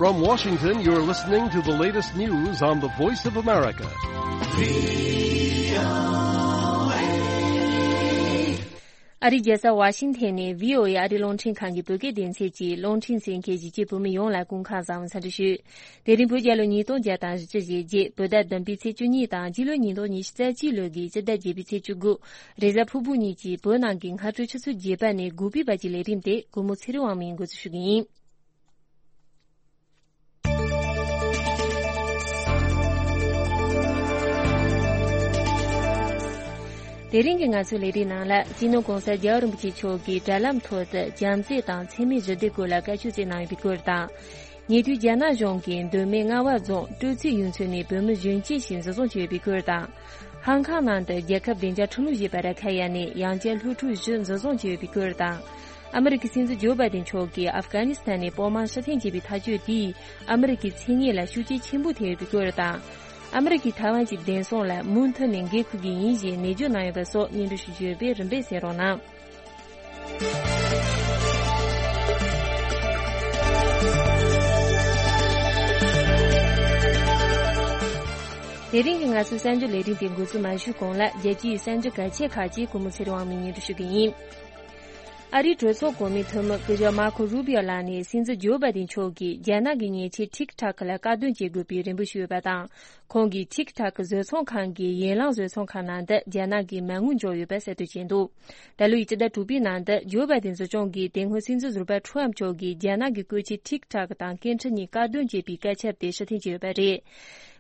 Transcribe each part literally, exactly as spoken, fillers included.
From Washington, you're listening to the latest news on the Voice of America. ཨ་རིའི་རྒྱལ་ས་ཝ་ཤིང་ཐན་ནས་བྷི་ཨོ་ཨེ་ཨ་རིའི་རླུང་འཕྲིན་ཁང་གི་བོད་སྐད་སྡེ་ཚན་གྱི་རླུང་འཕྲིན་གསན་མཁན་གཞིས་བྱེས་བོད་མི་ཡོངས་ལ་སྐུ་ཁམས་བཟང་བའི་འཚམས་འདྲི་ཞུ། དེ་རིང་བོད་རྒྱལ་ལོ་ཉིས་སྟོང་བརྒྱ་དང་བཞི་བཅུ་ཞེ་བརྒྱད། བོད་ཟླ་བདུན་པའི་ཚེས་བཅུ་གཉིས་དང་། སྤྱི་ལོ་ཉིས་སྟོང་ཉི་ཤུ་རྩ་གཅིག་ལོའི་སྤྱི་ཟླ་བརྒྱད་པའི་ཚེས་བཅུ་དགུ། རེས་གཟའ་ཕུར་བུ་ཉིན་གྱི་བོད་ནང་གི་སྔ་དྲོ་ཆུ་ཚོད་བརྒྱད་པ་ནས་དགུ་པའི་བར་གྱི་ལས་རིམ་དེ་སྒོ་མོ་ཚེ་རིང་དབང་མོས་འགོ་འཛུགས་ཞུ་གི་ཡིན། དེ་རིང་གི་ང་ཚོའི་ལས་རིམ་ནང་ལ། སྤྱི་ནོར་༸གོང་ས་༸རྒྱལ་བ་རིན་པོ་ཆེ་མཆོག་གིས་དྲ་ལམ་ཐོག་ཏུ་བྱམས་བརྩེ་དང་འཚེ་མེད་ཞི་བདེའི་སྐོར་ལ་བཀའ་ཆོས་སྩལ་གནང་ཡོད་པའི་སྐོར་དང་། ཉེ་དུས་རྒྱ་ནག་གཞུང་གིས་མདོ་སྨད་རྔ་བ་རྫོང་སྤྲོ་ཚིགས་གཡུ་མཚོ་ནས་བོད་མི་གཞོན་སྐྱེས་ཤིག་འཛིན་བཟུང་བྱས་ཡོད་པའི་སྐོར་དང་། ཧང་ཀང་ནང་དུ་རྒྱལ་ཁབ་བདེ་འཇགས་ཁྲིམས་ལུགས་ཞེས་པ་ར་ཁ་ཡ་ནས་ཡང་བསྐྱར་སློབ་ཕྲུག་བཞི་འཛིན་བཟུང་བྱས་ཡོད་པའི་སྐོར་དང་། ཨ་མི་རི་ཀའི་སྲིད་འཛིན་ཇོ་བྷའི་ཏིན་མཆོག་གིས་ཨབ་གྷ་ནི་སི་ཐན་ནས་དཔོན་དམག་ཕྱིར་འཐེན་བྱས་པའི་ཐག་གཅོད་དེས་ཨ་མི་རི་ཀའི་མཚན་སྙན་ལ་ཤུགས་རྐྱེན་ཆེན་པོ་ཐེབས་ཡོད་པའི་སྐོར་དང་། ཨ་མི་རི་ཀས་ཐའེ་ཝན་གྱི་བདེན་དཔང་ལ་མུ་མཐུད་ནས་འགན་འཁུར་གྱི་ཡིན་ཞེས་ནན་བརྗོད་གནང་ཡོད་པ་སོགས་སྙན་སྒྲོན་ཞུ་རྒྱུ་ཡོད་པས་རིམ་པས་གསན་རོགས་གནང་། དེ་རིང་གི་ང་ཚོའི་གསར་འགྱུར་ལས་རིམ་དེ་འགོ་འཛུགས་མ་ཞུས་གོང་ལ། རྒྱལ་སྤྱིའི་གསར་འགྱུར་གལ་ཆེ་ཁག་ཅིག་སྒོ་མོ་ཚེ་རིང་དབང་མོས་སྙན་སྒྲོན་ཞུ་གི་ཡིན། ཨ་རིའི་གྲོས་ཚོགས་གོང་མའི་འཐུས་མི་སྐུ་ཞབས་མར་ཁོ་རུ་བྷི་ཨོ་ལགས་ནས་སྲིད་འཛིན་ཇོ་བྷའི་ཏིན་མཆོག་གིས་རྒྱ་ནག་གི་མཉེན་ཆས་ཐིག་ཐག་ལ་བཀག་སྡོམ་བྱེད་དགོས་པའི་རེ་འབོད་ཞུས་ཡོད་པ་དང་། ཁོང་གིས་ཐིག་ཐག་གི་བཟོ་ཚོང་ཁང་གི་ཡན་ལག་བཟོ་ཚོང་ཁང་ནང་དུ་རྒྱ་ནག་གི་མ་དངུལ་འཇོག་ཡོད་པ་གསལ་སྟོན་བྱས་འདུག་ད་ལོའི་སྤྱི་ཟླ་དྲུག་པའི་ནང་དུ་ཇོ་བྷའི་ཏིན་སྲིད་སྐྱོང་གིས་དེ་སྔོན་སྲིད་འཛིན་ཟུར་པ་ཁྲོམ་མཆོག་གིས་རྒྱ་ནག་གི་བཀོལ་ཆས་ཐིག་ཐག་དང་སྐད་འཕྲིན་གཉིས་བཀག་སྡོམ་བྱས་པའི་བཀའ་ཁྱབ་དེ་ཕྱིར་འཐེན་བྱས་ཡོད་པ་རེད།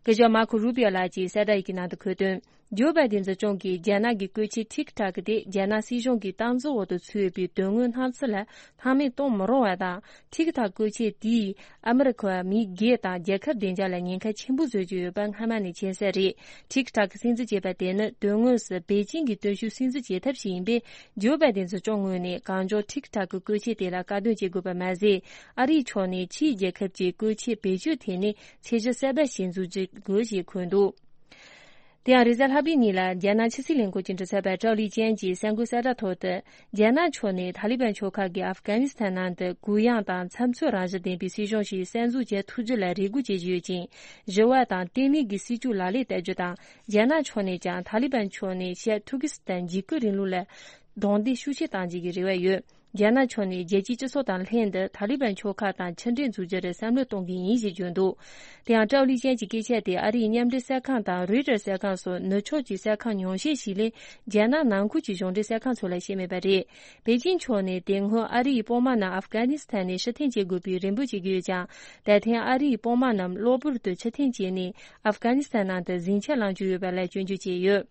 སྐུ་ཞབས་མར་ཁོ་རུ་བྷི་ཨོ་ལགས་ཀྱིས་གསལ་བསྒྲགས་ཡི་གེ་ནང་དུ་འཁོད་དོན། ཇོ་བྷའི་ཏིན་སྲིད་སྐྱོང་གིས་རྒྱ་ནག་གི་བཀོལ་ཆས་ཐིག་ཐག་དེ་རྒྱ་ནག་སྲིད་གཞུང་གི་སྟངས་འཛིན་འོག་ཏུ་ཚུད་ཡོད་པའི་དོན་དངོས་སྣང་ཚུལ་ལ་སྣང་མེད་གཏོང་མི་རུང་བ་དང་། ཐིག་ཐག་བཀོལ་ཆས་དེས་ཨ་མི་རི་ཀ་བ་མི་སྒེར་དང་རྒྱལ་ཁབ་བདེ་འཇགས་ལ་ཉེན་ཁ་ཆེན་པོ་བཟོ་གི་ཡོད་པ་སྔ་མ་ནས་མཁྱེན་གསལ་རེད། ཐིག་ཐག་གི་སྲིད་འཛིན་བྱས་པ་དེ་ནི་དོན་དངོས་སུ་པེ་ཅིང་གི་སྟོན་ཤུགས་སྲིད་འཛིན་བྱེད་ཐབས་ཤིག་ཡིན་པས། ཇོ་བྷའི་ཏིན་སྲིད་སྐྱོང་ངོས་ནས་གང་མགྱོགས་ཐིག་ཐག་གི་བཀོལ་ཆས་དེ་ལ་བཀག་སྡོམ་བྱེད་དགོས་པ་མ་ཟད། ཨ་རིའི་ཕྱོགས་ནས་ཕྱིའི་རྒྱལ་ཁབ་ཀྱི་བཀོལ་ཆས་བེད་སྤྱོད་ཐད་ནས་ཚད་གཞི་གསར་པ་ཞིག་འཛུགས་རྒྱུ་དགོས་ཞེས་འཁོད་འདུག་དེ་ཡང་རེས་གཟའ་ལྷག་པའི་ཉིན་ལ་རྒྱ་ནག་ཕྱི་སྲིད་ལས་ཁུངས་ཀྱི་མགྲིན་ཚབ་པ་ཀྲའོ་ལི་ཅན་གྱིས་གསར་འགོད་གསལ་བསྒྲགས་ཐོག་ཏུ། རྒྱ་ནག་ཕྱོགས་ནས་ཐ་ལི་བན་ཕྱོགས་ཁག་གིས་ཨབ་གྷ་ནི་སི་ཐན་ནང་དུ་གུ་ཡངས་དང་འཚབ་འཚུབ་རང་བཞིན་ལྡན་པའི་སྲིད་གཞུང་ཞིག་གསར་འཛུགས་བྱེད་ཐུབ་རྒྱུ་ལ་རེ་སྒུག་བྱེད་བཞིན་ཡོད་ཅིང་། ཞི་བ་དང་བརྟན་ལྷིང་གི་སྲིད་བྱུས་ལག་ལེན་བསྟར་རྒྱུ་དང་། རྒྱ་ནག་ཕྱོགས་ནས་ཀྱང་ཐ་ལི་བན་ཕྱོགས་ནས་ཤར་ཏུར་ཀི་སི་ཐན་འཇིགས་སྐུལ་རིང་ལུགས་ལ་རྡུང་རྡེག་ཤུགས་ཆེ་གཏང་རྒྱུ་གི་རེ་བ་ཡོད། རྒྱ་ནག་ཕྱོགས་ནས་རྒྱལ་སྤྱིའི་སྤྱི་ཚོགས་དང་ལྷན་དུ་ཐ་ལི་བན་ཕྱོགས་ཁག་དང་མཆུ་འགྲན་འཛུགས་རྒྱུར་བསམ་བློ་གཏོང་གི་ཡིན་ཞེས་བརྗོད་འདུག་དེ་ཡང་ཀྲའོ་ལི་ཅན་གྱི་སྐད་ཆ་དེ་ཨ་རིའི་མཉམ་འབྲེལ་གསར་ཁང་དང་རོའི་ཊར་གསར་ཁང་སོགས་ནུབ་ཕྱོགས་ཀྱི་གསར་ཁང་ཉུང་ཤས་ཤིག་ལས། རྒྱ་ནག་ནང་ཁུལ་གྱི་གཞུང་འབྲེལ་གསར་ཁང་ཚོ་ལ་བཤད་མེད་པ་རེད། པེ་ཅིང་ཕྱོགས་ནས་དེ་སྔོན་ཨ་རིའི་དཔོན་དམག་རྣམས་ཨབ་གྷ་ནི་སི་ཐན་ནས་ཕྱིར་འཐེན་བྱེད་དགོས་པའི་རེ་འབོད་བྱེད་ཀྱི་ཡོད་ཀྱང་། ད་ཐེངས་ཨ་རིའི་དཔོན་དམག་རྣམས་གློ་བུར་དུ་ཕྱིར་འཐེན་བྱས་ནས་ཨབ་གྷ་ནི་སི་ཐན་ནང་དུ་ཟིང་ཆ་ལངས་རྒྱུ་ཡོད་པ་ལ་སྐྱོན་བརྗོད་བྱས་ཡོད།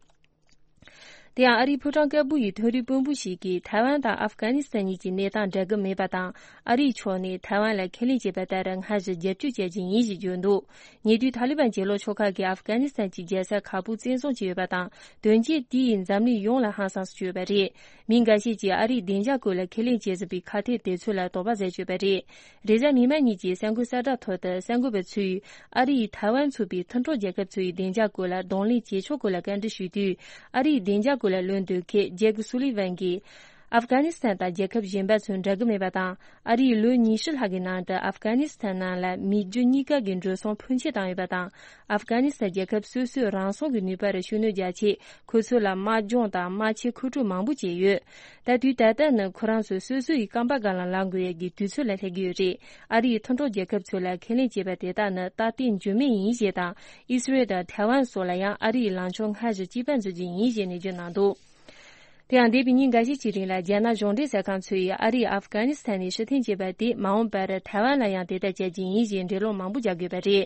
དེ་ཡང་ཨ་རིའི་ཕོ་བྲང་དཀར་པོ་ཡི་མཐོ་རིམ་དཔོན་པོ་ཞིག་གིས་ཐའེ་ཝན་དང་ཨབ་གྷ་ནི་སི་ཐན་གཉིས་ཀྱི་གནས་སྟངས་འདྲ་གི་མེད་པ་དང་། ཨ་རིའི་ཕྱོགས་ནས་ཐའེ་ཝན་ལ་ཁས་ལེན་བྱས་པ་ལྟར་སྔར་བཞིན་རྒྱབ་སྐྱོར་བྱ་རྒྱུ་ཡིན་ཞེས་བརྗོད་འདུག་ཉེ་དུས་ཐ་ལི་བན་གྱེན་ལོག་ཕྱོགས་ཁག་གིས་ཨབ་གྷ་ནི་སི་ཐན་གྱི་རྒྱལ་ས་ཁ་པུར་བཙན་བཟུང་བྱས་ཡོད་པ་དང་། དོན་རྐྱེན་དེས་འཛམ་གླིང་ཡོངས་ལ་ཧང་སངས་སུ་གྱུར་ཡོད་པ་རེད། མི་འགའ་ཤས་ཀྱིས་ཨ་རིའི་བདེ་འཇགས་སྐོར་ལ་ཁས་ལེན་བྱེད་བཞིན་པའི་ཁ་གཏད་དེ་ཚོ་ལ་དོགས་པ་ཟ་བཅུག་པ་རེད། རེས་གཟའ་མིག་དམར་ཉིན་གྱི་གསར་འགོད་གསལ་བསྒྲགས་ཐོག་ཏུ་གསར་འགོད་པ་ཚོས་ཨ་རིས་ཐའེ་ཝན་ཚུད་པའི་མཐུན་གྲོགས་རྒྱལ་ཁབ་ཚོ་ཡི་བདེ་འཇགས་སྐོར་ལ་གདོང་ལེན་བྱེད་ཕྱོགས་སྐོར་ལ་བཀའ་འདྲི་ཞུས་དུས། ཨ་རིའི་བདེ་འཇགས་སྐོར་ལ་བློ་འདོན་མཁན་ཇེག་སུ་ལི་ཝན་གྱིས། ཨབ་གྷ་ནི་སི་ཐན་དང་རྒྱལ་ཁབ་གཞན་པ་ཚོ་འདྲ་གི་མེད་པ་དང་། ཨ་རིས་ལོ་ཉི་ཤུ་ལྷག་གི་ནང་དུ་ཨབ་གྷ་ནི་སི་ཐན་ནང་ལ་མི་རྒྱུ་གཉིས་ཀ་གི་འགྲོ་སོང་ཕོན་ཆེ་བཏང་ཡོད་པ་དང་། ཨབ་གྷ་ནི་སི་ཐན་རྒྱལ་ཁབ་སོ་སོའི་རང་སྲུང་གི་ནུས་པར་ཤུགས་སྣོན་རྒྱག་ཆེད། ཁོ་ཚོ་ལ་དམག་སྦྱོང་དང་དམག་ཆས་མཁོ་སྤྲོད་མང་པོ་བྱས་ཡོད། ད་དུས་ད་ལྟ་ནི་ཁོ་རང་ཚོ་སོ་སོ་ཡི་རྐང་པ་སྒང་ལ་ལངས་དགོས་ཡས་ཀྱི་དུས་ཚོད་ལ་སླེབས་ཀྱི་ཡོད་རེད། ཨ་རིའི་མཐུན་གྲོགས་རྒྱལ་ཁབ་ཚོ་ལ་ཁས་ལེན་བྱས་པ་དེ་དག་ནི་རྟག་བརྟན་འགྱུར་མེད་ཡིན་ཞེས་དང་། ཨི་སི་རེལ་དང་ཐའེ་ཝན་སོགས་ལ་ཡང་ཨ་རིའི་ལངས་ཕྱོགས་སྔར་བཞིན་གཅིག་པ་འཛིན་རྒྱུ་ཡིན་ཞེས་ནན་བརྗོད་གནང་འདུག་དེ་ཡང་འདས་པའི་ཉིན་འགའ་ཤས་ཀྱི་རིང་ལ་རྒྱ་ནག་གཞུང་འབྲེལ་གསར་ཁང་ཚོས་ཨ་རིས་ཨབ་གྷ་ནི་སི་ཐན་ནས་ཕྱིར་འཐེན་བྱས་པ་དེ་མ་འོངས་པར་ཐའེ་ཝན་ལ་ཡང་དེ་ལྟར་བྱ་རྒྱུ་ཡིན་ཞེས་འགྲེལ་བརྗོད་མང་པོ་རྒྱག་དགོས་པ་རེད།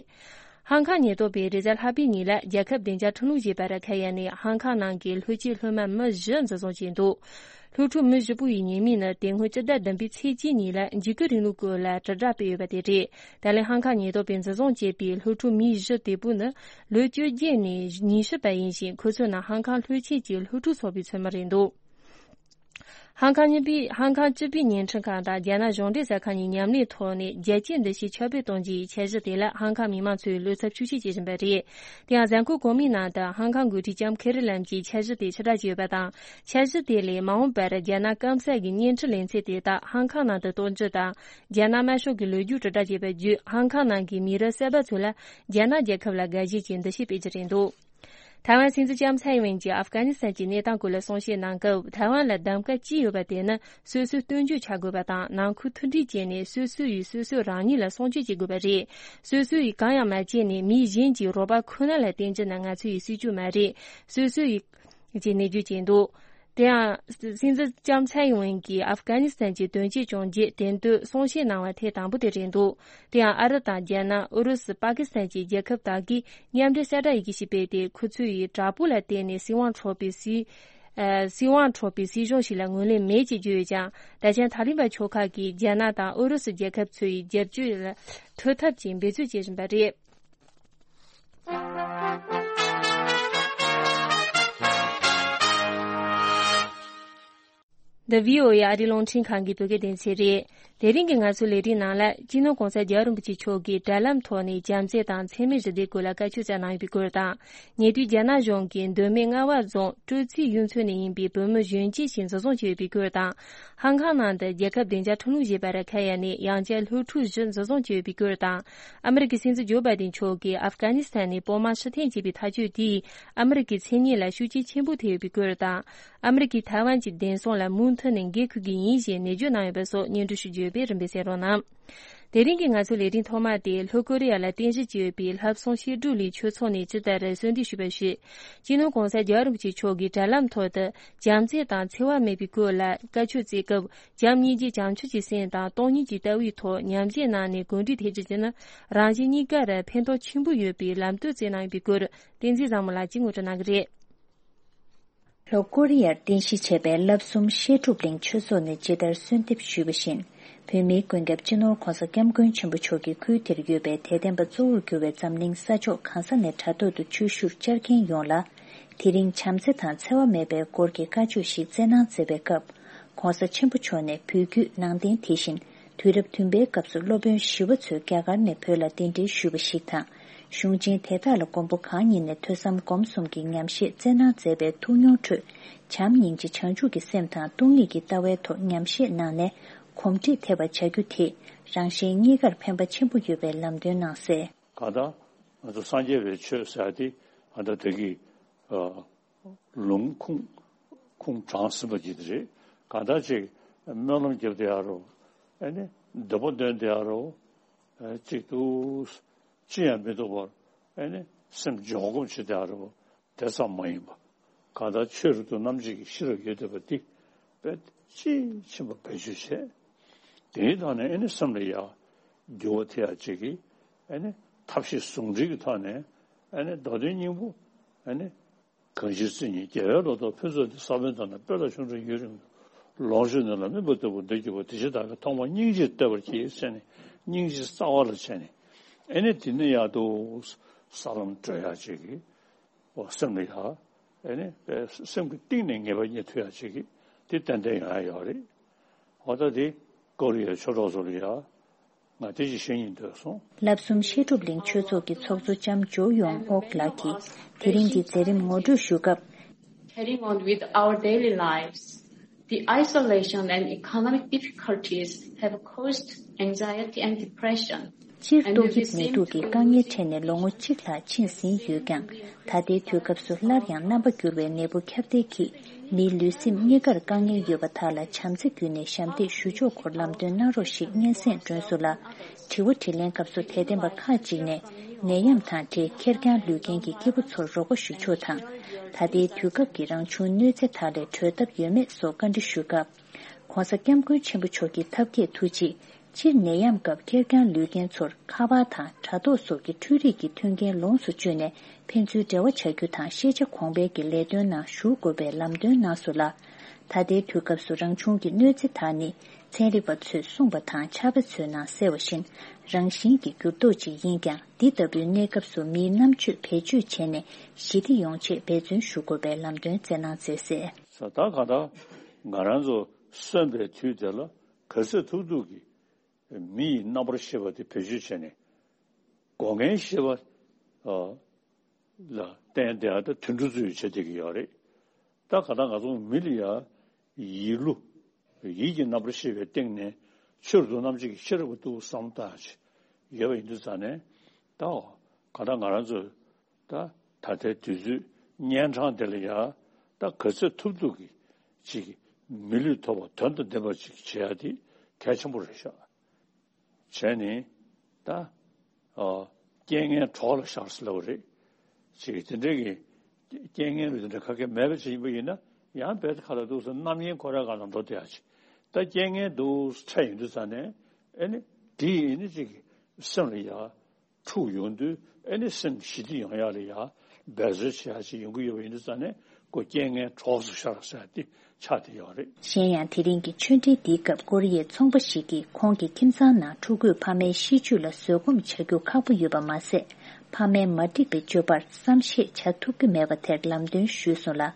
ཧང་ཀང་ཉེན་རྟོག་པས་རེས་གཟའ་ལྷག་པའི་ཉིན་ལ་རྒྱལ་ཁབ་བདེ་འཇགས་ཁྲིམས་ལུགས་ཞེས་པ་ར་ཁ་ཡ་ནས་ཧང་ཀང་ནང་གི་སློབ་ཆེན་སློབ་མ་མི་བཞི་འཛིན་བཟུང་བྱས་འདུག་སློབ་ཕྲུག་མི་བཞི་པོ་ཡི་ཉེས་མིང་ནི་དེ་སྔོན་སྤྱི་ཟླ་བདུན་པའི་ཚེས་གཅིག་ཉིན་ལ་འཇིགས་སྐུལ་རིང་ལུགས་སྐོར་ལ་དྲིལ་བསྒྲགས་སྤེལ་ཡོད་པ་དེ་རེད། ད་ལན་ཧང་ཀང་ཉེན་རྟོག་པས་འཛིན་བཟུང་བྱས་པའི་སློབ་ཕྲུག་མི་བཞི་དེ་པོ་ནི་ལོ་བཅོ་བརྒྱད་ནས་ཉི་ཤུ་བར་ཡིན་ཞིང་། ཁོ་ཚོ་ནི་ཧང་ཀང་སློབ་ཆེན་གྱི་སློབ་ཕྲུག་ཚོགས་པའི་ཚོགས་མི་རེད་འདུག་ཧང་ཀང་གཉིས་པའི་ཧང་ཀང་སྤྱི་པའི་བརྙན་འཕྲིན་ཁང་དང་རྒྱ་ནག་གཞུང་འབྲེལ་གསར་ཁང་གཉིས་མཉམ་ལས་ཐོག་ནས་རྒྱལ་སྤྱིའི་འདུ་ཤེས་ཁྱབ་སྤེལ་གཏོང་རྒྱུའི་འཆར་གཞི་དེ་ལ་ཧང་ཀང་མི་མང་ཚོས་བློ་འཚབ་ཤུགས་ཆེ་བྱེད་བཞིན་པ་རེད། དེ་ཡང་གཟའ་འཁོར་གོང་མའི་ནང་དུ་ཧང་ཀང་འགོ་ཁྲིད་ལྕམ་ཁེ་རི་ལམ་གྱིས་འཆར་གཞི་དེ་ཕྱིར་བསྒྲགས་བྱས་ཡོད་པ་དང་། འཆར་གཞི་དེ་ལས་མ་འོངས་པར་རྒྱ་ནག་སྐམ་ས་གི་བརྙན་འཕྲིན་ལེ་ཚན་དེ་དག་ཧང་ཀང་ནང་དུ་གཏོང་རྒྱུ་དང་། རྒྱ་ནག་དམར་ཤོག་གི་ལོ་རྒྱུས་དྲིལ་བསྒྲགས་བྱས་པ་བརྒྱུད་ཧང་ཀང་ནང་གི་མི་རབས་གསར་པ་ཚོ་ལ་རྒྱ་ནག་རྒྱལ་ཁབ་ལ་དགའ་ཞེན་གྱི་འདུ་ཤེས་སྤེལ་རྒྱུ་རེད་འདུག་ཐའེ་ཝན་སྲིད་འཛིན་ལྕམ་ཚའེ་ཝེན་གྱིས་ཨབ་གྷ་ནི་སི་ཐན་གྱི་གནས་སྟངས་སྐོར་ལ་གསུང་བཤད་གནང་སྐབས། ཐའེ་ཝན་ལ་གདམ་ག་ཅི་ཡོད་པ་དེ་ནི་སོ་སོས་སྟོན་རྒྱུ་བྱ་དགོས་པ་དང་། ནང་ཁུལ་མཐུན་སྒྲིལ་བྱས་ནས་སོ་སོ་ཡིས་སོ་སོ་རང་ཉིད་ལ་སྲུང་སྐྱོབ་བྱེད་དགོས་པ་རེད། སོ་སོ་ཡིས་གང་ཡང་མ་བྱས་ནས་མི་གཞན་གྱི་རོགས་པ་ཁོ་ན་ལ་བརྟེན་རྒྱུ་ནི་ང་ཚོ་ཡི་སྲིད་ཇུས་མ་རེད། སོ་སོ་ཡིས་ཀྱི་གནས་བརྗོད་བྱས་འདུག་དེ་ཡང་སྲིད་འཛིན་ལྕམ་ཚའེ་ཝེན་གྱིས་ཨབ་གྷ་ནི་སི་ཐན་གྱི་དོན་རྐྱེན་བྱུང་རྗེས་དེ་དུས་གསུང་བཤད་གནང་བ་ཐེངས་དང་པོ་དེ་རེད་འདུག་དེ་ཡང་ཨ་རི་དང་རྒྱ་ནག་ཨུ་རུ་སུ། པ་ཀི་སི་ཐན་བཅས་རྒྱལ་ཁབ་དག་གིས་མཉམ་འབྲེལ་གསལ་བསྒྲགས་ཡི་གེ་ཞིག་སྤེལ་ཏེ། ཁོ་ཚོས་ཡི་དྲག་པོ་ལ་བརྟེན་ནས་སྲིད་དབང་འཕྲོག་པའི་སྲིད། ཨ། སྲིད་དབང་འཕྲོག་པའི་སྲིད་གཞུང་ཞིག་ལ་ངོས་ལེན་མེད་ཅེས་བརྗོད་ཡོད་ཀྱང་། ད་ཆ་ཐ་ལི་བན་ཕྱོགས་ཁག་གིས་རྒྱ་ནག་དང་ཨུ་རུ་སུ་རྒྱལ་ཁབ་ཚོའི་རྒྱབ་སྐྱོར་ལ་ཐུག་ཐབས་ཀྱི་འབད་རྩོལ་བྱེད་བཞིན་པ་རེད། འདི་བྷི་ཨོ་ཨེ་ཨ་རིའི་རླུང་འཕྲིན་ཁང་གི་བོད་སྐད་སྡེ་ཚན་རེད། དེ་རིང་གི་ང་ཚོའི་ལས་རིམ་ནང་ལ། སྤྱི་ནོར་གོང་ས་རྒྱལ་བ་རིན་པོ་ཆེ་མཆོག་གིས་དྲ་ལམ་ཐོག་ནས་བྱམས་བརྩེ་དང་འཚེ་མེད་རི་དྭགས་སྐོར་ལ་བཀའ་ཆོས་སྩལ་གནང་ཡོད་པའི་སྐོར་དང་། ཉེ་དུས་རྒྱ་ནག་གཞུང་གིས་མདོ་སྨད་རྔ་བ་རྫོང་སྤྲོ་ཚིགས་གཡུ་མཚོ་ནས་ཡིན་པའི་བོད་མི་གཞོན་སྐྱེས་ཤིག་འཛིན་བཟུང་བྱས་ཡོད་པའི་སྐོར་དང་། ཧང་ཀང་ནང་དུ་རྒྱལ་ཁབ་བདེ་འཇགས་ཁྲིམས་ལུགས་ཞེས་པར་ཁ་གཡར་ནས་ཡང་བསྐྱར་སློབ་ཕྲུག་བཞི་འཛིན་བཟུང་བྱས་ཡོད་པའི་སྐོར་དང་། ཨ་མི་རི་ཀའི་སྲིད་འཛིན་ཇོ་བྷའི་ཏིན་མཆོག་གིས་ཨབ་གྷ་ནི་སི་ཐན་ནས་བོད་དམག་ཕྱིར་འཐེན་བྱས་པའི་ཐག་གཅོད་དེས་ཨ་མི་རི་ཀའི་མཚན་སྙན་ལ་ཤུགས་རྐྱེན་ཆེན་པོ་ཐེབས་ཡོད་པའི་སྐོར་དང་། ཨ་མི་རི་ཀས་ཐའེ་ཝན་གྱི་བདེན་སྲུང་ལ་མུ་མཐུད་ནས་འགན་འཁུར་གྱི་ཡིན་ཞེས་ནན་བརྗོད་གནང་ཡོད་པ་སོགས་སྙན་སྒྲོན་ཞུ་རྒྱུ་ཡོད་པས་རིམ་པས་གསན་རོགས་གནང་། དེ་རིང་གི་ང་ཚོའི་ལས་རིམ་ཐོག་མ་དེ་ལྷོ་ཀོ་རི་ཡ་ལ་རྟེན་གཞི་བྱས་ཡོད་པའི་ལྷ་བསངས་བཤད་སྒྲུབ་གླིང་ཆོས་ཚོགས་ནས་ཇི་ལྟར་གསོལ་འདེབས་ཞུས་པ་ཞུས། སྤྱི་ནོར་གོང་ས་རྒྱལ་བ་རིན་པོ་ཆེ་མཆོག་གིས་དྲ་ལམ་ཐོག་ཏུ་བྱམས་བརྩེ་དང་འཚེ་བ་མེད་པའི་སྐོར་ལ་བཀའ་ཆོས་སྩལ་སྐབས། བྱམས་སྙིང་རྗེ་བྱང་ཆུབ་ཀྱི་སེམས་དང་སྟོང་ཉིད་ཀྱི་ལྟ་བའི་ཐོག་ཉམས་བཞེས་གནང་ནས་གུས་འདུད་ཐེབས་རྒྱུ་དེ་ནི་རང་གཞན་གཉིས་ཀར་ཕན་ཐོགས་ཆེན་པོ་ཡོད་པའི་ལམ་སྟོན་སྩལ་གནང་ཡོད་པའི་སྐོར། བསྟན་འཛིན་བཟང་མོ་ལགས་ཀྱིས་ངོ་སྤྲོད་གནང་གི་རེད། ལྷོ་ཀོ་རི་ཡར་རྟེན་གཞི་བྱས་པའི་བསླབ་གསུམ་བཤད་སྒྲུབ་གླིང་ཆོས་ཚོགས་ནས་ཇི་ལྟར་གསོལ་འདེབས་ཞུས་པ་བཞིན། བོད་མིའི་མགོན་སྐྱབས་སྤྱི་ནོར་༧གོང་ས་༧སྐྱབས་མགོན་ཆེན་པོ་མཆོག་གིས་ཁུལ་དེར་ཡོད་པའི་དད་ལྡན་པ་གཙོ་བོར་གྱུར་བའི་འཛམ་གླིང་ས་ཕྱོགས་གང་ས་ནས་དྲ་ཐོག་ཏུ་ཆོས་ཞུར་བཅར་མཁན་ཡོངས་ལ། དེ་རིང་བྱམས་བརྩེ་དང་འཚེ་བ་མེད་པའི་སྐོར་གྱི་བཀའ་ཆོས་ཤིག་སྩལ་གནང་མཛད་པའི་སྐབས། ༸གོང་ས་ཆེན་པོ་མཆོག་ནས་བོད་བརྒྱུད་ནང་བསྟན། དེ་བཞིན་དུས་རབས་བདུན་པའི་སྐབས་སུ་སློབ་དཔོན་ཞི་བ་འཚོས་རྒྱ་གར་ནས་བོད་ལ་གདན་འདྲེན་ཞུས་པ་ཞིག་དང་། གཞུང་ཆེན་དེ་དག་ལ་མགོན་པོ་གང་ཉིད་ནས་ཐོས་བསམ་སྒོམ་གསུམ་གྱི་ཉམས་བཞེས་སྩལ་གནང་མཛད་པའི་ཐུགས་མྱོང་ཁྲོད། བྱམས་སྙིང་རྗེ་བྱང་ཆུབ་ཀྱི་སེམས་དང་སྟོང་ཉིད་ཀྱི་ལྟ་བའི་ཐོག་ཉམས་བཞེས་གནང་ནས་གོམས་འདྲིས་ཐེབས་པར་བྱ་རྒྱུ་དེས་རང་གཞན་གཉིས་ཀར་ཕན་པ་ཆེན་པོ་ཡོད་པའི་ལམ་སྟོན་གནང་གསལ། གང་ལྟར་ང་ཚོ་སངས་རྒྱས་པའི་ཆོས་ཟེར་ཡ་དེ་ཨ་ད་དེ་གི་ཨ། ལུང་ཁུངས་ཁུངས་དྲངས་ཟིན་པ་ཅིག་རེད། གང་ལྟར་ཅིག་སྨོན་ལམ་རྒྱབ་བསྡད་ཡ་རོ། ཨེ་ནི་འདོད་པ་འདོན་བསྡད་ཡ་རོ། ཨེ་གཅིག་ཏུ་ཅི་ཡང་མི་འདུག་པར་ཨེ་ནི་སེམས་འཇོག་སྒོམ་བྱེད་བསྡད་ཡ་རོ། དེ་ཙམ་མ་ཡིན་པ། གང་ལྟར་ཆོས་རབ་ཏུ་རྣམ་འབྱེད་ཀྱི་ཤེས་རབ་ཡོད་བསྡད་པ་འདི་དཔེ་དཔྱིས་ཕྱིན་པ་བེད་སྤྱོད་བྱས། དེའི་ཐོག་ནས་ཨེ་ནི་སེམས་ལ་ཡ་འགྱུར་བ་ཐེབས་ཡ་ཅིག་གིས་ཨེ་ནི་ཐབས་ཤེས་ཟུང་འབྲེལ་གྱི་ཐོག་ནས་ཨེ་ནི་མདོ་དོན་སྙིང་པོ་ཨེ་ནི། གང་ཞིག་སྲིད་ཉིད་རྒྱལ་བའི་ལོ་ཏོག་ཕུན་ཚོགས་འདི། ས་བོན་དང་ནི་སྤོས་ལ་ཆུ་འདྲ་ཡུན་རིང་། ལོངས་སྤྱོད་ནི་ལ་སྨིན་པ་ལྟ་བུ་འདི་རྒྱུ་བ། དེ་ཕྱིར་བདག་གིས་ཐོག་མར་སྙིང་རྗེ་བསྟོད་པར་བགྱི་ཟེར་ནས་སྙིང་རྗེ་རྩ་བ་ལ་བྱས་ནས་ཨེ་ནི་དེ་ནི་ཡག་ཏུ་ས་ལམ་བགྲོད་ཡག་ཅིག་གི་འོ་སེམས་ལ་ཡག་ཨེ་ནི་སེམས་ཀྱི་གཏིང་ནས་ངེས་པ་རྙེད་ཐུབ་ཡག་ཅིག་གི་དེ་ཏན་ཏན་ཡོང་ཡག་ཡོད་རེད། འོ་ད་དེ་ཀོ་རི་ཡའི་ཆོས་གྲོགས་ཚོ་ལ་ཡག་ང་དེ་ཅིག་བཤད་སྙིང་འདོད་སོང་། བསླབ་གསུམ་བཤད་སྒྲུབ་གླིང་ཆོས་ཚོགས་ཀྱི་ཚོགས་གཙོ་ལྕམ་ཇོ་ཡོང་ཨོག་ལགས་ཀྱིས་དེ་རིང་གི་མཛད་རིམ་ངོ་སྤྲོད་ཞུ་སྐབས། Carrying on with our daily lives, the isolation and economic difficulties have caused anxiety and depression. སྤྱིར་ཏོག་དབྱིབས་ནད་དུག་གི་དཀའ་ངལ་འཕྲད་ནས་ལོ་ངོ་གཅིག་ལྷག་ཕྱིན་ཟིན་ཡོད་ཀྱང་། ད་ལྟའི་དུས་སྐབས་སུ་སླར་ཡང་རྣམ་པ་འགྱུར་བའི་ནད་འབུ་ཁྱབ་གདལ་གྱིས་མིའི་ལུས་སེམས་གཉིས་ཀར་དཀའ་ངལ་ཡོད་པ་དག་ལ་བྱམས་བརྩེ་བརྒྱུད་ནས་ཞབས་འདེགས་ཞུ་ཕྱོགས་སྐོར་ལམ་སྟོན་གནང་རོགས་ཞེས་སྙན་སེང་སྒྲོན་སོང་ལ། དྲི་བ་དྲིས་ལན་སྐབས་སུ་དད་ལྡན་པ་ཁག་ཅིག་ནས་ནད་ཡམས་དང་འབྲེལ་ཁེར་རྐྱང་ལུས་རྐྱེན་གྱི་སྐྱེས་བུ་ཚོར་རོགས་པ་ཞུ་ཕྱོགས་དང་། ད་ལྟའི་དུས་སྐབས་ཀྱི་རང་བྱུང་གནོད་འཚེ་དག་ལས་གྲོལ་ཐབས་ཡོད་མེད་སོགས་བཀའ་འདྲི་ཞུས་སྐབས། ༸གོང་ས་༸སྐྱབས་མགོན་ཆེན་པོ་མཆོག་གི་ཐབས་མཁས་ཐུགས་རྗེས། སྤྱིར་ནད་ཡམས་སྐབས་ཁེར་རྐྱང་ལུས་རྐྱེན་ཚོར་ཁ་པར་དང་དྲ་ཐོག་སོགས་ཀྱི་འཕྲུལ་རིག་གི་མཐུན་རྐྱེན་ལོངས་སུ་སྤྱོད་ནས་ཕན་ཚུན་འབྲེལ་བ་བྱ་རྒྱུ་དང་ཤེས་བྱ་གོང་འཕེལ་གྱི་ལས་དོན་ནང་ཞུགས་དགོས་པའི་ལམ་སྟོན་གནང་སོང་ལ། ད་ལྟའི་དུས་སྐབས་སུ་རང་བྱུང་གི་གནོད་འཚེ་དག་ནི་ཚན་རིག་པ་ཚོས་གསུངས་པ་དང་ཕྱག་དཔེ་ཚོའི་ནང་གསལ་བ་བཞིན་རང་བཞིན་གྱི་འགྱུར་ལྡོག་ཅིག་ཡིན་ཀྱང་། འདི་ལྟ་བུའི་གནས་སྐབས་སུ་མིའི་རྣམ་དཔྱོད་བེད་སྤྱོད་བྱས་ནས་ཞི་བདེ་ཡོང་ཆེད་འབད་བརྩོན་ཞུ་དགོས་པའི་ལམ་སྟོན་སྩལ་གནང་མཛད་གསལ། ད་ག་ད་ང་རང་ཚོ་ གསོན་པའི་དུས་དེ་ལ་ག་ཚོད་ཐུབ་ཐུབ་ཀྱིས་མི་ཡི་རྣམ་པར་ཤེས་པ་དེ་བེད་སྤྱོད་བྱས་ནས་སྒོ་ལྔའི་ཤེས་པ་ལ་བརྟེན་བསྡད་ཡ་ད་དུད་འགྲོ་ཚོས་བྱེད་བསྡད་ཀྱི་ཡོད་རེད། ད་ག་ད་ང་ཚོ་མི་ལ་ཡ་ཡིད་བློ། ཡིད་ཀྱི་རྣམ་པར་ཤེས་པའི་སྟེང་ནས་ཆོས་རྡོ་རྣམ་འབྱེད་ཀྱི་ཤེས་རབ་ཏུ་བསམ་བཏང་ཡ་ཡོད་པ་ཡིན་དུས་ཙང་ནས་ད་ག་ད་ང་རང་ཚོ་ད་ད་ལྟའི་དུས་ཚོད་གཉན་འཕྲང་དེ་ལ་ཡ་ད་ག་ཚོད་ཐུབ་ཐུབ་ཀྱིས་ཅིག་མི་ལུས་ཐོབ་པ་དོན་དང་ལྡན་པ་ཅིག་བྱེད་ཡ་དེ་གལ་ཆེན་པོ་རེད་ཤག་བྱས་ནས་ད། ཨ། རྐྱེན་ངན་གྲོགས་ལ་ཤར་ཟེར་ལབ་པ་རེད། ཅིག་དེ་འདྲའི་གི་རྐྱེན་ངན་རེ་དེ་འདྲ་ག་གེ་མེད་པ་ཅིག་ཡིན་པ་ཡིན་ན་ཡང་རྦད་དེ་ཁ་ལ་འདུག་སེ་རྣམ་གཡེང་ཁོ་རའི་སྒང་ལ་འགྲོ་བསྡད་ཡ་ཅིག་ད་རྐྱེན་ངན་འདུག་སེ་འཕྲད་ཡོང་དུས་ཙང་ནས་ཨེ་ནི་དེ་ཡིན་ནི་ཅིག་སེམས་ལ་ཡ་འཁྲུག་ཡོང་དུས་ཨེ་ནི་སེམས་ཞི་བདེ་ཡོང་ཡ་ལ་ཡ་འབད་རྩོལ་བྱེད་ཡ་ཅིག་ཡོང་གི་ཡོད་པ་ཡིན་དུས་ཙང་ནས་ཁོ་རྐྱེན་ངན་གྲོགས་སུ་ཤར་ཟེར་ཡ་དེ་ཆགས་བསྡད་ཡོད་རེད། གཞན་ཡང་དེ་རིང་གི་ཆོས་འབྲེལ་འདིའི་སྐབས་ཀོ་རི་ཡའི་ཚོང་པ་ཞིག་གིས་ཁོང་གི་ཁྱིམ་ཚང་ནང་ཕྲུ་གུས་ཕ་མའི་ཤི་བཅོས་ལ་བཟོད་སྒོམ་བྱ་རྒྱུ་ཁག་པོ་ཡོད་པ་མ་ཟད། ཕ་མའི་མ་འགྲིག་པའི་སྤྱོད་པར་བསམ་ཤེས་བྱ་ཐུབ་ཀྱི་མེད་པ་དེར་ལམ་སྟོན་ཞུས་སོང་ལ།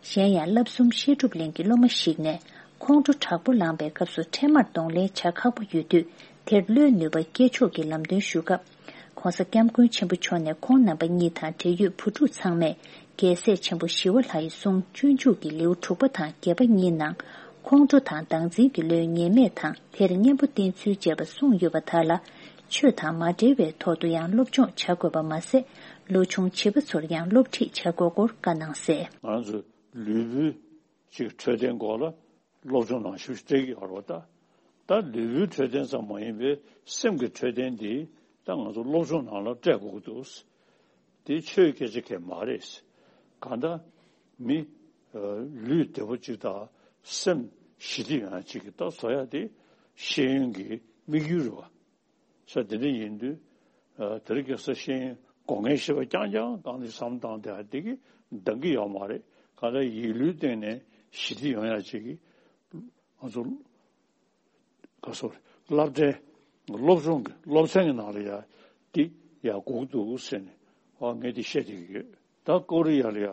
གཞན་ཡང་བསླབ་གསུམ་བཤད་སྒྲུབ་གླིང་གི་སློབ་མ་ཞིག་ནས་ཁོང་ཁྲོ་དྲག་པོ་ལངས་པའི་སྐབས་སུ་འཕྲལ་མར་གདོང་ལེན་བྱ་ཁག་པོ་ཡོད་དུས། དེར་བློའི་ནུས་པ་སྐྱེ་ཕྱོགས་ཀྱི་ལམ་སྟོན་ཞུ་སྐབས། ༸གོང་ས་༸སྐྱབས་མགོན་ཆེན་པོ་མཆོག་ནས་ཁོང་རྣམ་པ་གཉིས་དང་འབྲེལ་ཡོད་བུ་ཕྲུག་ཚང་མས་རྒྱལ་སྲས་ཆེན་པོ་ཞི་བ་ལྷ་ཡི་གསུང་སྤྱོད་འཇུག་གི་ལེའུ་དྲུག་པ་དང་བརྒྱད་པ་གཉིས་ནང་ཁོང་ཁྲོ་དང་བདག་འཛིན་གྱི་བློའི་ཉེས་དམིགས་དང་དེར་གཉེན་པོ་བསྟེན་ཚུལ་བཅས་པ་གསུངས་ཡོད་པ་དག་ལ། ཆོས་དང་མ་འབྲེལ་བའི་ཐོག་ཏུ་ཡང་སློབ་སྦྱོང་བྱ་དགོས་པ་མ་ཟད། ལོ་ཆུང་བྱིས་པ་ཚོར་ཡང་སློབ་ཁྲིད་བྱ་དགོས་སྐོར་བཀའ་གནང་གསལ། ང་ཚོ་ལུས་པོའི་ཅིག་འཕྲོད་བསྟེན་སྐོར་ལ། སློབ་སྦྱོང་ནང་ཞུགས་སྤྲད་ཀྱི་ཡོད་རེད་པ། ད་ད་ལུས་པོའི་འཕྲོད་བསྟེན་ཙམ་མ་ཡིན་པའི་སེམས་ཀྱི་འཕྲོད་བསྟེན་འདི་ད་ང་ཚོ་སློབ་སྦྱོང་ནང་ལ་སྤྲད་དགོས་ཀྱི་འདུག་དེ་ཆོས་སྐད་ཆ་གང་མ་རེད། གང་ལྟར་མི་ལུས་བདེ་པོ་གཅིག་དང་སེམས་ཞི་བདེ་ཡོང་ཡ་གཅིག་གི་ད་བཟོ་ཡ་དེ་ཤེས་ཡོན་གྱི་དམིགས་ཡུལ་རེད་པ། ས་དེ་འདྲ་ཡིན་དུས། དེ་རིང་ཁ་སང་ཤེས་ཡོན་སྒོ་ལྔའི་ཤེས་པ་རྐྱང་རྐྱང་གང་ལ་བསམ་བཏང་བསྡད་དེ་གི་འདང་གི་ཡོད་མ་རེད། གང་ལྟར་ཡིད་བློའི་སྟེང་ནས་ཞི་བདེ་ཡོང་ཡ་ཅིག་གི་ང་ཚོ་ག་སོ་སློབ་གྲྭའི་སློབ་སྦྱོང་གི་སློབ་ཚན་གྱི་ནང་ལ་ཡ་དེ་ཡ་དགོས་ཀྱི་འདུག་ཟེར་ནས་ཨ་ངས་དེ་བཤད་བསྡད་ཀྱི་ཡོད། ད་ཀོ་རི་ཡ་ལ་ཡ་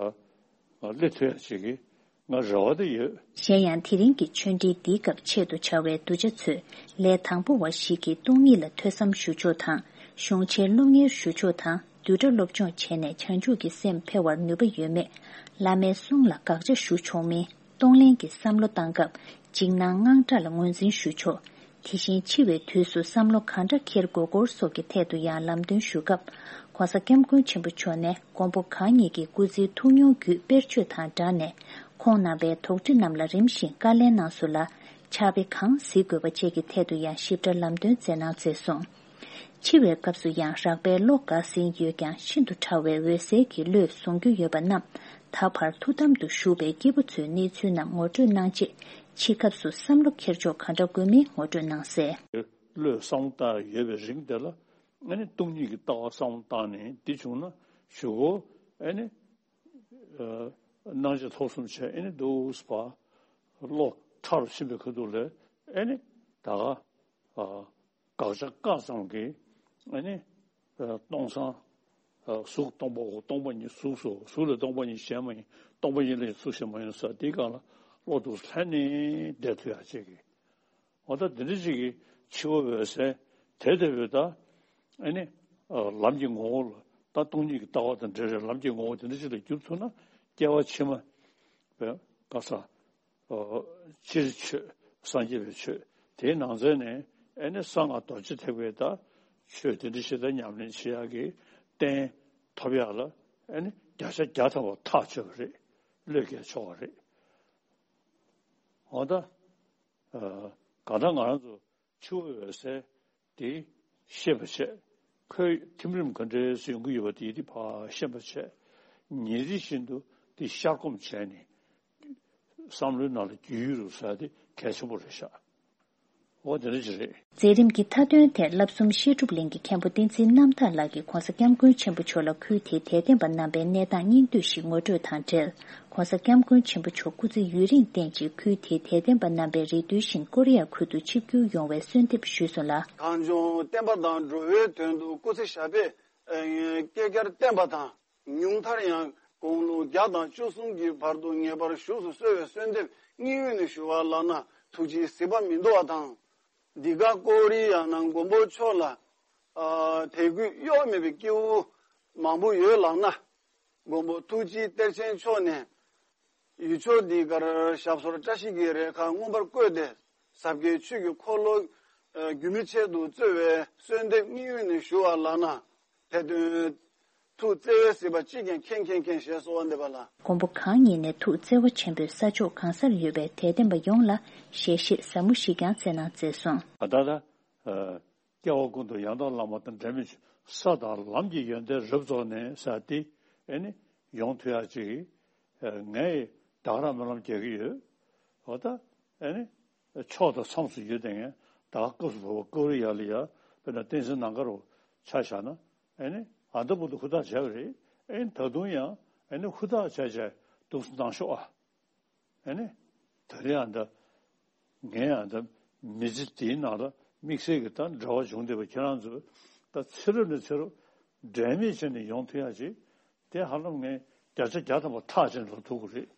སླེབས་ཐུབ་ཡ་ཅིག་གི་ང་རེ་བ་དེ་ཡོད། གཞན་ཡང་དེ་རིང་གི་ཆོས་འབྲེལ་འདིའི་སྐབས་ཆེད་དུ་བཅར་བའི་གདུལ་བྱ་ཚོས་ལས་དང་པོ་བ་ཞིག་གིས་སྟོང་ཉིད་ལ་ཐོས་བསམ་ཞུ་ཕྱོགས་དང་གཞུང་ཆེན་སློབ་གཉེར་ཞུ་ཕྱོགས་དང་བསྡུས་གྲྭ་སློབ་སྦྱོང་བྱས་ནས་བྱང་ཆུབ་ཀྱི་སེམས་འཕེལ་བར་ནུས་པ་ཡོད་མེད། བླ་མའི་གསུང་ལ་དགག་བྱ་ཞུ་ཕྱོགས་མིན། གཏོང་ལེན་གྱི་བསམ་བློ་བཏང་སྐབས་འཇིགས་སྣང་དངངས་སྐྲག་ལ་ངོས་འཛིན་ཞུ་ཕྱོགས། དེ་བཞིན་འཆི་བའི་དུས་སུ་བསམ་བློ་གང་འདྲ་འཁྱེར་དགོས་སྐོར་སོགས་ཀྱི་ཐད་དུ་ཡང་ལམ་སྟོན་ཞུ་སྐབས། ༸གོང་ས་༸སྐྱབས་མགོན་ཆེན་པོ་མཆོག་ནས་མགོན་པོ་གང་ཉིད་ཀྱི་སྐུ་ཚེའི་ཐུགས་མྱོང་བརྒྱུད་དཔེར་བརྗོད་དང་སྦྲགས་ནས་ཁོང་རྣམ་པའི་དོགས་འདྲི་རྣམས་ལ་རིམ་བཞིན་བཀའ་ལན་གནང་སོང་ལ། ཕྱག་དཔེ་གང་གཟིགས་དགོས་པ་བཅས་ཀྱི་ཐད་དུ་ཡང་ཞིབ་ཕྲ་ལམ་སྟོན་མཛད་གནང་མཛད་སོང་། འཆི་བའི་སྐབས་སུ་ཡང་རགས་པའི་བློ་འགག་ཟིན་ཡོད་ཀྱང་ཤིན་ཏུ་ཕྲ་བའི་འོད་གསལ་གྱི་བློས་བཟུང་རྒྱུ་ཡོད་པ་རྣམས་ད་བར་ཐུགས་དམ་དུ་བཞུགས་པའི་སྐྱེས་བུ་ཚོའི་གནས་ཚུལ་རྣམས་ངོ་སྤྲོད་གནང་རྗེས་འཆི་སྐབས་སུ་བསམ་བློ་འཁྱེར་ཕྱོགས་གང་འདྲ་དགོས་མིན་ངོ་སྤྲོད་གནང་གསལ། བློས་བསམ་བཏང་ཡོད་པའི་རིང་དེ་ལ་ཨ་ནི་སྟོང་ཉིད་ཀྱི་ལྟ་བ་བསམ་བློ་བཏང་ནས་འདི་བྱུང་ན་གཞུག་གུ་ཨ་ནི་སྣང་ཆ་ཐོབ་གསུམ་བྱས་ཨ་ནི་འདུག་སེ་བློ་ཕྲ་རུ་ཕྱིན་པའི་ཁ་ཐུག་ལ་ཨ་ནི་ད་ག་དགག་བྱ་བཀག་ཙམ་གྱིས་ཨ་ནི་སྟོང་སང་གཟུགས་སྟོང་པའོ། སྟོང་པ་ཉིད་གཟུགས་སོ། གཟུགས་ལས་སྟོང་པ་ཉིད་གཞན་མ་ཡིན། སྟོང་པ་ཉིད་ལས་གཟུགས་གཞན་མ་ཡིན་ཟེར་དེའི་སྒང་ལ་བློ་འདུག་སེ་ལྷན་ནེ་བསྡད་ཐུབ་ཡ་ཅིག་གི་འོ་ད་འདི་འདྲ་ཅིག་གི་འཆི་བ་འོད་གསལ་དེ་ལྟ་བུའི་ད་ཨ་ནི་ལམ་གྱི་ངོ་བོ་ལ་ད་སྟོང་ཉིད་ཀྱི་ལྟ་བ་དང་འབྲེལ་བའི་ལམ་གྱི་ངོ་བོ་དེ་འདྲ་ཅིག་ལ་འགྱུར་ཐུབ་ན་སྐྱེ་བ་ཕྱི་མ་བའི་ག་ས་སྤྱིར་ཆོས་སངས་རྒྱས་པའི་ཆོས་དེའི་ནང་ཚན་ནས་ཨ་ནི་གསང་སྔགས་རྡོ་རྗེ་ཐེག་པའི་ད་ཆོས་དེ་འདྲ་ཞིག་ད་ཉམས་ལེན་བྱེད་ཡག་གི་རྟེན་ཐོབ་ཡག་ལ་ཨ་ནི་བརྒྱ་ཆ་བརྒྱ་ཐམ་པ་ཐག་ཆོད་པ་རེད། བློས་འགེལ་ཆོག་པ་རེད། འོ་ད། གང་ལྟར་ང་རང་ཚོ་འཆི་བའི་འོད་གསལ་དེ་ཤེས་པ་བྱས། ཁོའི་ཐིམ་རིམ་ག་འདྲས་སུ་ཡོང་གི་ཡོད་པ་དེ་དེ་ཕར་ཤེས་པ་བྱས། ཉིན་རེ་བཞིན་དུ་དེ་ཤར་སྒོམ་བྱས་ནས་བསམ་བློའི་ནང་ལ་རྒྱུས་ཡོད་རུ་ཟེར་དེ་གལ་ཆེན་པོ་རེད་ཤག་འོ་དེ་འདྲ་ཅིག་རེད། མཛད་རིམ་གྱི་མཐའ་དོན་དེར་བསླབ་གསུམ་བཤད་སྒྲུབ་གླིང་གི་མཁན་པོ་བསྟན་འཛིན་རྣམ་དག་ལགས་ཀྱིས་༸གོང་ས་༸སྐྱབས་མགོན་ཆེན་པོ་མཆོག་ལ་ཁུལ་དེའི་དད་ལྡན་པ་རྣམ་པའི་གནས་སྟངས་སྙིང་བསྡུས་ཤིག་ངོ་སྤྲོད་དང་འབྲེལ། ༸གོང་ས་༸སྐྱབས་མགོན་ཆེན་པོ་མཆོག་སྐུ་ཚེ་ཡུན་རིང་བརྟན་ཅིང་ཁུལ་དེའི་དད་ལྡན་པ་རྣམ་པས་རེ་འདུན་བཞིན་ཀོ་རི་ཡ་ཁུལ་དུ་ཆིབས་བསྒྱུར་ཡོང་བའི་གསོལ་འདེབས་ཞུས་སོང་ལ། གངས་ལྗོངས་བསྟན་པ་དང་འགྲོ་བའི་དོན་དུ་སྐུ་ཚེ་ཞབས་པད་བསྐལ་བརྒྱར་བརྟན་པ་དང་། ཉུང་མཐར་ཡང་དགུང་ལོ་བརྒྱ་དང་བཅུ་གསུམ་གྱི་བར་དུ་ངེས་པར་བཞུགས་སུ་གསོལ་བའི་གསོལ་འདེབས་སྙིང་དབུས་ནས་ཞུ་བ་ལགས་ན། ཐུགས་རྗེའི་གཟིགས་པ་མི་འདུག་པ་དང་། འདི་ག་ཀོ་རི་ཡ་ནང་མགོན་པོ་མཆོག་ལ་ཨ་དད་གུས་གཡོ་མེད་པའི་སྐྱེ་བོ་མང་པོ་ཡོད་ལགས་ན། མགོན་པོ་ཐུགས་རྗེ་གཏེར་ཆེན་མཆོག་ནས་ཡུལ་ཕྱོགས་འདི་གར་ཞབས་སོར་བཀྲ་ཤིས་ཀྱི་རེ་ཁཱ་མངོན་པར་བཀོད་དེ། ཟབ་རྒྱས་ཆོས་ཀྱི་འཁོར་ལོ་ཨ་རྒྱུན་མི་ཆད་དུ་སྩོལ་བའི་གསོལ་འདེབས་སྙིང་དབུས་ནས་ཞུ་བ་ལགས་ན། དེ་དོན་ཐུགས་བརྩེ་བས་གཟིགས་པ་ཅི་ཀྱང་མཁྱེན་མཁྱེན་མཁྱེན་ཞེས་གསོལ་བ་འདེབས་པ་ལགས། མགོན་པོ་གང་ཉིད་ནས་ཐུགས་བརྩེ་བ་ཆེན་པོས་ས་ཕྱོགས་གང་སར་ཡོད་པའི་དད་ལྡན་པ་ཡོངས་ལ་ཞལ་བཞེས་ཟབ་མོ་ཞིག་ཀྱང་མཛད་གནང་མཛད་སོང་། ད་ལྟ། སྐྱེ་བ་ཀུན་ཏུ་ཡང་དག་བླ་མ་དང་འབྲལ་མེད་ཆོས། ས་དང་ལམ་གྱི་ཡོན་ཏན་རབ་རྫོགས་ནས་ཟེར་ཏེ། ཨེ་ནི་ཡོང་ཐུབ་ཡག་ཅིག་ངས་ད་ག་རང་སྨོན་ལམ་རྒྱག་གི་ཡོད། འོ་ད་ཨེ་ནི་ཕྱོགས་དང་མཚམས་སུ་ཡོད་དེ་ངས་ད་སྐབས་སུ་བབ་པ་ཀོ་རི་ཡ་ལ་ཡ་དཔེར་ན་བསྟན་འཛིན་ནམ་མཁའ་རུ་ཆ་བཞག་ན། ཨེ་ནི་ཨ་ད་བར་དུ་ཧུར་ཐག་བྱས་པ་རེད། ཨེ་ནི་ད་དུང་ཡང་ཨེ་ནི་ཧུར་ཐག་བྱས་བྱས་འདུག་སེ་གནང་ཤོག་ཨ། ཨེ་ནི། ད་རེས་ཨ་ད། ངས་ཨ་ད། མི་ཚེ་དེའི་ནང་ལ་དམིགས་བསལ་གྱི་ད་འབྲེལ་བ་བྱུང་བསྡད་པ་ཁྱེད་རང་ཚོས་ད་ཚེ་རབས་ནས་ཚེ་རབས་འབྲལ་མེད་བྱས་ནས་ཡོང་ཐུབ་ཡག་ཅིག་དེ་ཧ་ལམ་ངས་བརྒྱ་ཆ་བརྒྱ་ཐམ་པ་ཐག་བཅད་འགྲོ་ཐུབ་ཀྱི་རེད།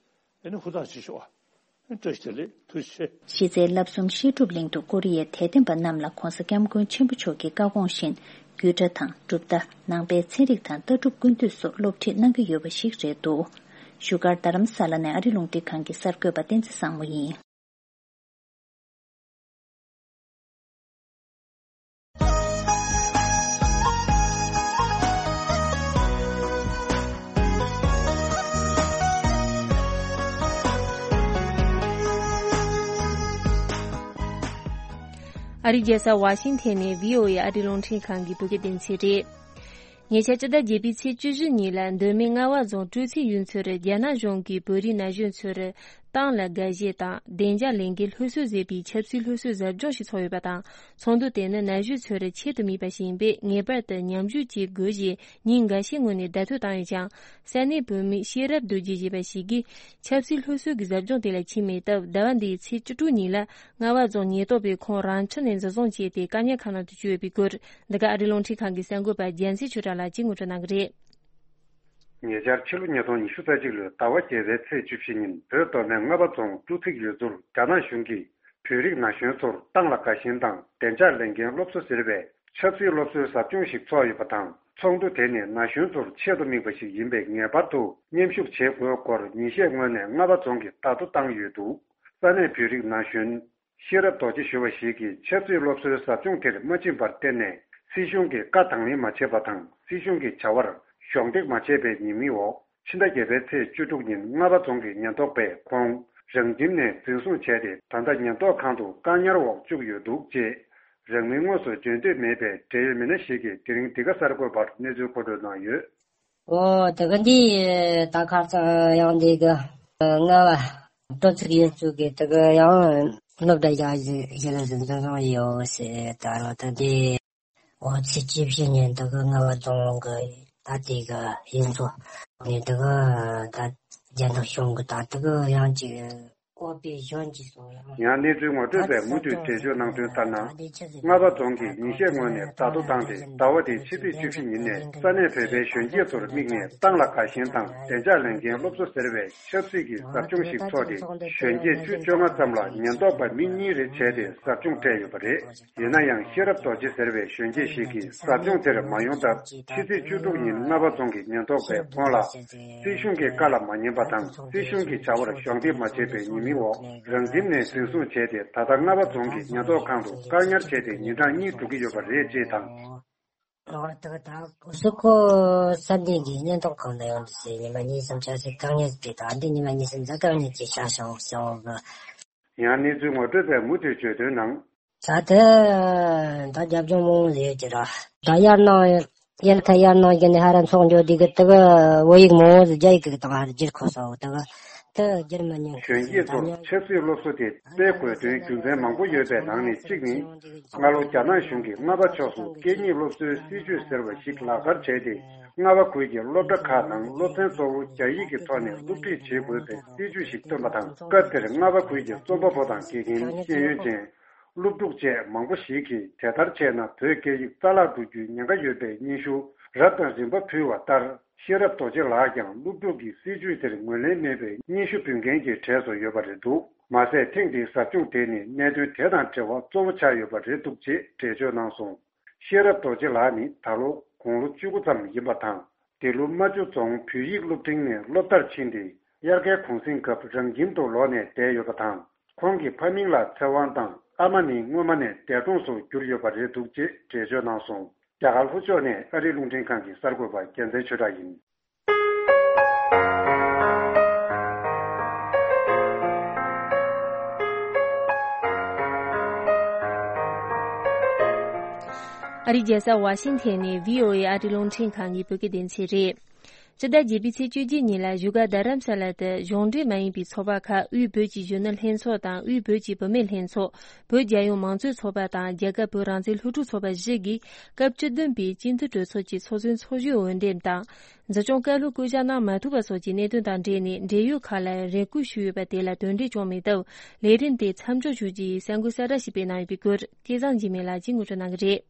ཨེ་ནི་ཧུར་ཐག་བྱེད་ཤོག་ཨ། ཨེ་བཀྲ་ཤིས་བདེ་ལེགས། ཐུགས་རྗེ་ཆེ། གཞི་རྩའི་བསླབ་གསུམ་བཤད་སྒྲུབ་གླིང་དུ་ཀོ་རི་ཡའི་དད་ལྡན་པ་རྣམས་ལ་༧གོང་ས་༧སྐྱབས་མགོན་ཆེན་པོ་མཆོག་གི་བཀའ་དགོངས་བཞིན། རྒྱུད་གྲྭ་དང་གྲུབ་མཐའ། ནང་པའི་ཚན་རིག་དང་ལྟ་གྲུབ་ཀུན་བཏུས་སོགས་སློབ་ཁྲིད་གནང་གི་ཡོད་པ་ཞིག་རེད་འདུག་བཞུགས་སྒར་རྡ་རམ་ས་ལ་ནས་ཨ་རི་རླུང་འཕྲིན་ཁང་གི་གསར་འགོད་པ་བསྟན་འཛིན་བཟང་མོ་ཡིན། ཨ་རིའི་རྒྱལ་ས་ཝ་ཤིང་ཐན་ནས་བྷི་ཨོ་ཨེ་ཨ་རིའི་རླུང་འཕྲིན་ཁང་གི་བོད་སྐད་སྡེ་ཚན་རེད། ཉེ་ཆར་སྤྱི་ཟླ་བརྒྱད་པའི་ཚེས་བཅུ་བཞི་ཉིན་ལ་མདོ་སྨད་རྔ་བ་རྫོང་སྤྲོ་ཚིགས་ཡུལ་ཚོར་རྒྱ་ནག་གཞུང་གིས་བོད་རིགས་ན་གཞོན་ཚོར་ཏང་ལ་དགའ་ཞེན་དང་བདེ་འཇགས་ལས་འགན་སློབ་གསོ་ཟེར་བའི་ཆབ་སྲིད་སློབ་གསོའི་ཟབ་སྦྱོང་ཞིག་ཚོགས་ཡོད་པ་དང་། ཚོགས་འདུ་དེ་ནི་ན་གཞོན་ཚོར་ཆེད་དུ་དམིགས་པ་ཞིག་ཡིན་པས་ངེས་པར་དུ་མཉམ་ཞུགས་བྱེད་དགོས་ཞེས་ཉིན་འགའ་ཤས་སྔོན་ནས་བརྡ་ཐོ་བཏང་ཡོད་ཀྱང་། ས་གནས་བོད་མི་ཤེས་རབ་རྡོ་རྗེ་ཞེས་པ་ཞིག་གིས་ཆབ་སྲིད་སློབ་གསོ་གི་ཟབ་སྦྱོང་དེ་ལ་ཕྱིན་མེད་སྟབས། ཟླ་བ་འདིའི་ཚེས་བཅུ་དྲུག་ཉིན་ལ་རྔ་བ་རྫོང་ཉེན་རྟོག་པས་ཁོང་རང་འཁྲིད་ནས་འཛིན་བཟུང་བྱས་ཏེ་བཀག་ཉར་ཁང་ནང་དུ་བཅུག་ཡོད་པའི་སྐོར། འདི་ག་ཨ་རིའི་རླུང་འཕྲིན་ཁང་གི་གསར་འགོད་པ་རྒྱལ་མཚན་ཆོས་གྲགས་ལགས་ཀྱིས་ངོ་སྤྲོད་གནང་གི་རེད། ཉེ་ཆར་ཕྱི་ལོ་ཉིས་སྟོང་ཉི་ཤུ་རྩ་གཅིག་ལོའི་ཟླ་བ་བརྒྱད་པའི་ཚེས་བཅུ་བཞི་ཉིན་བོད་མདོ་སྨད་རྔ་བ་རྫོང་སྤྲོ་ཚིགས་ཡུལ་ཚོར་རྒྱ་ནག་གཞུང་གིས་བོད་རིགས་ན་གཞོན་ཚོར་ཏང་ལ་དགའ་ཞེན་དང་བདེ་འཇགས་ལས་འགན་སློབ་གསོ་ཟེར་བའི་ཆབ་སྲིད་སློབ་གསོའི་ཟབ་སྦྱོང་ཞིག་ཚོགས་ཡོད་པ་དང་། ཚོགས་འདུ་དེ་ནི་ན་གཞོན་ཚོར་ཆེད་དུ་དམིགས་པ་ཞིག་ཡིན་པས་ངེས་པར་དུ་མཉམ་ཞུགས་བྱེད་དགོས་སྐོར་ཉིན་ཤས་སྔོན་ནས་རྔ་བ་རྫོང་གིས་བརྡ་ཐོ་བཏང་ཡོད་འདུག་ས་གནས་བོད་རིགས་ན་གཞོན་ཤེས་རབ་རྡོ་རྗེ་ཞུ་བ་ཞིག་གིས་ཆབ་སྲིད་སློབ་གསོའི་ཟབ་སྦྱོང་དེར་མ་ཕྱིན་པར་བརྟེན་ནས་སྲིད་གཞུང་གི་བཀའ་དང་ལེན་མ་བྱས་པ་དང་སྲིད་གཞུང་གི་བྱ་བར་གཞོགས་འདེགས་མ་བྱས་པའི་ཉེས་མིང་འོག་ཕྱི་ཟླ་བརྒྱད་པའི་ཚེས་བཅུ་དྲུག་ཉིན་རྔ་བ་རྫོང་གི་ཉེན་རྟོག་པས་ཁོང་རང་ཁྱིམ་ནས་འཛིན་བཟུང་བྱས་ཏེ། ད་ལྟ་ཉེན་རྟོག་ཁང་དུ་བཀག་ཉར་འོག་བཅུག་ཡོད་འདུག་ཅེས་རང་མིང་དངོས་སུ་བརྗོད་འདོད་མེད་པའི་འབྲེལ་ཡོད་མི་སྣ་ཞིག་གིས་དེ་རིང་འདི་ག་གསར་འགོད་པར་གནས་ཚུལ་མཁོ་སྤྲོད་གནང་ཡོད། ཨོ་དེ་ག་འདི་ད་ཁ་སང་ཡང་འདི་ག་རྔ་བ་སྤྲོ་ཚིགས་ཡུལ་ཚོ་གི་དེ་ག་ཡང་སློབ་གྲྭ་ཡག་ཞིག་ཞིག་ལ་འཛིན་བཟུང་ཡོད་ཟེར། ད་རང་ད་འདི་ཨོ་ཚེས་བཅུ་བཞི་ཉིན་དེ་ག་རྔ་བ་རྫོང་གི་ད་དེ་ག་ཡུལ་ཚོ་ནས་དེ་ག་ད་རྒྱ་ནག་གཞུང་གི་ད་དེ་ག་ཡང་ཅིག་ཨོ་པའི་གཞོན་གྱི་སོང་ཡང་། ཡང་གནས་ཚུལ་ངོ་སྤྲོད་པས་མུ་མཐུད་འགྲེལ་བརྗོད་གནང་དོན་ལྟར་ན། རྔ་བ་རྫོང་གིས་ཉིན་ཤས་སྔོན་ནས་བརྡ་ཐོ་བཏང་སྟེ། ཟླ་བ་འདིའི་ཕྱི་ཚེས་བཅུ་བཞི་ཉིན་ནས་ས་གནས་བོད་པའི་གཞོན་སྐྱེས་ཚོར་དམིགས་ནས་ཏང་ལ་དགའ་ཞེན་དང་བདེ་འཇགས་ལས་འགན་སློབ་གསོ་ཟེར་བའི་ཆབ་སྲིད་ཀྱི་ཟབ་སྦྱོང་ཞིག་ཚོགས་ཏེ། གཞོན་སྐྱེས་བཅུ་བཅོ་ལྔ་ཙམ་ལ་ཉེན་རྟོག་པ་མི་གཉིས་རེ་བྱས་ཏེ་ཟབ་སྦྱོང་སྤྲད་ཡོད་པ་རེད། ཡིན་ན་ཡང་ཤེས་རབ་རྡོ་རྗེ་ཟེར་བའི་གཞོན་སྐྱེས་ཤིག་གིས་ཟབ་སྦྱོང་དེར་མ་ཡོང་སྟབས། ཕྱི་ཚེས་བཅུ་དྲུག་ཉིན་རྔ་བ་རྫོང་གི་ཉེན་རྟོག་པས་ཁོང་ལ། སྲིད་གཞུང་གི་བཀའ་ལ་མ་ཉན་པ་དང་སྲིད་གཞུང་གི་བྱ་བར་གཞོགས་འདེགས་མ་བྱས་པའི་ཉེས་མིང་འོག་རང་ཁྱིམ་ནས་འཛིན་བཟུང་བྱས་ཏེ། ད་ལྟ་རྔ་བ་རྫོང་གི་ཉེན་རྟོག་ཁང་དུ་བཀག་ཉར་བྱས་ཏེ་ཉིན་གྲངས་གཉིས་འགྲོ་གི་ཡོད་པ་རེད་ཅེས་དང་། ཨོ་ད་ག་ད་སུ་ཁོ་ས་གནས་ཀྱི་ཉེན་རྟོག་ཁང་ལ་ཡོང་དུས་ཉི་མ་གཉིས་གསུམ་ཆ་ཚིག་བཀག་ཉར་དེ་དང་འདི་ཉི་མ་གཉིས་གསུམ་ཙམ་བཀག་ཉར་གྱི་བྱ་བྱུང་སོང་གི། ཡང་གནས་ཚུལ་ངོ་སྤྲོད་པས་མུ་མཐུད་བརྗོད་དོན་ནང་། ད་ལྟ་ད་རྒྱབ་ལྗོངས་མང་པོ་ཡོད་ཀྱི་ར། ད་ཡར་ནང་ཡར་ཁ་ཡར་ནང་བརྒྱུད་ནས་ཧ་ར་ཚོགས་འགྱོ་དུས་གི་དེ་གི་བོད་ཡིག་མང་པོ་ཟིག་རྒྱ་ཡིག་གི་དང་ཧ་ར་བསྒྱུར་ཁོ་སོང་དེ་གི་དེ་བསྒྱུར་མི་ཉན་གི་གཞོན་སྐྱེས་ཚོར་ཆབ་སྲིད་སློབ་གསོ་དེ་སྤེལ་དགོས་དོན་རྒྱུ་མཚན་མང་པོ་ཡོད་པའི་ནང་ནས་གཅིག་ནི། སྔ་ལོ་རྒྱ་ནག་གཞུང་གིས་རྔ་བ་ཕྱོགས་སུ་སྐད་གཉིས་སློབ་གསོའི་སྲིད་ཇུས་ཟེར་བ་ཞིག་ལག་བསྟར་བྱས་ཏེ། རྔ་བ་ཁུལ་གྱི་སློབ་གྲྭ་ཁག་ནང་སློབ་ཚན་གཙོ་བོ་རྒྱ་ཡིག་གི་ཐོག་ནས་སློབ་ཁྲིད་བྱེད་དགོས་པའི་སྲིད་ཇུས་ཤིག་བཏོན་པ་དང་། སྐབས་དེར་རྔ་བ་ཁུལ་གྱི་རྩོམ་པ་པོ་དང་དགེ་རྒན། ཤེས་ཡོན་ཅན། སློབ་ཕྲུག་བཅས་མང་པོ་ཞིག་གིས་དེ་ལྟར་བྱས་ན་བོད་སྐད་ཡིག་རྩ་བརླག་འགྲོ་རྒྱུའི་ཉེན་ཁ་ཡོད་པའི་སྙན་ཞུ་རབ་དང་རིམ་པ་ཕུལ་བ་ལྟར། ཤེས་རབ་རྡོ་རྗེ་ལགས་ཀྱང་སློབ་ཕྲུག་གིས་སྲིད་ཇུས་དེར་ངོས་ལེན་མེད་པའི་སྙན་ཞུ་འབུལ་མཁན་གྱི་གྲས་སུ་ཡོད་པ་རེད་འདུག་མ་ཟད་ཐེངས་འདིའི་ཟབ་སྦྱོང་དེ་ནི་གནད་དོན་དེ་དང་འབྲེལ་བ་གཙོ་བོ་ཆགས་ཡོད་པ་རེད་འདུག་ཅེས་འགྲེལ་བརྗོད་གནང་སོང་། ཤེས་རབ་རྡོ་རྗེ་ལགས་ནི་ད་ལོ་དགུང་ལོ་བཅུ་དགུ་ཙམ་ཡིན་པ་དང་། འདི་ལོ་རྨ་ཆུ་རྫོང་བོད་ཡིག་སློབ་འབྲིང་ནས་སློབ་མཐར་ཕྱིན་ཏེ། དབྱར་ཁའི་གུང་གསེང་སྐབས་རང་ཁྱིམ་དུ་ལོག་ནས་བསྡད་ཡོད་པ་དང་། ཁོང་གི་ཕ་མིང་ལ་ཚེ་དབང་དང་། ཨ་མ་ནི་སྔོན་མ་ནས་འདས་གྲོངས་སུ་གྱུར་ཡོད་པ་རེད་འདུག་ཅེས་འགྲེལ་བརྗོད་གནང་སོང་། རྒྱ་གར་ལྷོ་ཕྱོགས་ནས་ཨ་རིའི་རླུང་འཕྲིན་ཁང་གི་གསར་འགོད་པ་རྒྱལ་མཚན་ཆོས་གྲགས་ཡིན། ཨ་རིའི་རྒྱལ་ས་ཝ་ཤིང་ཐན་ནས་བྷི་ཨོ་ཨེ་ཨ་རིའི་རླུང་འཕྲིན་ཁང་གི་བོད་སྐད་སྡེ་ཚན་རེད། སྤྱི་ཟླ་བརྒྱད་པའི་ཚེས་བཅུ་གཅིག་ཉིན་ལ་བཞུགས་སྒར་རྡ་རམ་ས་ལ་དུ་གཞུང་འབྲེལ་མ་ཡིན་པའི་ཚོགས་པ་ཁག་དབུས་བོད་ཀྱི་གཞོན་ནུ་ལྷན་ཚོགས་དང་དབུས་བོད་ཀྱི་བུད་མེད་ལྷན་ཚོགས། བོད་རྒྱལ་ཡོངས་མང་གཙོའི་ཚོགས་པ་དང་རྒྱལ་ཁབ་བོད་རང་བཙན་སློབ་ཕྲུག་ཚོགས་པ་བཞི་གིས་སྐབས་བཅུ་བདུན་པའི་སྤྱི་འཐུས་གྲོས་ཚོགས་ཀྱི་ཚོགས་གཙོའི་ཚོགས་གཞོན་འོས་འདེམས་དང་། འཛིན་སྐྱོང་བཀའ་སློབ་བསྐོ་གཞག་གནང་མ་ཐུབ་པ་སོགས་ཀྱི་གནད་དོན་དང་འབྲེལ་ནས་འབྲེལ་ཡོད་ཁག་ལ་རེ་སྐུལ་ཞུས་ཡོད་པ་དེ་ལ་དོན་འགྲེལ་བྱུང་མེད་སྟབས། ལས་རིམ་དེ་མཚམས་འཇོག་ཞུ་རྒྱུ་ཡི་གསར་འགོད་གསལ་བསྒྲགས་ཤིག་སྤེལ་གནང་ཡོད་པའི་སྐོར་སྐལ་བཟང་འཇིགས་མེད་ལགས་ཀྱིས་ངོ་སྤྲོད་གནང་གི་རེད།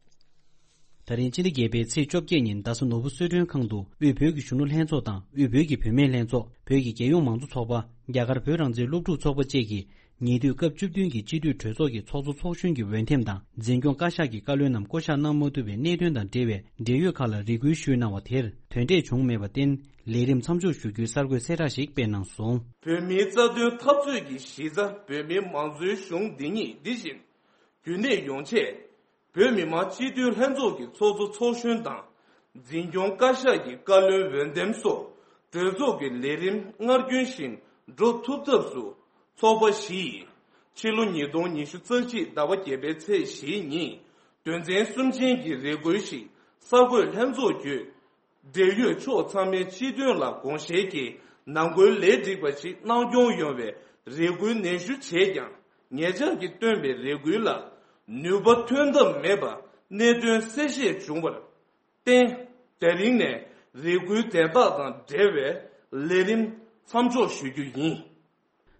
ད་རིང་སྤྱི་ཟླ་བརྒྱད་པའི་ཚེས་བཅོ་བརྒྱད་ཉིན་རྡ་ས་ནོར་བུ་གསོལ་མགྲོན་ཁང་དུ་དབུས་བོད་ཀྱི་གཞོན་ནུ་ལྷན་ཚོགས་དང་དབུས་བོད་ཀྱི་བུད་མེད་ལྷན་ཚོགས། བོད་ཀྱི་རྒྱལ་ཡོངས་མང་གཙོ་ཚོགས་པ། རྒྱ་གར་བོད་རང་བཙན་སློབ་ཕྲུག་ཚོགས་པ་བཅས་ཀྱིས་ཉེ་དུས་སྐབས་བཅུ་བདུན་གྱི་སྤྱི་འཐུས་གྲོས་ཚོགས་ཀྱི་ཚོགས་གཙོ་ཚོགས་གཞོན་གྱི་འོས་འདེམས་དང་། འཛིན་སྐྱོང་བཀའ་ཤག་གི་བཀའ་བློན་རྣམས་བསྐོ་གཞག་གནང་མ་ཐུབ་པའི་གནད་དོན་དང་འབྲེལ་བའི་འབྲེལ་ཡོད་ཁག་ལ་རེ་སྐུལ་ཞུས་གནང་བ་དེར་དོན་འབྲས་བྱུང་མེད་པར་བརྟེན། ལས་རིམ་མཚམས་འཇོག་ཞུ་རྒྱུའི་གསར་འགོད་གསལ་བསྒྲགས་ཤིག་སྤེལ་གནང་སོང་། བོད་མིའི་རྩ་དོན་འཐབ་རྩོད་ཀྱི་གཞི་རྩ་བོད་མིའི་མང་གཙོའི་གཞུང་འདི་ཉིད་འདི་བཞིན་རྒྱུན་གནས་ཡོང་ཆེད། བོད་མི་མང་སྤྱི་འཐུས་ལྷན་ཚོགས་ཀྱི་ཚོགས་གཙོ་ཚོགས་གཞོན་དང་། འཛིན་སྐྱོང་བཀའ་ཤག་གི་བཀའ་བློན་འོས་འདེམས་སོགས་གྲོས་ཚོགས་ཀྱི་ལས་རིམ་སྔར་རྒྱུན་བཞིན་འགྲོ་ཐུབ་ཐབས་སུ། ཚོགས་པ་བཞི་ཡིས་ཕྱི་ལོ་ཉིས་སྟོང་ཉི་ཤུ་རྩ་གཅིག་ཟླ་བ་བརྒྱད་པའི་ཚེས་བཞི་ཉིན་དོན་ཚན་གསུམ་ཅན་གྱི་རེ་སྐུལ་ཞིག་གསར་འགོད་ལྷན་ཚོགས་བརྒྱུད། འབྲེལ་ཡོད་ཕྱོགས་ཚང་མའི་སྤྱི་དོན་ལ་དགོངས་བཞེས་ཀྱིས་ནང་ཁུལ་ལས་འགྲིག་པ་ཞིག་གནང་སྐྱོང་ཡོང་བའི་རེ་སྐུལ་ནན་ཞུ་བྱས་ཀྱང་། ཉེ་ཆར་གྱི་བཏོན་པའི་རེ་སྐུལ་ལ་ནུས་པ་ཐོན་ཐབས་མེད་པ་གནད་དོན་གསལ་བཤད་བྱུང་བར་བརྟེན། དེ་རིང་ནས་རེ་སྐུལ་དེ་དག་དང་འབྲེལ་བའི་ལས་རིམ་མཚམས་འཇོག་ཞུ་རྒྱུ་ཡིན།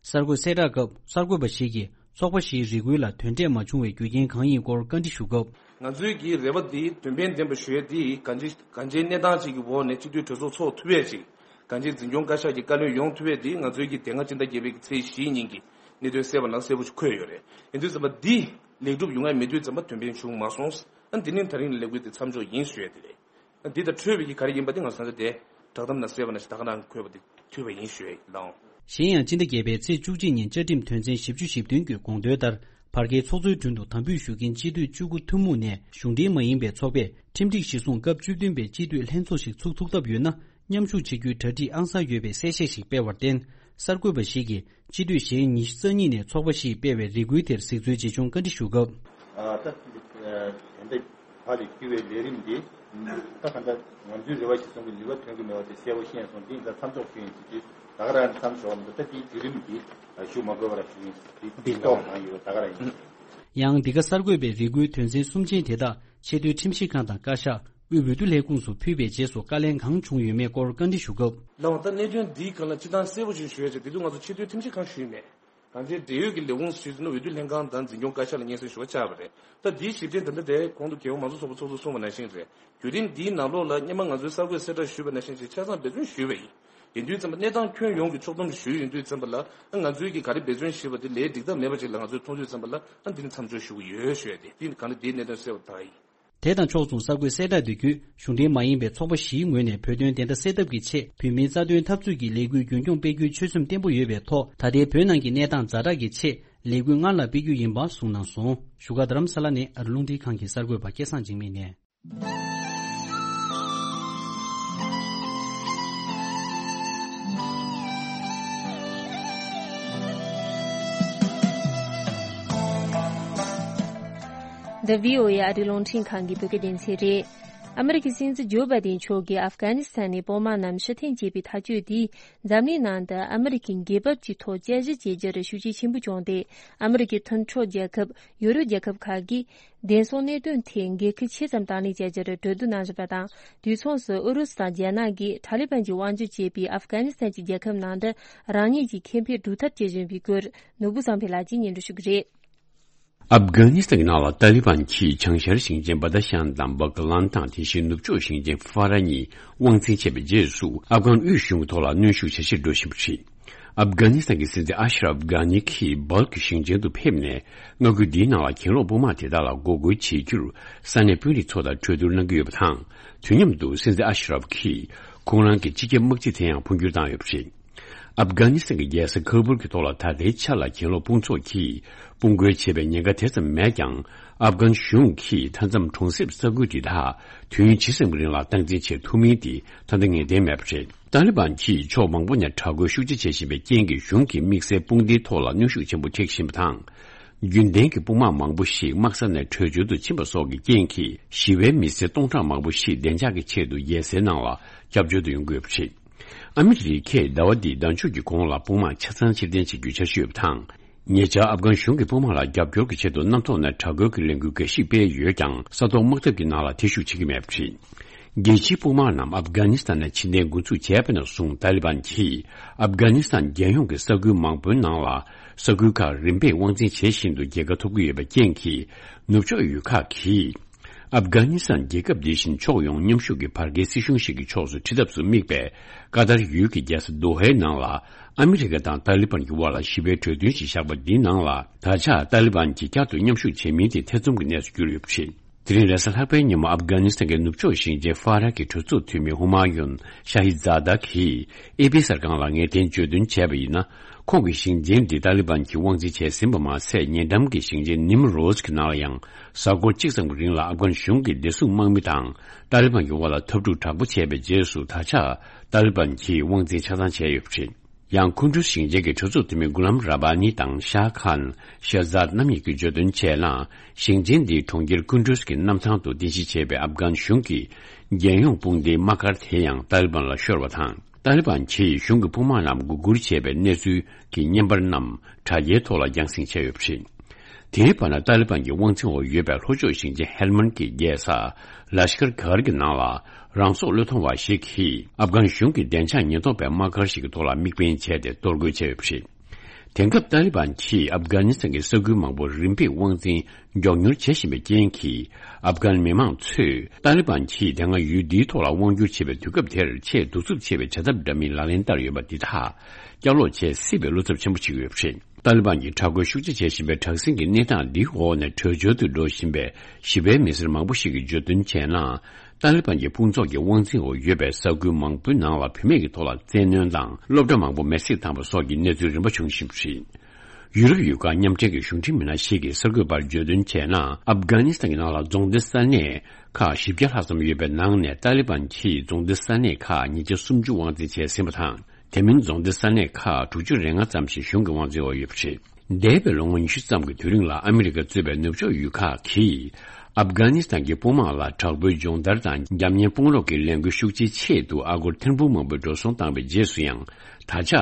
གསར་འགོད་གསལ་བསྒྲགས་སྐབས་གསར་འགོད་པ་ཞིག་གིས་ཚོགས་པ་བཞིའི་རེ་སྐུལ་ལ་དོན་འབྲས་མ་བྱུང་བའི་རྒྱུ་རྐྱེན་གང་ཡིན་སྐོར་བཀའ་འདྲི་ཞུ་སྐབས། ང་ཚོའི་གི་རེ་བ་འདི་དོན་ཕན་ལྡན་པ་ཞུ་ཡས་འདི་གང་ཅི་གང་ཅིའི་གནས་སྟངས་ཅིག་གི་འོག་ནས་སྤྱི་འཐུས་གྲོས་ཚོགས་ཚོགས་ཐུབ་ཡས་ཅིག་གང་ཅིའི་འཛིན་སྐྱོང་བཀའ་ཤག་གི་བཀའ་བློན་ཡོང་ཐུབ་ཡས་འདི་ང་ཚོའི་གི་དེ་སྔ་སྤྱི་ཟླ་བརྒྱད་པའི་གི་ཚེས་བཞི་ཉིན་གྱི་གནད་དོན་གསལ་བ་ནང་གསལ་པོ་ཞིག་འཁོད་ཡོད་རེད། ཡིན་དུས་ཙམ་པ་འདི་ལེགས་གྲུབ་ཡོང་ཡ་མེད་དུས་ཙམ་པ་དོན་ཕན་བྱུང་མ་སོང་། ཨ་འདི་ནི་ད་རིང་ལས་འགུལ་འདི་མཚམས་འཇོག་ཡིན་ཞུ་ཡས་དེ་རེད། འདི་དང་འཕྲོས་པའི་གི་ག་རེ་ཡིན་པ་དེ་ང་ཚོ་ད་ལྟ་དེ་བསྒྲགས་གཏམ་ནང་གསལ་བ་ནང་བཞིན་ད་ག་རང་འཁོད་པ་དེ་ཐུབ་པ་ཡིན་ཞུ་ཡ་ཡིན་ལགས། གཞན་ཡང་སྤྱི་ཟླ་བརྒྱད་པའི་ཚེས་བཅུ་གཅིག་ཉིན་བཅའ་ཁྲིམས་དོན་ཚན་བཞི་བཅུ་ཞེ་བདུན་གྱི་དགོངས་དོན་ལྟར་བར་བརྒལ་ཚོགས་གཙོའི་དྲུང་དུ་དམ་འབུལ་ཞུ་མཁན་སྤྱི་འཐུས་བཅུ་དགུ་ཐུན་མོང་ནས་གཞུང་འབྲེལ་མ་ཡིན་པའི་ཚོགས་པས་ཁྲིམས་སྒྲིག་གཞིར་བཟུང་སྐབས་བཅུ་བདུན་པའི་སྤྱི་འཐུས་ལྷན་ཚོགས་ཤིག་ཚུགས་ཐུབ་ཐབས་ཡོད་ན། མཉམ་ཞུགས་བྱེད་རྒྱུའི་གྲ་སྒྲིག་ཨང་གསར་ཡོད་པའི་གསལ་བཤད་ཞིག་སྤེལ་བར་བརྟེན། གསར་འགོད་པ་ཞིག་གིས་སྤྱི་འཐུས་གཞན་ཉི་ཤུ་རྩ་གཉིས་ནས་ཚོགས་པ་བཞིས་སྤེལ་བའི་རེ་སྐུལ་དེར་གཟིགས་ཚུལ་ཇི་བྱུང་བཀའ་འདྲི་ཞུ་སྐབས། ཨ་ད་དེ་འདྲའི་བར་ལ་བསྐྱུར་བའི་ལས་རིམ་འདི་ད་ག་འདྲ་ང་ཚོའི་རེ་བ་གཞིར་བཟུང་གི་ནུས་པ་ཐོན་གྱི་མེད་པ་དེ་གསལ་པོ་ཤེས་སོང་། འདི་ད་མཚམས་འཇོག་ཞུ་ཡིན་ཟེར་གྱི་ད་ག་རང་མཚམས་འཇོག་མི་འདུག་ད་དེའི་བརྒྱུད་རིམ་འདི་ཞུ་མ་དགོས་པ་ར་ཞུ་ཡིན། འདི་འདི་ཐོག་གང་ཡོད་ད་ག་རང་ཡིན། ཡང་འདི་ག་གསར་འགོད་པའི་རེ་སྐུལ་དོན་ཚན་གསུམ་ཅན་དེ་དག་ཆེས་མཐོའི་ཁྲིམས་ཞིབ་ཁང་དང་བཀའ་ཤག་དབུས་འོས་བསྡུ་ལས་ཁུངས་སུ་ཕུལ་བའི་རྗེས་སུ་བཀའ་ལན་གང་བྱུང་ཡོད་མེད་སྐོར་བཀའ་འདྲི་ཞུ་སྐབས། ལགས་འོང་། ད་གནད་དོན་འདིའི་སྒང་ལ་སྤྱིར་བཏང་གསལ་པོ་ཞིག་ཞུ་ཡ་ཅིག་དེ་དུས་ང་ཚོ་ཆེས་མཐོའི་ཁྲིམས་ཞིབ་ཁང་ཞུས་མེད། གང་ཅིའི་འབྲེལ་ཡོད་ཀྱི་ལས་ཁུངས་ཞུས་ཟིན་ན་འོས་བསྡུ་ལྷན་ཁང་དང་འཛིན་སྐྱོང་བཀའ་ཤག་ལ་སྙན་སེང་ཞུ་བ་བཅར་བ་རེད། ད་འདིའི་ཞིབ་ཕྲའི་ད་ལྟ་དེ་གོང་དུ་རྒྱལ་ཡོངས་མང་གཙོ་ཚོགས་པ་ཚོགས་གཙོ་གསུངས་པ་ནང་བཞིན་རེད། བརྒྱུད་རིམ་འདིའི་ནང་ལོགས་ལ་སྔོན་མ་ང་ཚོའི་གསར་འགོད་གསལ་བསྒྲགས་ཞུས་པ་ནང་བཞིན་ཅིག་ཆ་ཚང་འབད་བརྩོན་ཞུས་པ་ཡིན། ཡིན་དུས་ཙམ་པ་གནས་སྟངས་ཁྱོན་ཡོངས་ཀྱི་ཕྱོགས་བསྡོམས་ཞུས་ཡོང་དུས་ཙམ་པ་ལ་ང་ཚོའི་གི་ག་རེ་འབད་བརྩོན་ཞུས་པ་དེ་ལས་འགྲིག་ཐབས་མེད་པ་ཅིག་ལ་ང་ཚོས་མཐོང་དུས་ཙམ་པ་ལ་ཨ་འདི་ནི་མཚམས་འཇོག་ཞུ་གི་ཡོད་ཞུ་ཡ་དེ་འདི་གང་ལ་འདིའི་གནད་དོན་གསལ་བ་དག་ཡིན། དེ་དང་ཕྱོགས་མཚུངས་གསར་འགོད་གསལ་བསྒྲགས་འདི་བརྒྱུད་གཞུང་འབྲེལ་མ་ཡིན་པའི་ཚོགས་པ་བཞིའི་ངོས་ནས་བོད་དོན་བདེན་མཐའ་གསལ་ཐབས་ཀྱི་ཆེད་བོད་མིའི་རྩ་དོན་འཐབ་རྩོད་ཀྱི་ལས་འགུལ་རྒྱུན་འཁྱོངས་སྤེལ་རྒྱུའི་ཆོད་སེམས་བརྟན་པོ་ཡོད་པའི་ཐོག་ད་ལྟའི་བོད་ནང་གི་གནས་སྟངས་ཛ་དྲག་གི་ཆེད་ལས་འགུལ་སྔར་ལ་སྤེལ་རྒྱུ་ཡིན་པ་གསུངས་གནང་སོང་། བཞུགས་སྒར་རྡ་རམ་ས་ལ་ནས་ཨ་རི་རླུང་འཕྲིན་ཁང་གི་གསར་འགོད་པ་སྐལ་བཟང་འཇིགས་མེད་ནས། འདི་བྷི་ཨོ་ཨེ་ཨ་རིའི་རླུང་འཕྲིན་ཁང་གི་བོད་སྐད་སྡེ་ཚན་རེད། ཨ་མི་རི་ཀའི་སྲིད་འཛིན་ཇོ་བྷའི་ཏིན་མཆོག་གིས་ཨབ་གྷ་ནི་སི་ཐན་ནས་དཔོན་དམག་རྣམས་ཕྱིར་འཐེན་བྱས་པའི་ཐག་གཅོད་དེས་འཛམ་གླིང་ནང་དུ་ཨ་མི་རི་ཀའི་འགན་བབ་ཀྱི་ཐོག་དཔྱད་ཞིབ་བྱེད་རྒྱུར་ཤུགས་རྐྱེན་ཆེན་པོ་བྱུང་སྟེ། ཨ་མི་རི་ཀའི་མཐུན་གྲོགས་རྒྱལ་ཁབ་ཡུ་རོབ་རྒྱལ་ཁབ་ཁག་གིས་བདེན་སྲུང་གནད་དོན་ཐད་འགན་འཁུར་ཆེ་ཙམ་དང་ལེན་བྱ་རྒྱུར་གྲོས་བསྡུར་གནང་བཞིན་པ་དང་། དུས་མཚུངས་སུ་ཨུ་རུ་སུ་དང་རྒྱ་ནག་གིས་ཐ་ལི་བན་གྱིས་དབང་སྒྱུར་བྱེད་པའི་ཨབ་གྷ་ནི་སི་ཐན་གྱི་རྒྱལ་ཁབ་ནང་དུ་རང་ཉིད་ཀྱི་ཁེ་ཕན་སྒྲུབ་ཐབས་བྱེད་བཞིན་པའི་སྐོར་ནོར་བུ་བསམ་འཕེལ་ལགས་ཀྱིས་སྙན་སྒྲོན་ཞུ་གི་རེད། ཨབ་གྷ་ནི་སི་ཐན་གྱི་ནང་ལ་ཏཱ་ལི་བན་གྱི་བྱང་ཤར་ཞིང་ཆེན་བ་ད་ཤན་དང་བ་གྷ་ལན་དང་དེ་བཞིན་ནུབ་ཕྱོགས་ཞིང་ཆེན་ཧྥ་ར་གཉིས་དབང་འཛིན་བྱས་པའི་རྗེས་སུ་ཨབ་གྷན་དབུས་གཞུང་གི་ཐོག་ལ་གནོན་ཤུགས་ཇེ་ཆེར་འགྲོ་བཞིན་པ་རེད། ཨབ་གྷ་ནི་སི་ཐན་གྱི་སྲིད་འཛིན་ཨ་ཤ་རབ་གྷ་ནི་གིས་སྦལ་ཀི་ཞིང་ཆེན་དུ་ཕེབས་ནས། མངའ་ཁུལ་འདིའི་ནང་ལ་གྱེན་ལོག་དཔུང་དམག་དེ་དག་ལ་འགོག་རྒོལ་བྱེད་རྒྱུར་ས་གནས་དཔོན་རིགས་ཚོ་དང་གྲོས་བསྡུར་གནང་གི་ཡོད་པ་དང་། དུས་མཉམ་དུ་སྲིད་འཛིན་ཨ་ཤ་རབ་ཀྱིས་ཁོང་རང་གི་སྤྱི་ཁྱབ་དམག་སྤྱི་དེ་ཡང་འཕོ་འགྱུར་བཏང་ཡོད་པ་རེད། ཨབ་གྷ་ནི་སི་ཐན་གྱི་རྒྱལ་ས་ཁ་བུལ་གྱི་ཐོག་ལ་ད་ལྟའི་ཆ་ལ་གྱེན་ལོག་དཔུང་ཚོགས་ཀྱིས་དཔུང་རྒོལ་བྱེད་པའི་ཉེན་ཁ་དེ་ཙམ་མེད་ཀྱང་། ཨབ་གྷན་གཞུང་གིས་མཐའ་མཚམས་གྲོང་གསེབ་ས་ཁུལ་དེ་དག་དུས་ཡུན་ཇི་ཙམ་གྱི་རིང་ལ་སྟངས་འཛིན་བྱེད་ཐུབ་མིན་དེ་ད་ལྟ་ངེས་གཏན་མེད་པ་རེད། ཏཱ་ལི་བན་གྱིས་ཕྱོགས་མང་པོ་ནས་དྲག་རྒོལ་ཤུགས་ཆེ་བྱེད་བཞིན་པའི་རྐྱེན་གྱིས། གཞུང་གི་དམིགས་བསལ་དཔུང་སྡེའི་ཐོག་ལ་གནོན་ཤུགས་ཆེན་པོ་ཐེབས་བཞིན་པ་དང་། རྒྱུན་ལྡན་གྱི་དཔུང་དམག་མང་པོ་ཞིག་དམག་ས་ནས་བྲོས་བྱོལ་དུ་ཕྱིན་པ་སོགས་ཀྱི་རྐྱེན་གྱིས། ཞི་བའི་མི་སེར་སྟོང་ཕྲག་མང་པོ་ཞིག་བདེ་འཇགས་ཀྱི་ཆེད་དུ་རྒྱལ་སའི་ནང་ལ་སྐྱབས་བཅོལ་དུ་ཡོང་དགོས་པ་རེད། ཨ་མི་རི་ཀས་ཟླ་བ་འདིའི་ཟླ་མཇུག་གི་གོང་ལ་དཔུང་དམག་ཆ་ཚང་ཕྱིར་འཐེན་བྱེད་རྒྱུའི་འཆར་གཞི་ཡོད་པ་དང་། ཉེ་ཆར་ཨབ་གྷན་གཞུང་གི་དཔུང་དམག་ལ་རྒྱབ་སྐྱོར་གྱི་ཆེད་དུ་གནམ་ཐོག་ནས་དྲག་རྒོལ་གྱི་ལས་འགུལ་འགའ་ཞིག་སྤེལ་ཡོད་ཀྱང་། ས་ཐོག་དམག་འཐབ་ཀྱི་ནང་ལ་ཐེ་ཞུགས་བྱེད་ཀྱི་མེད་པ་རེད། རྒྱལ་སྤྱིའི་དཔུང་དམག་རྣམས་ཨབ་གྷ་ནི་སི་ཐན་ནས་ཕྱིར་འཐེན་འགོ་འཛུགས་བྱས་པ་ནས་བཟུང་། ཏཱ་ལི་བན་གྱིས་ཨབ་གྷ་ནི་སི་ཐན་རྒྱལ་ཡོངས་ཀྱི་ས་ཁུལ་མང་པོའི་ནང་ལ་ས་ཁུལ་ཁག་རིམ་པས་དབང་འཛིན་བྱེད་བཞིན་དུ་རྒྱལ་ཁ་ཐོབ་ཀྱི་ཡོད་པའི་རྐྱེན་གྱིས། ནུབ་ཕྱོགས་ཡུལ་ཁག་གིས་ཨབ་གྷ་ནི་སི་ཐན་རྒྱལ་ཁབ་འདི་བཞིན་ཕྱོགས་ཡོངས་མཉམ་ཞུགས་ཀྱི་བར་བརྒལ་སྲིད་གཞུང་ཞིག་གི་ཕྱོགས་སུ་ཁྲིད་ཐབས་སུ་དམིགས་པའི་ཀ་ཏར་ཡུལ་གྱི་རྒྱལ་ས་དོ་ཧའི་ནང་ལ། ཨ་མི་རི་ཀ་དང་ཏཱ་ལི་བན་གྱི་དབར་ལ་ཞི་བའི་གྲོས་མཐུན་ཞིག་བཞག་པ་འདིའི་ནང་ལ། ད་ཆ་ཏཱ་ལི་བན་གྱིས་བསྐྱར་དུ་མཉམ་ཞུགས་བྱེད་མིན་དེ་ཐེ་ཚོམ་གྱི་གནས་སུ་གྱུར་ཡོད་པ་རེད། དེ་རིང་རེས་གཟའ་ལྷག་པའི་ཉིན་མོ་ཨབ་གྷ་ནི་སི་ཐན་གྱི་ནུབ་ཕྱོགས་ཞིང་ཆེན་ཧྥ་ར་གི་གྲོས་ཚོགས་འཐུས་མི་ཧུ་མ་ཡུན་ཤ་ཧི་ཛ་ད་གིས་ཨེ་པི་གསར་ཁང་ལ་ངེས་གཏན་བརྗོད་དོན་བྱས་པ་ཡིན་ན། ཁོང་གི་ཞིང་ཆེན་འདི་ཏཱ་ལི་བན་གྱིས་དབང་འཛིན་བྱས་ཟིན་པ་མ་ཟད། ཉེ་འགྲམ་གྱི་ཞིང་ཆེན་ནིམ་རོ་ཛ་གི་ནང་ལ་ཡང་། གཟའ་འཁོར་གཅིག་ཙམ་གྱི་རིང་ལ་ཨབ་གྷན་གཞུང་གི་བདེ་སྲུང་དམག་མི་དང་ཏཱ་ལི་བན་གྱི་དབར་ལ་འཐབ་འཁྲུག་དྲག་པོ་བྱས་པའི་རྗེས་སུ། ད་ཆ་ཏཱ་ལི་བན་གྱིས་དབང་འཛིན་ཆ་ཚང་བྱས་ཡོད་པ་རེད། ཡང་ཀུན་ཌུས་ཞིང་ཆེན་གྱི་གྲོས་ཚོགས་འཐུས་མི་གུ་ལམ་ར་བྷ་ནི་དང་ཤཱ་ཁཱན་ཤེ་ཛཱད་རྣམ་གཉིས་ཀྱིས་བརྗོད་དོན་བྱས་ན། ཞིང་ཆེན་འདིའི་གྲོང་ཁྱེར་ཀུན་ཌུས་ཀྱི་གནམ་ཐང་དུ་རྟེན་གཞི་བྱས་པའི་ཨབ་གྷན་གཞུང་གི་རྒྱལ་ཡོངས་དཔུང་སྡེའི་དམག་སྒར་དེ་ཡང་ཏཱ་ལི་བན་ལ་ཤོར་བ་དང་། ཏཱ་ལི་བན་གྱིས་གཞུང་གི་དཔུང་དམག་རྣམས་མགོ་སྒུར་བྱས་པའི་གནས་ཚུལ་གྱི་བརྙན་པར་རྣམས་དྲ་རྒྱའི་ཐོག་ལ་རྒྱང་སྲིང་བྱས་ཡོད་པ་རེད། དེའི་བར་ན། ཏཱ་ལི་བན་གྱི་དབང་འཛིན་འོག་ཡོད་པའི་ལྷོ་ཕྱོགས་ཞིང་ཆེན་ཧེལ་མན་གྱི་རྒྱལ་ས་ལ་ཤི་ཀར་གྷར་གྱི་ནང་ལ་རང་སྲོག་བློས་གཏོང་བ་ཞིག་གིས་ཨབ་གྷན་གཞུང་གི་བདེ་འཇགས་ཉེན་རྟོག་པའི་དམག་སྒར་ཞིག་གི་ཐོག་ལ་དམིགས་འབེན་བྱས་ཏེ་གཏོར་རྒོལ་བྱས་ཡོད་པ་རེད། དེང་སྐབས་ཏཱ་ལི་བན་གྱིས་ཨབ་གྷ་ནི་སི་ཐན་གྱི་ས་ཁུལ་མང་པོ་རིམ་པས་དབང་འཛིན་མགྱོགས་མྱུར་བྱེད་བཞིན་པའི་རྐྱེན་གྱིས། ཨབ་གྷན་མི་མང་ཚོས་ཏཱ་ལི་བན་གྱིས་དེ་སྔ་ཡུལ་འདིའི་ཐོག་ལ་དབང་བསྒྱུར་བྱེད་པའི་དུས་སྐབས་དེར་ཆེས་གདུག་རྩུབ་ཆེ་བའི་བྱ་ཐབས་འདྲ་མིན་ལག་ལེན་བསྟར་ཡོད་པ་འདི་དག་བསྐྱར་ལོག་བྱེད་སྲིད་པའི་བློ་འཚབ་ཆེན་པོ་བྱེད་ཀྱི་ཡོད་པ་རེད། ཏཱ་ལི་བན་གྱིས་དྲག་རྒོལ་ཤུགས་ཆེ་བྱེད་བཞིན་པའི་དྲག་ཟིང་གི་གནས་སྟངས་འདིའི་འོག་ནས་བྲོས་བྱོལ་དུ་འགྲོ་བཞིན་པའི་ཞི་བའི་མི་སེར་མང་པོ་ཞིག་གིས་བརྗོད་དོན་བྱས་ན། ཏཱ་ལི་བན་གྱི་དཔུང་ཚོགས་ཀྱི་དབང་འཛིན་འོག་ཡོད་པའི་ས་ཁུལ་མང་པོའི་ནང་ལ་བུད་མེད་ཀྱི་ཐོག་ལ་བཙན་གནོན་དང་། སློབ་གྲྭ་མང་པོ་མེར་སྲེག་བཏང་བ་སོགས་ཀྱི་གནས་ཚུལ་རིམ་པ་བྱུང་བཞིན་པ་རེད། ཡུ་རོབ་ཡུལ་ཁག་མཉམ་འབྲེལ་གྱི་གཞུང་འབྲེལ་མི་སྣ་ཞིག་གིས་གསར་འགོད་པར་བརྗོད་དོན་བྱས་ན། ཨབ་གྷ་ནི་སི་ཐན་གྱི་ནང་ལ་རྫོང་སྡེ་ས་གནས་ཁག་བཞི་བརྒྱ་ལྷག་ཙམ་ཡོད་པའི་ནང་ནས། ཏཱ་ལི་བན་གྱིས་རྫོང་སྡེ་ས་གནས་ཁག་ཉིས་བརྒྱ་སུམ་ཅུ་དབང་འཛིན་བྱས་ཟིན་པ་དང་། དེ་མིན་རྫོང་སྡེ་ས་གནས་ཁག་དྲུག་ཅུ་རེ་ལྔ་ཙམ་ཞིག་གཞུང་གི་དབང་འཛིན་འོག་ཡོད་པ་རེད། འདས་པའི་ལོ་ངོ་ཉི་ཤུ་ཙམ་གྱི་དུས་རིང་ལ། ཨ་མི་རི་ཀ་གཙོས་པའི་ནུབ་ཕྱོགས་ཡུལ་ཁག་གིས་ཨབ་གྷ་ནི་སི་ཐན་གྱི་དཔུང་དམག་ལ་དྲག་པོའི་སྦྱོང་བརྡར་དང་། རྒྱབ་གཉེར་དཔུང་རོགས་ཀྱི་ལས་འགུལ་ཤུགས་ཆེའི་ཆེད་དུ་ཨ་སྒོར་ཐེར་འབུམ་མང་པོའི་འགྲོ་སོང་བཏང་བའི་རྗེས་སུ་ཡང་། ད་ཆ་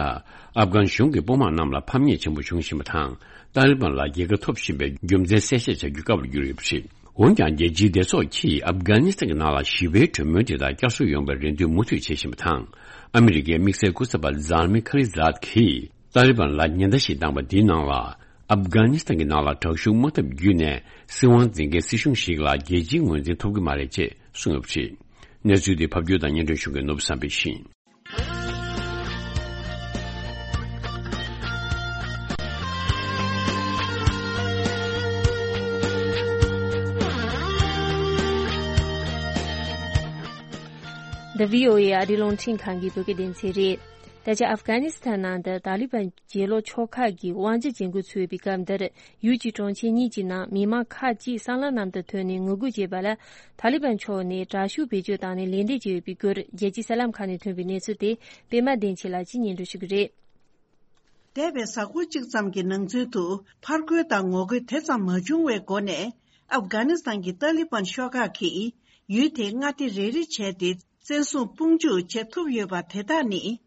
ཨབ་གྷན་གཞུང་གི་དཔུང་དམག་རྣམས་ལ་ཕམ་ཉེས་ཆེན་པོ་བྱུང་བཞིན་པ་དང་། ཏཱ་ལི་བན་ལ་རྒྱལ་ཁ་ཐོབ་བཞིན་པའི་རྒྱུ་མཚན་གསལ་བཤད་བྱ་རྒྱུ་དཀའ་བར་གྱུར་ཡོད་པ་རེད། འོན་ཀྱང་། རྒྱལ་སྤྱིའི་སྡེ་ཚོགས་ཀྱིས་ཨབ་གྷ་ནི་སི་ཐན་གྱི་ནང་ལ་ཞི་བའི་གྲོས་མོལ་དེ་དག་བསྐྱར་གསོ་ཡོང་བའི་རེ་འདུན་མུ་མཐུད་བྱེད་བཞིན་པ་དང་། ཨ་མི་རི་ཀའི་དམིགས་བསལ་སྐུ་ཚབ་པ་ཛཱ་མི་ཁ་ལི་ཛཱད་ཀྱིས། ཏཱ་ལི་བན་ལ་ཉེན་བརྡ་ཞིག་བཏང་བ་འདིའི་ནང་ལ། ཨབ་གྷ་ནི་སི་ཐན་གྱི་ནང་ལ་དྲག་ཤུགས་དམག་འཐབ་བརྒྱུད་ནས་སྲིད་དབང་འཛིན་མཁན་སྲིད་གཞུང་ཞིག་ལ་རྒྱལ་སྤྱིའི་ངོས་འཛིན་ཐོབ་ཀྱི་མ་རེད་ཅེས་གསུངས་ཡོད་པ་རེད། གནས་ཚུལ་འདི་ཕབ་སྒྱུར་དང་སྙན་སྒྲོན་ཞུ་མཁན་ནོར་བུ་བསམ་འཕེལ་ཡིན། འདི་བྷི་ཨོ་ཨེ་ཨ་རིའི་རླུང་འཕྲིན་ཁང་གི་བོད་སྐད་སྡེ་ཚན་རེད། ད་ཆ་ཨབ་གྷ་ནི་སི་ཐན་ནང་དུ་ཏཱ་ལི་བན་གྱེན་ལོག་ཕྱོགས་ཁག་གིས་དབང་ཆ་འཇལ་འགོ་ཚུགས་པའི་སྐབས་འདིར། ཡུལ་གྱི་གྲོང་ཁྱེར་གཉིས་ཀྱི་ནང་མི་མང་ཁག་ཅིག་སྲང་ལམ་ནང་དུ་ཐོན་ནས་ངོ་རྒོལ་བྱས་པ་ལ། ཏཱ་ལི་བན་ཕྱོགས་ནས་དྲག་ཤུགས་བེད་སྤྱོད་བཏང་ནས་ལན་འདེབས་བྱས་ཡོད་པའི་སྐོར། རྒྱལ་སྤྱིའི་གསར་ལམ་ཁག་ནས་ཐོན་པའི་གནས་ཚུལ་དེ་པད་མ་བདེ་ཆེན་ལགས་ཀྱིས་སྙན་སྒྲོན་ཞུ་གི་རེད། འདས་པའི་གཟའ་འཁོར་གཅིག་ཙམ་གྱི་ནང་ཚུད་དུ། ཕར་རྒོལ་དང་ངོ་རྒོལ་དེ་ཙམ་མ་བྱུང་བའི་སྒོ་ནས། ཨབ་གྷ་ནི་སི་ཐན་གྱི་ཏཱ་ལི་བན་ཤོག་ཁག་གིས་ཡུལ་དེའི་མངའ་སྡེ་རེ་རེ་བྱས་ཏེ། བཙན་བཟུང་དཔུང་འཇུག་བྱེད་ཐུབ་ཡོད་པ་དེ་དག་ནི།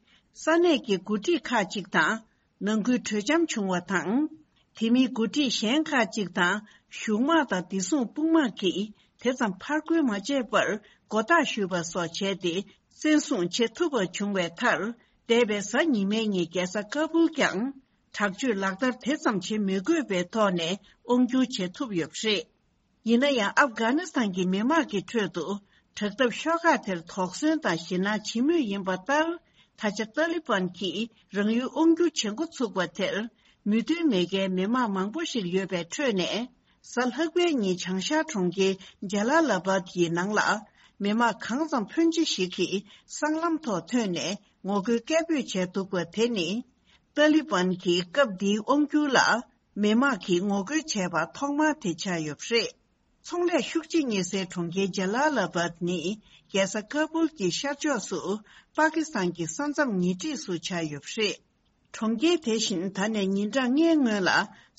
ས་གནས་ཀྱི་འགོ་ཁྲིད་ཁག་ཅིག་དང་། ནང་ཁུལ་གྲོས་འཆམ་བྱུང་བ་དང་། དེ་མིན་འགོ་ཁྲིད་གཞན་ཁག་ཅིག་དང་གཞུང་དམག་དང་བདེ་སྲུང་དཔུང་དམག་གིས་དེ་ཙམ་ཕར་རྒོལ་མ་བྱས་པར་མགོ་བཏགས་ཞུས་པ་སོགས་བྱས་ཏེ། བཙན་བཟུང་བྱེད་ཐུབ་པ་བྱུང་བའི་མཐར། འདས་པའི་གཟའ་ཉི་མའི་ཉིན་རྒྱལ་ས་ཀ་བུལ་ཀྱང་དྲག་སྤྱོད་ལག་བསྟར་དེ་ཙམ་བྱེད་མི་དགོས་པའི་ཐོག་ནས་དབང་བསྒྱུར་བྱེད་ཐུབ་ཡོད་པ་རེད། ཡིན་ན་ཡང་། ཨབ་གྷ་ནི་སི་ཐན་གྱི་མི་དམངས་ཀྱི་ཁྲོད་དུ་དྲག་འཐབ་ཤོག་ཁག་དེར་དོགས་ཟོན་དང་ཞེད་སྣང་བྱེད་མུས་ཡིན་པ་ལྟར། ད་ཆ་ཏཱ་ལི་བན་གྱིས་རང་ཡུལ་དབང་བསྒྱུར་བྱེད་འགོ་ཚུགས་པ་དེར། མོས་མཐུན་མེད་མཁན་མི་མང་མང་པོ་ཞིག་ཡོད་པའི་ཁྲོད་ནས། གཟའ་ལྷག་པའི་ཉིན་བྱང་ཤར་གྲོང་ཁྱེར་ཇ་ལ་ལ་བཱད་ཡི་ནང་ལ། མི་མང་གང་ཙམ་ཕོན་ཆེ་ཞིག་གིས་སྲང་ལམ་ཐོག་ཐོན་ནས་ངོ་རྒོལ་སྐད་འབོད་བྱས་འདུག་པ་དེ་ནི། ཏཱ་ལི་བན་གྱི་སྐབས་འདིའི་དབང་བསྒྱུར་ལ། མི་མང་གིས་ངོ་རྒོལ་བྱས་པ་ཐོག་མ་དེ་ཆགས་ཡོད་པ་རེད། ཚོང་ལས་ཤུགས་ཆེ་རྙེད་སའི་གྲོང་ཁྱེར་ཇ་ལ་ལ་བཱད་ནི། རྒྱལ་ས་ཀ་བུལ་གྱི་ཤར་ཕྱོགས་སུ། པ་ཀི་སི་ཐན་གྱི་ས་མཚམས་ཉེ་འཁྲིས་སུ་ཆགས་ཡོད་པ་རེད། གྲོང་ཁྱེར་དེ་བཞིན་ད་ནས་ཉིན་གྲངས་ལྔའི་སྔོན་ལ།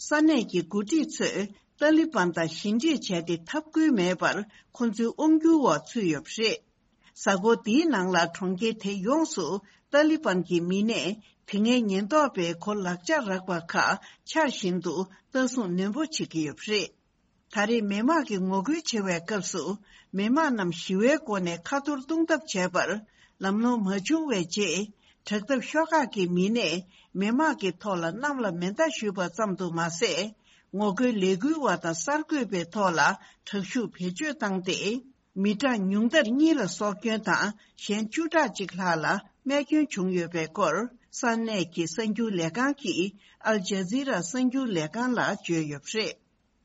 ས་གནས་ཀྱི་འགོ་ཁྲིད་ཚོས་ཏཱ་ལི་བན་དང་ཞི་འགྲིག་བྱས་ཏེ་འཐབ་ཁུལ་མེད་པར་ཁོ་ཚོའི་དབང་བསྒྱུར་འོག་ཚུད་ཡོད་པ་རེད། གཟའ་འཁོར་འདིའི་ནང་ལ་གྲོང་ཁྱེར་དེ་ཡོངས་སུ་ཏཱ་ལི་བན་གྱི་མི་སྣས་དེ་སྔའི་ཉེན་རྟོག་པའི་གོ་ལག་ཆ་རག་པ་ཁག་འཕྱར་བཞིན་དུ་ལྟ་སྲུང་ནན་པོ་བྱེད་ཀྱི་ཡོད་པ་རེད། ད་རེས་མི་དམངས་ཀྱིས་ངོ་རྒོལ་བྱེད་པའི་སྐབས་སུ། མི་དམངས་རྣམས་ཞི་བའི་སྒོ་ནས་ཁ་ཐོར་གཏོང་ཐབས་བྱས་པར། ལམ་ལྷོང་མ་བྱུང་བའི་རྗེས། དྲག་འཐབ་ཤོག་ཁག་གི་མི་སྣས། མི་དམངས་ཀྱི་ཐོག་ལ་གནམ་ལ་མེ་མདའ་གཞུས་པ་ཙམ་དུ་མ་ཟད། ངོ་རྒོལ་ལས་འགུལ་བ་དང་གསར་འགོད་པའི་ཐོག་ལ། དྲག་ཤུགས་བེད་སྤྱོད་བཏང་སྟེ། མི་གྲངས་ཉུང་མཐར་གཉིས་ལ་སྲོག་སྐྱོན་དང་། གཞན་བཅུ་ཕྲག་གཅིག་ལྷག་ལ་རྨས་སྐྱོན་བྱུང་ཡོད་པའི་སྐོར། ས་གནས་ཀྱི་གསར་འགྱུར་ལས་ཁང་གིས། ཨལ་ཇ་ཛི་ར་གསར་འགྱུར་ལས་ཁང་ལ་བརྗོད་ཡོད་པ་རེད།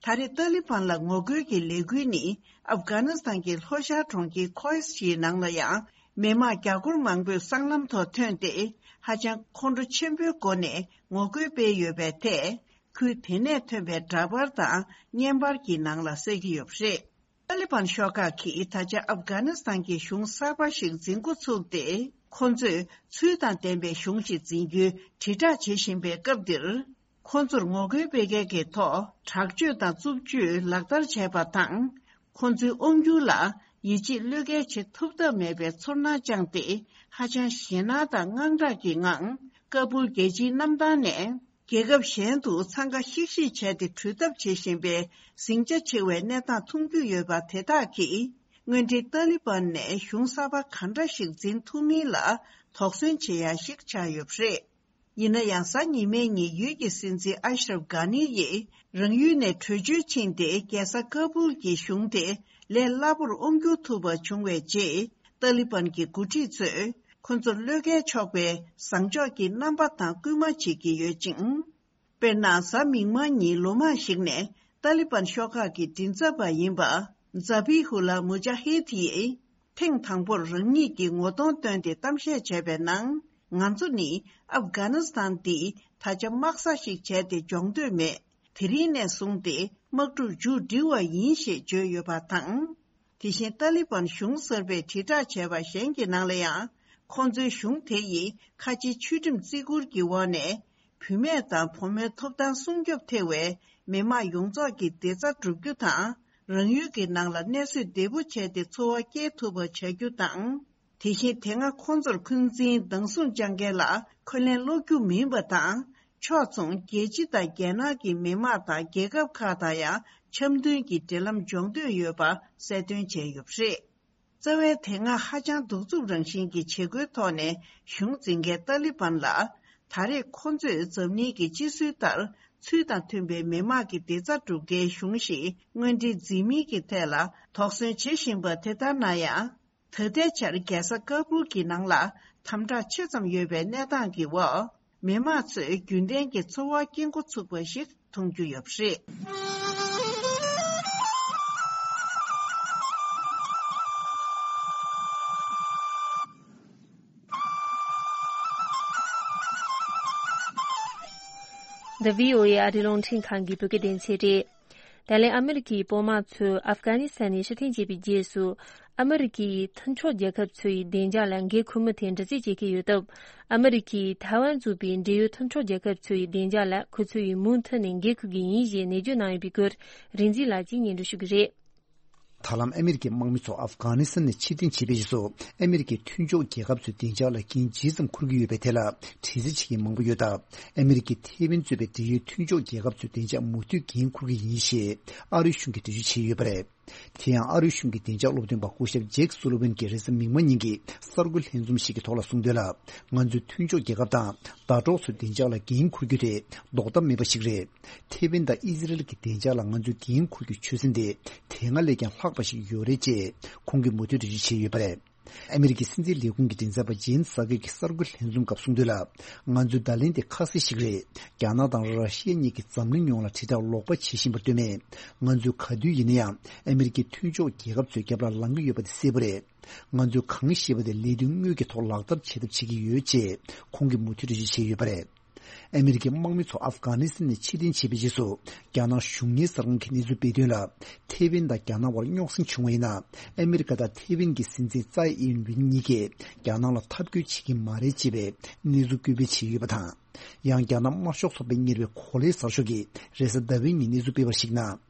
ད་རེས་ཏཱ་ལི་བན་ལ་ངོ་རྒོལ་གྱི་ལས་འགུལ་ནི། ཨབ་གྷ་ནི་སི་ཐན་གྱི་ལྷོ་ཤར་གྲོང་ཁྱེར་ཁོའི་ཤིའི་ནང་ལ་ཡང་། མི་དམངས་རྒྱ་སྒོར་མང་པོས་སྲང་ལམ་ཐོག་ཐོན་ཏེ། ཧ་ཅང་ཁོང་ཁྲོ་ཆེན་པོའི་སྒོ་ནས་ངོ་རྒོལ་སྤེལ་ཡོད་པའི་ཐད། ཁུལ་དེ་ནས་ཐོན་པའི་འདྲ་པར་དང་བརྙན་པར་གྱི་ནང་ལ་གསལ་གྱི་ཡོད་པ་རེད། ཏཱ་ལི་བན་ཤོག་ཁག་གིས་ད་ཆ་ཨབ་གྷ་ནི་སི་ཐན་གྱི་གཞུང་གསར་པ་ཞིག་འཛིན་འགོ་ཚུགས་ཏེ། ཁོ་ཚོས་ཚུལ་དང་ལྡན་པའི་གཞུང་ཞིག་འཛིན་རྒྱུའི་དྲིལ་བསྒྲགས་བྱེད་བཞིན་པའི་སྐབས་འདིར། ཁོ་ཚོར་ངོ་རྒོལ་སྤེལ་མཁན་གྱི་ཐོག་དྲག་སྤྱོད་དང་རྩུབ་སྤྱོད་ལག་བསྟར་བྱས་པ་དང་། ཁོ་ཚོའི་དབང་སྒྱུར་ལ་ཡིད་ཆེས་བློས་འགེལ་བྱེད་ཐུབ་ཐབས་མེད་པའི་ཚོར་སྣང་བཅངས་ཏེ། ཧ་ཅང་ཞེད་སྣང་དང་དངངས་སྐྲག་གི་ངང་། ཀ་བུལ་རྒྱལ་སྤྱིའི་གནམ་ཐང་ནས། རྒྱལ་ཁབ་གཞན་དུ་འཚང་ཁ་ཤིག་ཤིག་བྱས་ཏེ་བྲོས་ཐབས་བྱེད་བཞིན་པའི་ཟིང་ཆ་ཆེ་བའི་གནས་སྟངས་མཐོང་རྒྱུ་ཡོད་པ་དེ་དག་གིས། དངོས་འབྲེལ་ཏཱ་ལི་བན་ནས་གཞུང་གསར་པ་ག་འདྲ་ཞིག་འཛིན་ཐུབ་མིན་ལ་དོགས་ཟོན་བྱེད་ཡ་ཞིག་ཆགས་ཡོད་པ་རེད། ཡིན་ན་ཡང་། གཟའ་ཉི་མའི་ཉིན་ཡུལ་གྱི་སྲིད་འཛིན་ཨ་ཤ་རབ་གྷ་ནི་ཡིས་རང་ཡུལ་ནས་བྲོས་བྱོལ་ཕྱིན་ཏེ། རྒྱལ་ས་ཀ་བུལ་གྱི་གཞུང་དེ་ལས་སླ་པོར་དབང་བསྒྱུར་ཐུབ་པ་བྱུང་བའི་རྗེས། ཏཱ་ལི་བན་གྱི་འགོ་ཁྲིད་ཚོས་ཁོ་ཚོར་བློས་འགེལ་ཆོག་པའི་བཟང་ཕྱོགས་ཀྱི་རྣམ་པ་དང་སྐུལ་མ་བྱེད་ཀྱི་ཡོད་ཅིང་། དཔེར་ན། གཟའ་མིག་དམར་ཉིན་ལོ་མང་ཞིག་ནས་ཏཱ་ལི་བན་ཤོག་ཁག་གི་མགྲིན་ཚབ་པ་ཡིན་པ། ཛ་བྷི་ཧུ་ལ་མུ་ཇ་ཧིད་ཡིས། ཐེངས་དང་པོར་རང་ཉིད་ཀྱི་ངོ་གདོང་བཏོན་ཏེ་གཏམ་བཤད་བྱས་པའི་ནང་། ང་ཚོ་ནི་ཨབ་གྷ་ནི་སི་ཐན་འདི་ད་ཆ་དམག་ས་ཞིག་བྱས་ཏེ་སྦྱོང་འདོད་མེད། དེ་རིང་ནས་བཟུང་སྟེ་དམག་འཁྲུག་མཇུག་སྒྲིལ་བ་ཡིན་ཞེས་བརྗོད་ཡོད་པ་དང་། དེ་བཞིན་ཏཱ་ལི་བན་གཞུང་གསར་པས་དྲིལ་བསྒྲགས་བྱས་པ་གཞན་གྱི་ནང་ལ་ཡང་། ཁོང་ཚོའི་གཞུང་དེ་ཡིས་ཁ་ཆེའི་ཆོས་ཁྲིམས་བརྩི་བཀུར་གྱི་འོག་ནས། བུད་མེད་དང་ཕོ་མོའི་ཐོབ་ཐང་སྲུང་སྐྱོབ་ཐེ་བའི་མི་དམངས་ཡོངས་རྫོགས་ཀྱི་བདེ་རྩ་བསྒྲུབ་རྒྱུ་དང་། རང་ཡུལ་གྱི་ནང་ལ་གནས་གསོས་བདེ་པོ་བྱས་ཏེ་འཚོ་བ་སྐྱེལ་ཐུབ་པ་བྱ་རྒྱུ་དང་། དེ་བཞིན་དེ་སྔ་ཁོང་ཚོར་འཁོན་འཛིན་སྡང་ཟུག་བཅངས་མཁན་ལ་འཁོན་ལན་སློག་རྒྱུ་མིན་པ་དང་། ཕྱོགས་མཚུངས་རྒྱལ་སྤྱི་དང་རྒྱལ་ནང་གི་མི་དམངས་དང་རྒྱལ་ཁབ་ཁག་དང་ཡང་འཆམ་མཐུན་གྱི་འབྲེལ་ལམ་སྦྱོང་འདོད་ཡོད་པ་གསལ་སྟོན་བྱས་ཡོད་པ་རེད། རྩ་བའི་དེ་སྔ་ཧ་ཅང་གདུག་རྩུབ་རང་བཞིན་གྱི་བྱེད་སྒོའི་ཐོག་ནས་གཞུང་འཛིན་མཁན་ཏཱ་ལི་བན་ལ། ད་རེས་ཁོ་ཚོས་འཛམ་གླིང་གི་སྤྱི་སྲོལ་ལྟར་ཚུལ་དང་མཐུན་པའི་མི་དམངས་ཀྱི་བདེ་རྩ་སྒྲུབ་མཁན་གཞུང་ཞིག་དངོས་འབྲེལ་འཛིན་མིན་གྱི་ཐད་ལ་དོགས་ཟོན་བྱེད་བཞིན་པ་དེ་ལྟར་ན་ཡང་། ད་ལྟའི་ཆར་རྒྱལ་ས་ཀ་བུལ་གྱི་ནང་ལ་དམ་དྲག་ཆེ་ཙམ་ཡོད་པའི་གནས་སྟངས་ཀྱི་འོག་མི་དམངས་ཚོས་རྒྱུན་ལྡན་གྱི་འཚོ་བ་སྐྱེལ་འགོ་ཚུགས་པ་ཞིག་མཐོང་རྒྱུ་ཡོད་པ་རེད། འདི་བྷི་ཨོ་ཨེ་ཨ་རིའི་རླུང་འཕྲིན་ཁང་གི་བོད་སྐད་སྡེ་ཚན་རེད། ད་ལན་ཨ་མི་རི་ཀའི་དཔོན་དམག་ཚོས་ཨབ་གྷ་ནི་སི་ཐན་ནས་ཕྱིར་འཐེན་བྱས་པའི་རྗེས་སུ། ཨ་མི་རི་ཀའི་མཐུན་ཕྱོགས་རྒྱལ་ཁབ་ཚོའི་བདེ་འཇགས་ལ་འགན་འཁུར་མུས་དེ་འདྲི་རྩད་བྱེད་ཀྱི་ཡོད་སྟབས། ཨ་མི་རི་ཀས་ཐའེ་ཝན་གཙོས་པའི་འབྲེལ་ཡོད་མཐུན་ཕྱོགས་རྒྱལ་ཁབ་ཚོའི་བདེ་འཇགས་ལ་ཁོ་ཚོས་མུ་མཐུད་ནས་འགན་འཁུར་གྱི་ཡིན་ཞེས་ནན་བརྗོད་གནང་ཡོད་པའི་སྐོར། རིག་འཛིན་ལགས་ཀྱིས་སྙན་སྒྲོན་ཞུ་གི་རེད། ད་ལམ་ཨ་མི་རི་ཀའི་དམག་མི་ཚོ་ཨབ་གྷ་ནི་སི་ཐན་ནས་ཕྱིར་འཐེན་བྱས་པའི་རྗེས་སུ། ཨ་མི་རི་ཀའི་མཐུན་ཕྱོགས་རྒྱལ་ཁབ་ཚོའི་བདེ་འཇགས་ལ་འགན་ཇི་ཙམ་འཁུར་གྱི་ཡོད་པའི་ཐད་ལ་དྲི་རྩད་བྱེད་མཁན་མང་པོ་ཡོད་སྟབས། ཨ་མི་རི་ཀས་ཐའེ་ཝན་གཙོས་པའི་འབྲེལ་ཡོད་མཐུན་ཕྱོགས་རྒྱལ་ཁབ་ཚོའི་བདེ་འཇགས་མུ་མཐུད་འགན་འཁུར་གྱི་ཡིན་ཞེས་ཨ་རིའི་གཞུང་གིས་འགྲེལ་བརྗོད་བྱས་ཡོད་པ་རེད། དེ་ཡང་ཨ་རིའི་གཞུང་གི་བདེ་འཇགས་སློབ་སྟོན་པ་སྐུ་ཞབས་ཇེཀ་སུ་ལི་ཝན་གྱིས་རེས་གཟའ་མིག་དམར་ཉིན་གྱི་གསར་འགོད་ལྷན་འཛོམས་ཤིག་གི་ཐོག་ལ་གསུངས་དོན་ལ། ང་ཚོའི་མཐུན་ཕྱོགས་རྒྱལ་ཁབ་དང་ཟླ་གྲོགས་ཚོའི་བདེ་འཇགས་ལ་འགན་འཁུར་རྒྱུ་དེ་ལྡོག་ཐབས་མེད་པ་ཞིག་རེད། ཐའེ་ཝན་དང་ཨི་ཟི་རལ་གྱི་བདེ་འཇགས་ལ་ང་ཚོས་འགན་འཁུར་རྒྱུའི་ཆོད་སེམས་དེ་དེ་སྔ་ལས་ཀྱང་ལྷག་པ་ཞིག་ཡོད་རེད་ཅེས་ཁོང་གིས་མུ་མཐུད་འགྲེལ་བརྗོད་བྱས་ཡོད་པ་རེད། ཨ་མི་རི་ཀའི་སྲིད་འཛིན་ལས་ཁུངས་ཀྱི་མགྲིན་ཚབ་པ་ཇེན་སཱ་ཀེ་གིས་གསར་འགོད་ལྷན་འཛོམས་སྐབས་གསུངས་དོན་ལ། ང་ཚོའི་བརྡ་ལན་དེ་ཁ་གསལ་ཞིག་རེད། རྒྱ་ནག་དང་ར་ཤི་ཡ་གཉིས་ཀྱིས་འཛམ་གླིང་ཡོངས་ལ་དྲིལ་བསྒྲགས་ལོག་པ་བྱེད་བཞིན་པར་ལྟོས་མེད། ང་ཚོས་ག་དུས་ཡིན་ན་ཡང་ཨ་མི་རི་ཀའི་མཐུན་ཕྱོགས་རྒྱལ་ཁབ་ཚོའི་རྒྱབ་ལ་ལངས་ཀྱི་ཡོད་པ་དེ་གསལ་པོ་རེད། ང་ཚོས་གང་བཤད་པ་དེ་ལས་དོན་དངོས་ཀྱི་ཐོག་ལག་བསྟར་བྱེད་ཐབས་བྱེད་ཀྱི་ཡོད་ཅེས་ཁོང་གིས་མུ་མཐུད་འགྲེལ་བརྗོད་བྱས་ཡོད་པ་རེད། ཨ་མི་རི་ཀའི་དམག་མི་ཚོ་ཨབ་གྷ་ནི་སི་ཐན་ནས་ཕྱིར་འཐེན་བྱས་པའི་རྗེས་སུ། རྒྱ་ནག་གཞུང་གཉེར་གསར་ཁང་གིས་གནས་ཚུལ་སྤེལ་དོན་ལ། ཐེ་ཝན་དང་རྒྱ་ནག་དབར་རྙོག་ཟིང་བྱུང་བ་ཡིན་ན། ཨ་མི་རི་ཀ་དང་ཐེ་ཝན་གྱི་སྲིད་འཛིན་ཙའེ་ཨིན་ཝིན་གཉིས་ཀས་རྒྱ་ནག་ལ་འཐབ་རྒོལ་བྱེད་ཀྱི་མ་རེད་ཅེས་པའི་གནས་ཚུལ་སྐུལ་སྤེལ་བྱས་ཡོད་པ་དང་། ཡང་རྒྱ་ནག་དམར་ཤོག་ཚོགས་པས་གཉེར་བའི་གོ་ལའི་གསར་ཤོག་གིས་རེས་གཟའ་ཟླ་བའི་ཉིན་གནས་ཚུལ་སྤེལ་བར་གཞིགས་ན།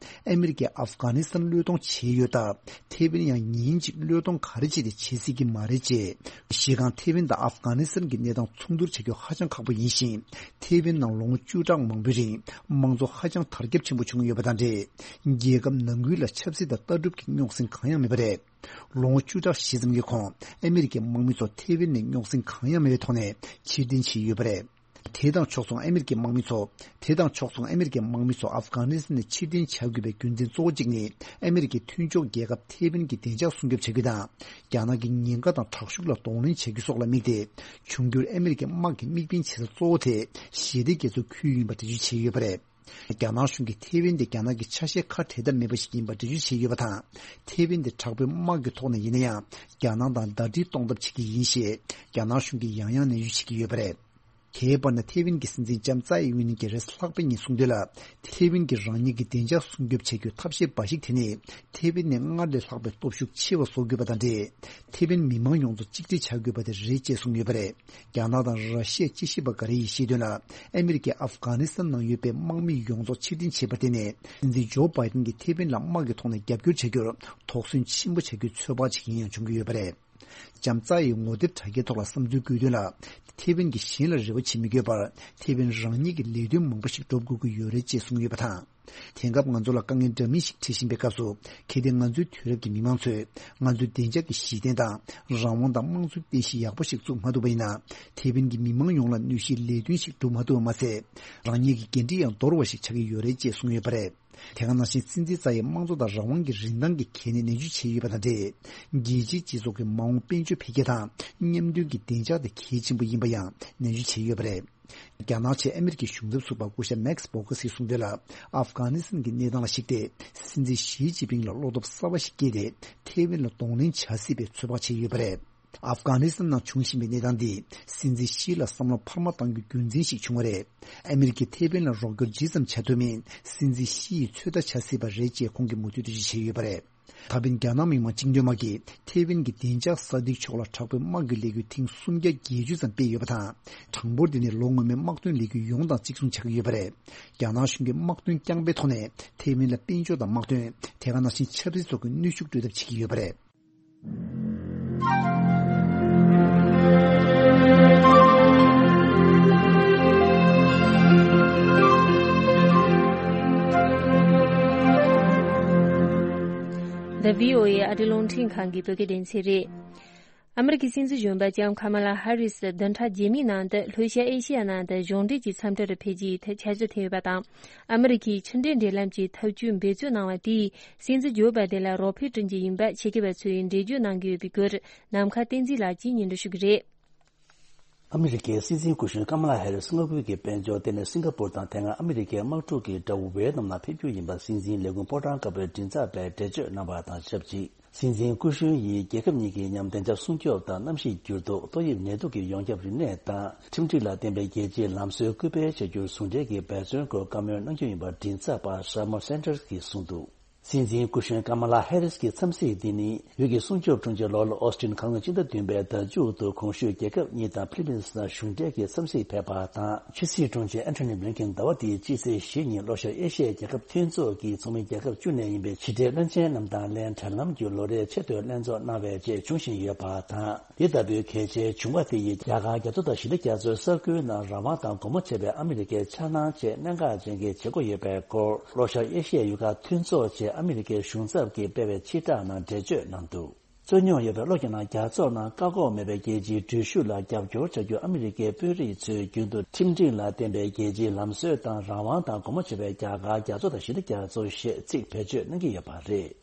ཨ་མི་རི་ཀས་ཨབ་གྷ་ནི་སི་ཐན་བློས་གཏོང་བྱས་ཡོད་སྟབས། ཐེ་ཝན་ཡང་ཉིན་གཅིག་བློས་གཏོང་ག་རེ་བྱས་ཏེ་བྱེད་སྲིད་ཀྱི་མ་རེད་ཅེས། གཞི་རྐང་ཐེ་ཝན་དང་ཨབ་གྷ་ནི་སི་ཐན་གྱི་གནས་སྟངས་མཚུངས་བསྡུར་བྱ་རྒྱུ་ཧ་ཅང་ཁག་པོ་ཡིན་ཞིང་། ཐེ་ཝན་ནང་ལོ་ངོ་བཅུ་ཕྲག་མང་པོའི་རིང་དམངས་གཙོ་ཧ་ཅང་དར་ཁྱབ་ཆེན་པོ་བྱུང་ཡོད་པ་དང་འབྲེལ། རྒྱལ་ཁབ་ནང་ཁུལ་ལ་ཆབ་སྲིད་དང་ལྟ་གྲུབ་ཀྱི་རྙོག་ཟིང་གང་ཡང་མེད་པ་རེད། ལོ་ངོ་བཅུ་ཕྲག་བཞི་ཙམ་གྱི་གོང་ཨ་མི་རི་ཀའི་དམག་མི་ཚོ་ཐེ་ཝན་ནས་རྙོག་ཟིང་གང་ཡང་མེད་པའི་ཐོག་ནས་ཕྱིར་འཐེན་བྱས་ཡོད་པ་རེད། དེ་དང་ཕྱོགས་མཚུངས་ཨ་མི་རི་ཀའི་དམག་མི་ཚོ། དེ་དང་ཕྱོགས་མཚུངས་ཨ་མི་རི་ཀའི་དམག་མི་ཚོ་ཨབ་གྷ་ནི་སི་ཐན་ནས་ཕྱིར་འཐེན་བྱ་དགོས་པའི་རྒྱུ་མཚན་གཙོ་བོ་གཅིག་ནི། ཨ་མི་རི་ཀའི་མཐུན་ཕྱོགས་རྒྱལ་ཁབ་ཐེ་ཝན་གྱི་བདེ་འཇགས་སྲུང་སྐྱོབ་བྱ་རྒྱུ་དང་། རྒྱ་ནག་གི་ཉེན་ཁ་དང་དྲག་ཤུགས་ལ་གདོང་ལེན་བྱ་རྒྱུ་སོགས་ལ་དམིགས་ཏེ། འབྱུང་འགྱུར་ཨ་མི་རི་ཀའི་དམག་གི་དམིགས་འབེན་བྱེད་ས་གཙོ་བོ་དེ་ཞི་བདེ་རྒྱ་མཚོའི་ཁུལ་ཡིན་པ་འགྲེལ་བརྗོད་བྱས་ཡོད་པ་རེད། རྒྱ་ནག་གཞུང་གིས་ཐེ་ཝན་དེ་རྒྱ་ནག་གི་ཆ་ཤས་ཁ་བྲལ་ཐབས་མེད་པ་ཞིག་ཡིན་པ་འགྲེལ་བརྗོད་བྱས་ཡོད་པ་དང་། ཐེ་ཝན་དེ་དྲག་པོའི་དམག་གི་ཐོག་ནས་ཡིན་ན་ཡང་། རྒྱ་ནག་དང་ཟླ་སྒྲིལ་གཏོང་ཐབས་བྱེད་ཀྱི་ཡིན་ཞེས་རྒྱ་ནག་གཞུང་གིས་ཡང་ཡང་ནན་བརྗོད་བྱེད་ཀྱི་ཡོད་པ་རེད། དེའི་བར་ན་ཐེ་ཝན་གྱི་སྲིད་འཛིན་ལྕམ་ཙའེ་ཡིན་ཝིན་གྱིས་རེས་ལྷག་པའི་ཉིན་གསུངས་དོན་ལ། ཐེ་ཝན་གྱིས་རང་ཉིད་ཀྱི་བདེ་འཇགས་སྲུང་སྐྱོབ་བྱ་རྒྱུའི་ཐབས་ཤེས་འབའ་ཞིག་དེ་ནི། ཐེ་ཝན་ནས་སྔར་ལས་ལྷག་པའི་སྟོབས་ཤུགས་ཆེ་བ་བཟོ་དགོས་པ་དང་འབྲེལ། ཐེ་ཝན་མི་མང་ཡོངས་རྫོགས་གཅིག་སྒྲིལ་བྱ་དགོས་པ་དེ་རེད་ཅེས་གསུངས་ཡོད་པ་རེད། རྒྱ་ནག་དང་ར་ཤི་ཡ་དཔྱད་ཞིབ་པ་འགའ་རེ་ཡིས་བཤད་དོན་ལ། ཨ་མི་རི་ཀས་ཨབ་གྷ་ནི་སི་ཐན་ནང་ཡོད་པའི་དམག་མི་ཡོངས་རྫོགས་ཕྱིར་འཐེན་བྱས་པ་དེ་ནི། སྲིད་འཛིན་ཇོ་བྷའི་ཏན་གྱིས་ཐེ་ཝན་ལ་དམག་གི་ཐོག་ནས་རྒྱབ་སྐྱོར་བྱ་རྒྱུར་དོགས་ཟོན་ཆེན་པོ་བྱ་རྒྱུའི་ཚོད་དཔག་ཅིག་ཡིན་ཡང་འབྱུང་གི་ཡོད་པ་རེད། ལྕམ་ཙའེ་ཡིས་ངོ་དེབ་དྲ་རྒྱའི་ཐོག་ལ་བསམ་ཚུལ་བཀོད་དོན་ལ། ཐེ་ཝན་གྱིས་གཞན་ལ་རེ་བ་བྱེད་མི་དགོས་པར། ཐེ་ཝན་རང་ཉིད་ཀྱི་ལས་དོན་མང་པོ་ཞིག་སྒྲུབ་དགོས་ཀྱི་ཡོད་རེད་ཅེས་གསུངས་ཡོད་པ་དང་། དེང་སྐབས་ང་ཚོ་ལ་དཀའ་ངལ་འདྲ་མིན་ཞིག་འཕྲད་བཞིན་པའི་སྐབས་སུ། གལ་ཏེ་ང་ཚོའི་དུས་རབས་ཀྱི་མི་མང་ཚོས་ང་ཚོའི་བདེ་འཇགས་ཀྱི་གཞི་རྟེན་དང་། རང་དབང་དང་དམངས་གཙོའི་རྟེན་གཞི་ཡག་པོ་ཞིག་བཙུགས་མ་ཐུབ་པ་ཡིན་ན། ཐེ་ཝན་གྱི་མི་མང་ཡོངས་ལ་གནོད་གཞིའི་ལས་དོན་ཞིག་སྒྲུབ་མ་ཐུབ་པ་མ་ཟད། རང་ཉིད་ཀྱི་འགན་འཁྲི་ཡང་འདོར་བ་ཞིག་ཆགས་ཀྱི་ཡོད་རེད་ཅེས་གསུངས་ཡོད་པ་རེད། དེ་ག་ནང་བཞིན་སྲིད་འཛིན་ཙའེ་ཡིས་དམངས་གཙོ་དང་རང་དབང་གི་རིན་ཐང་གི་གལ་གནད་ནན་བརྗོད་བྱས་ཡོད་པ་དང་འབྲེལ། རྒྱལ་སྤྱིའི་སྤྱི་ཚོགས་ཀྱི་མ་འོངས་དཔལ་འབྱོར་འཕེལ་རྒྱས་དང་མཉམ་མཐུན་གྱི་བདེ་འཇགས་དེ་གལ་ཆེན་པོ་ཡིན་པ་ཡང་ནན་བརྗོད་བྱས་ཡོད་པ་རེད། རྒྱ་ནག་ཆེད་ཨ་མི་རི་ཀའི་གཞུང་ཚབ་ཟུར་པ་སྐུ་ཞབས་མེག་སི་བྷོ་ཁ་སིས་གསུངས་དོན་ལ། ཨབ་གྷ་ནི་སི་ཐན་གྱི་གནས་སྟངས་ལ་གཞིགས་ཏེ། སྲིད་འཛིན་ཞི་ཅིན་ཕིང་ལ་བློ་སྟོབས་གསར་པ་ཞིག་སྐྱེས་ཏེ། ཐེ་ཝན་ལ་གདོང་ལེན་བྱ་སྲིད་པའི་ཚོད་དཔག་བྱས་ཡོད་པ་རེད། ཨབ་གྷ་ནི་སི་ཐན་ནང་བྱུང་བཞིན་པའི་གནས་སྟངས་འདིས་སྲིད་འཛིན་ཞི་ལ་བསམ་བློ་འཕར་མ་གཏང་རྒྱུའི་རྒྱུ་མཚན་ཞིག་བྱུང་བ་རེད། ཨ་མི་རི་ཀས་ཐེ་ཝན་ལ་རོགས་སྐྱོར་ཇི་ཙམ་བྱ་ཐུབ་མིན་སྲིད་འཛིན་ཞི་ཡིས་ཚོད་ལྟ་བྱ་སྲིད་པ་རེད་ཅེས་ཁོང་གིས་མུ་མཐུད་འགྲེལ་བརྗོད་བྱས་ཡོད་པ་རེད། ད་ཕན་རྒྱ་ནག་མི་དམངས་བཅིངས་འགྲོལ་དམག་གིས་ཐེ་ཝན་གྱི་བདེ་འཇགས་སྲ་བརྟན་ཕྱོགས་ལ་དྲག་པོའི་དམག་གི་ལས་འགུལ་ཐེངས་སུམ་བརྒྱ་བརྒྱད་ཅུ་ཙམ་སྤེལ་ཡོད་པ་དང་། གྲངས་འབོར་འདི་ནི་ལོ་སྔོན་མའི་དམག་དོན་ལས་འགུལ་ཡོངས་དང་གཅིག་མཚུངས་ཆགས་ཀྱི་ཡོད་པ་རེད། རྒྱ་ནག་གཞུང་གིས་དམག་དོན་རྐྱང་པའི་ཐོག་ནས་ཐེ་ཝན་ལ་དཔལ་འབྱོར་དང་དམག་དོན། དེ་ག་ནང་བཞིན་ཆབ་སྲིད་སོགས་ཀྱི་གནོན་ཤུགས་སྤྲོད་ཐབས་བྱེད་ཀྱི་ཡོད་པ་རེད། འདི་བྷི་ཨོ་ཨེ་ཨ་རི་རླུང་འཕྲིན་ཁང་གི་བོད་སྐད་སྡེ་ཚན་རེད། ཨ་མི་རི་ཀའི་སྲིད་འཛིན་གཞོན་པ་ལྕམ་ཁ་མ་ལ་ཧ་རིས་བདུན་ཕྲག་རྗེས་མའི་ནང་དུ་ལྷོ་ཤར་ཨེ་ཤེ་ཡ་ནང་དུ་གཞུང་འབྲེལ་གྱི་འཚམས་འདྲིར་ཕེབས་རྒྱུའི་ཐད་འཆར་གཞི་བཏིང་ཡོད་པ་དང་། ཨ་མི་རི་ཀའི་ཕྱི་འབྲེལ་འབྲེལ་ལམ་གྱི་ཐབས་ཇུས་འབད་རྩོལ་གནང་བ་དེས་སྲིད་འཛིན་ཇོ་བྷའི་ཏན་ལ་རོགས་ཕན་བསྐྲུན་རྒྱུ་ཡིན་པ་ཕྱི་རྒྱལ་བ་ཚོས་འགྲེལ་བརྗོད་གནང་གི་ཡོད་པའི་སྐོར་ནམ་མཁའ་བསྟན་འཛིན་ལགས་ཀྱིས་སྙན་སྒྲོན་ཞུ་གི་རེད། ཨ་མི་རི་ཀའི་སྲིད་འཛིན་སྐུ་གཞོན་ཀ་མ་ལ་ཧེ་རིས་སྔ་དགོང་གི་དཔལ་འབྱོར་ལྟེ་གནས་སིང་ག་པུར་དང་དེ་སྔ་ཨ་མི་རི་ཀའི་དམག་འཁྲུག་གི་དགྲ་བོ་ཝེ་ནམ་ལ་ཕེབས་རྒྱུ་ཡིན་པ་སྲིད་འཛིན་ལས་ཁུངས་ཕོ་བྲང་དཀར་པོའི་མགྲིན་ཚབ་པས་འགྲེལ་བརྗོད་གནང་བ་དང་ཆབས་ཅིག་སྲིད་འཛིན་སྐུ་གཞོན་ཡིས་རྒྱལ་ཁབ་གཉིས་ཀྱི་མཉམ་བདེ་འཇགས་སྲུང་སྐྱོབ་དང་གནམ་གཤིས་འགྱུར་ལྡོག་ཏོག་དབྱིབས་ནད་དུག་གི་ཡོངས་ཁྱབ་རིམས་ནད་དང་ཁྲིམས་སྒྲིག་ལ་བརྟེན་པའི་རྒྱལ་སྤྱིའི་ལམ་སྲོལ་སྐུལ་སྤེལ་བྱ་རྒྱུར་ཟུང་འབྲེལ་གྱི་འབད་བརྩོན་སྐོར་བཀའ་མོལ་གནང་རྒྱུ་ཡིན་པ་མགྲིན་ཚབ་པ་ཤར་མ་སན་ཏར་གྱིས་གསུངས་འདུག་སྲིད་འཛིན་སྐུ་གཞོན་ཀ་མ་ལ་ཧེ་རིས་ཀྱི་འཚམས་གཟིགས་འདི་ནི་ཡུལ་གྱི་སྲུང་སྐྱོབ་དྲུང་ཆེ་ལོར་ཨོ་སི་ཏིན་ཁ་སང་སྤྱི་ཟླ་བདུན་པའི་ཟླ་མཇུག་ཏུ་གོང་ཞུས་རྒྱལ་ཁབ་གཉིས་དང་ཕི་ལི་པིན་སི་ནང་གཞུང་འབྲེལ་གྱི་འཚམས་གཟིགས་ཕེབས་པ་དང་། ཕྱི་སྲིད་དྲུང་ཆེ་ཨན་ཐོ་ནི་བྷི་ལིན་ཀེན་ཟླ་བ་འདིའི་སྤྱི་ཚེས་བཞི་ཉིན་ལྷོ་ཤར་ཨེ་ཤི་ཡའི་རྒྱལ་ཁབ་མཐུན་ཚོགས་ཀྱི་ཚོགས་མི་རྒྱལ་ཁབ་བཅུ་ནས་ཡིན་པའི་ཕྱི་འབྲེལ་བློན་ཆེན་རྣམས་དང་ལན་གྲལ་ལམ་བརྒྱུད་ལོ་རེའི་ཆེས་མཐོའི་ལྷན་ཚོགས་གནང་བའི་རྗེས་བྱུང་བཞིན་ཡོད་པ་དང་། འདི་ལྟ་བུའི་གལ་ཆེའི་བྱུང་བ་དེ་ཡིས་རྒྱ་གར་རྒྱ་མཚོ་དང་ཞི་བདེ་རྒྱ་མཚོའི་ས་ཁུལ་ནང་རང་དབང་དང་སྒོ་མོ་འབྱེད་པའི་ཨ་མི་རི་ཀའི་འཆར་སྣང་ཆེས་གནད་འགག་ཅན་གྱི་བྱེད་སྒོ་ཡོད་པའི་སྐོར་ལྷོ་ཤར་ཨེ་ཤི་ཡའི་ཡུལ་ཁག་མཐུན་ཚོགས་ཆེད་ཨ་མི་རི་ཀའི་གཞུང་ཚབ་ཀྱིས་སྤེལ་བའི་སྤྱི་བསྒྲགས་ནང་འགྲེལ་བརྗོད་གནང་འདུག་རྩོད་རྙོག་ཡོད་པའི་ལྷོ་རྒྱ་ནག་རྒྱ་མཚོ་ནང་བཀག་འགོག་མེད་པའི་རྒྱལ་སྤྱིའི་འགྲུལ་བཞུད་ལ་རྒྱབ་སྐྱོར་བྱ་རྒྱུ་ཨ་མི་རི་ཀའི་དཔོན་རིགས་ཚོས་རྒྱུན་དུ་ཁྲིམས་སྒྲིག་ལ་བརྟེན་པའི་རྒྱལ་སྤྱིའི་ལམ་སྲོལ་དང་རང་དབང་དང་སྒོ་མོ་འབྱེད་པའི་རྒྱ་གར་རྒྱ་མཚོ་དང་ཞི་བདེ་རྒྱ་མཚོ་ཞེས་ཚིག་བེད་སྤྱོད་གནང་གི་ཡོད་པ་རེད།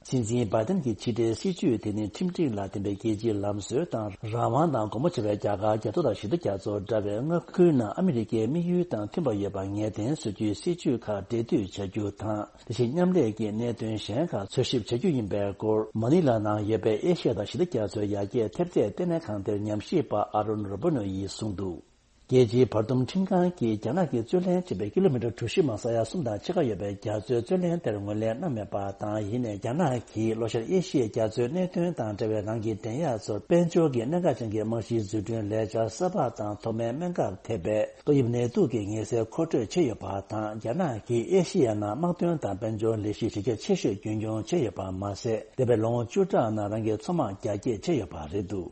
སྲིད་འཛིན་བྷའི་ཏན་གྱི་ཕྱི་འབྲེལ་སྲིད་ཇུས་དེ་ནི་ཁྲིམས་སྒྲིག་ལ་བརྟེན་པའི་རྒྱལ་སྤྱིའི་ལམ་སྲོལ་དང་། རང་དབང་དང་དགོངས་པ་ཆེ་བའི་རྒྱ་གར་རྒྱ་མཚོ་དང་ཞི་བདེ་རྒྱ་མཚོ་འདྲ་བའི་མངའ་ཁུལ་ནང་ཨ་མི་རི་ཀའི་དམིགས་ཡུལ་དང་མཐུན་པ་ཡོད་པ་ངེས་གཏན་བཟོ་རྒྱུའི་སྲིད་ཇུས་ཁག་འབྲེལ་མཐུད་བྱ་རྒྱུ་དང་། དེ་བཞིན་མཉམ་ལས་ཀྱི་གནད་དོན་གཞན་ཁག་འཚོལ་ཞིབ་བྱ་རྒྱུ་ཡིན་པའི་སྐོར། མ་ནི་ལ་ནང་ཡོད་པའི་ཨེ་ཤི་ཡ་དང་ཞི་བདེ་རྒྱ་མཚོའི་ཡར་རྒྱས་ཐེབས་རྩའི་ལྟེ་གནས་ཁང་དེར་ཉམས་ཞིབ་པ་ཨ་རོན་རོ་བྷོ་ནོ་ཡིས་གསུངས་འདུག་རྒྱལ་སྤྱིའི་བར་འདུམ་ཁྲིམས་ཁང་གིས་རྒྱ་ནག་གིས་རྩོད་ལེན་བྱས་པའི་ཀི་ལོ་མི་ཊར་གྲུ་བཞི་མ་ས་ཡ་གསུམ་དང་ཕྱེད་ཀ་ཡོད་པའི་རྒྱ་མཚོའི་རྩོད་ལེན་དེར་ངོས་ལེན་གནང་མེད་པ་དང་། ཡིན་ནའི་རྒྱ་ནག་གིས་ལྷོ་ཤར་ཨེ་ཤི་ཡའི་རྒྱ་མཚོའི་གནད་དོན་དང་འབྲེལ་བའི་རང་གི་འགྲན་ཡག་ཚོར་དཔལ་འབྱོར་གྱི་གནད་འགག་ཅན་གྱི་རྨང་གཞིའི་འཛུགས་སྐྲུན་ལས་འཆར་གསར་པ་དང་ཐོག་མའི་སྨན་ཁབ་ཐེ་བའི་ཏོག་དབྱིབས་ནད་དུག་གི་ངལ་སེལ་མཁོ་སྤྲོད་བྱས་ཡོད་པ་དང་། རྒྱ་ནག་གིས་ཨེ་ཤི་ཡའི་ནང་དམག་དོན་དང་དཔལ་འབྱོར་ལས་གཞི་གཞི་རྒྱ་ཆེ་ཤོས་རྒྱུན་འཁྱོངས་བྱས་ཡོད་པ་མ་ཟད། འདས་པའི་ལོ་ངོ་བཅུ་ཕྲག་ནང་རང་གི་མཚོ་དམག་རྒྱ་སྐྱེད་བྱས་ཡོད་པ་རེད་འདུག་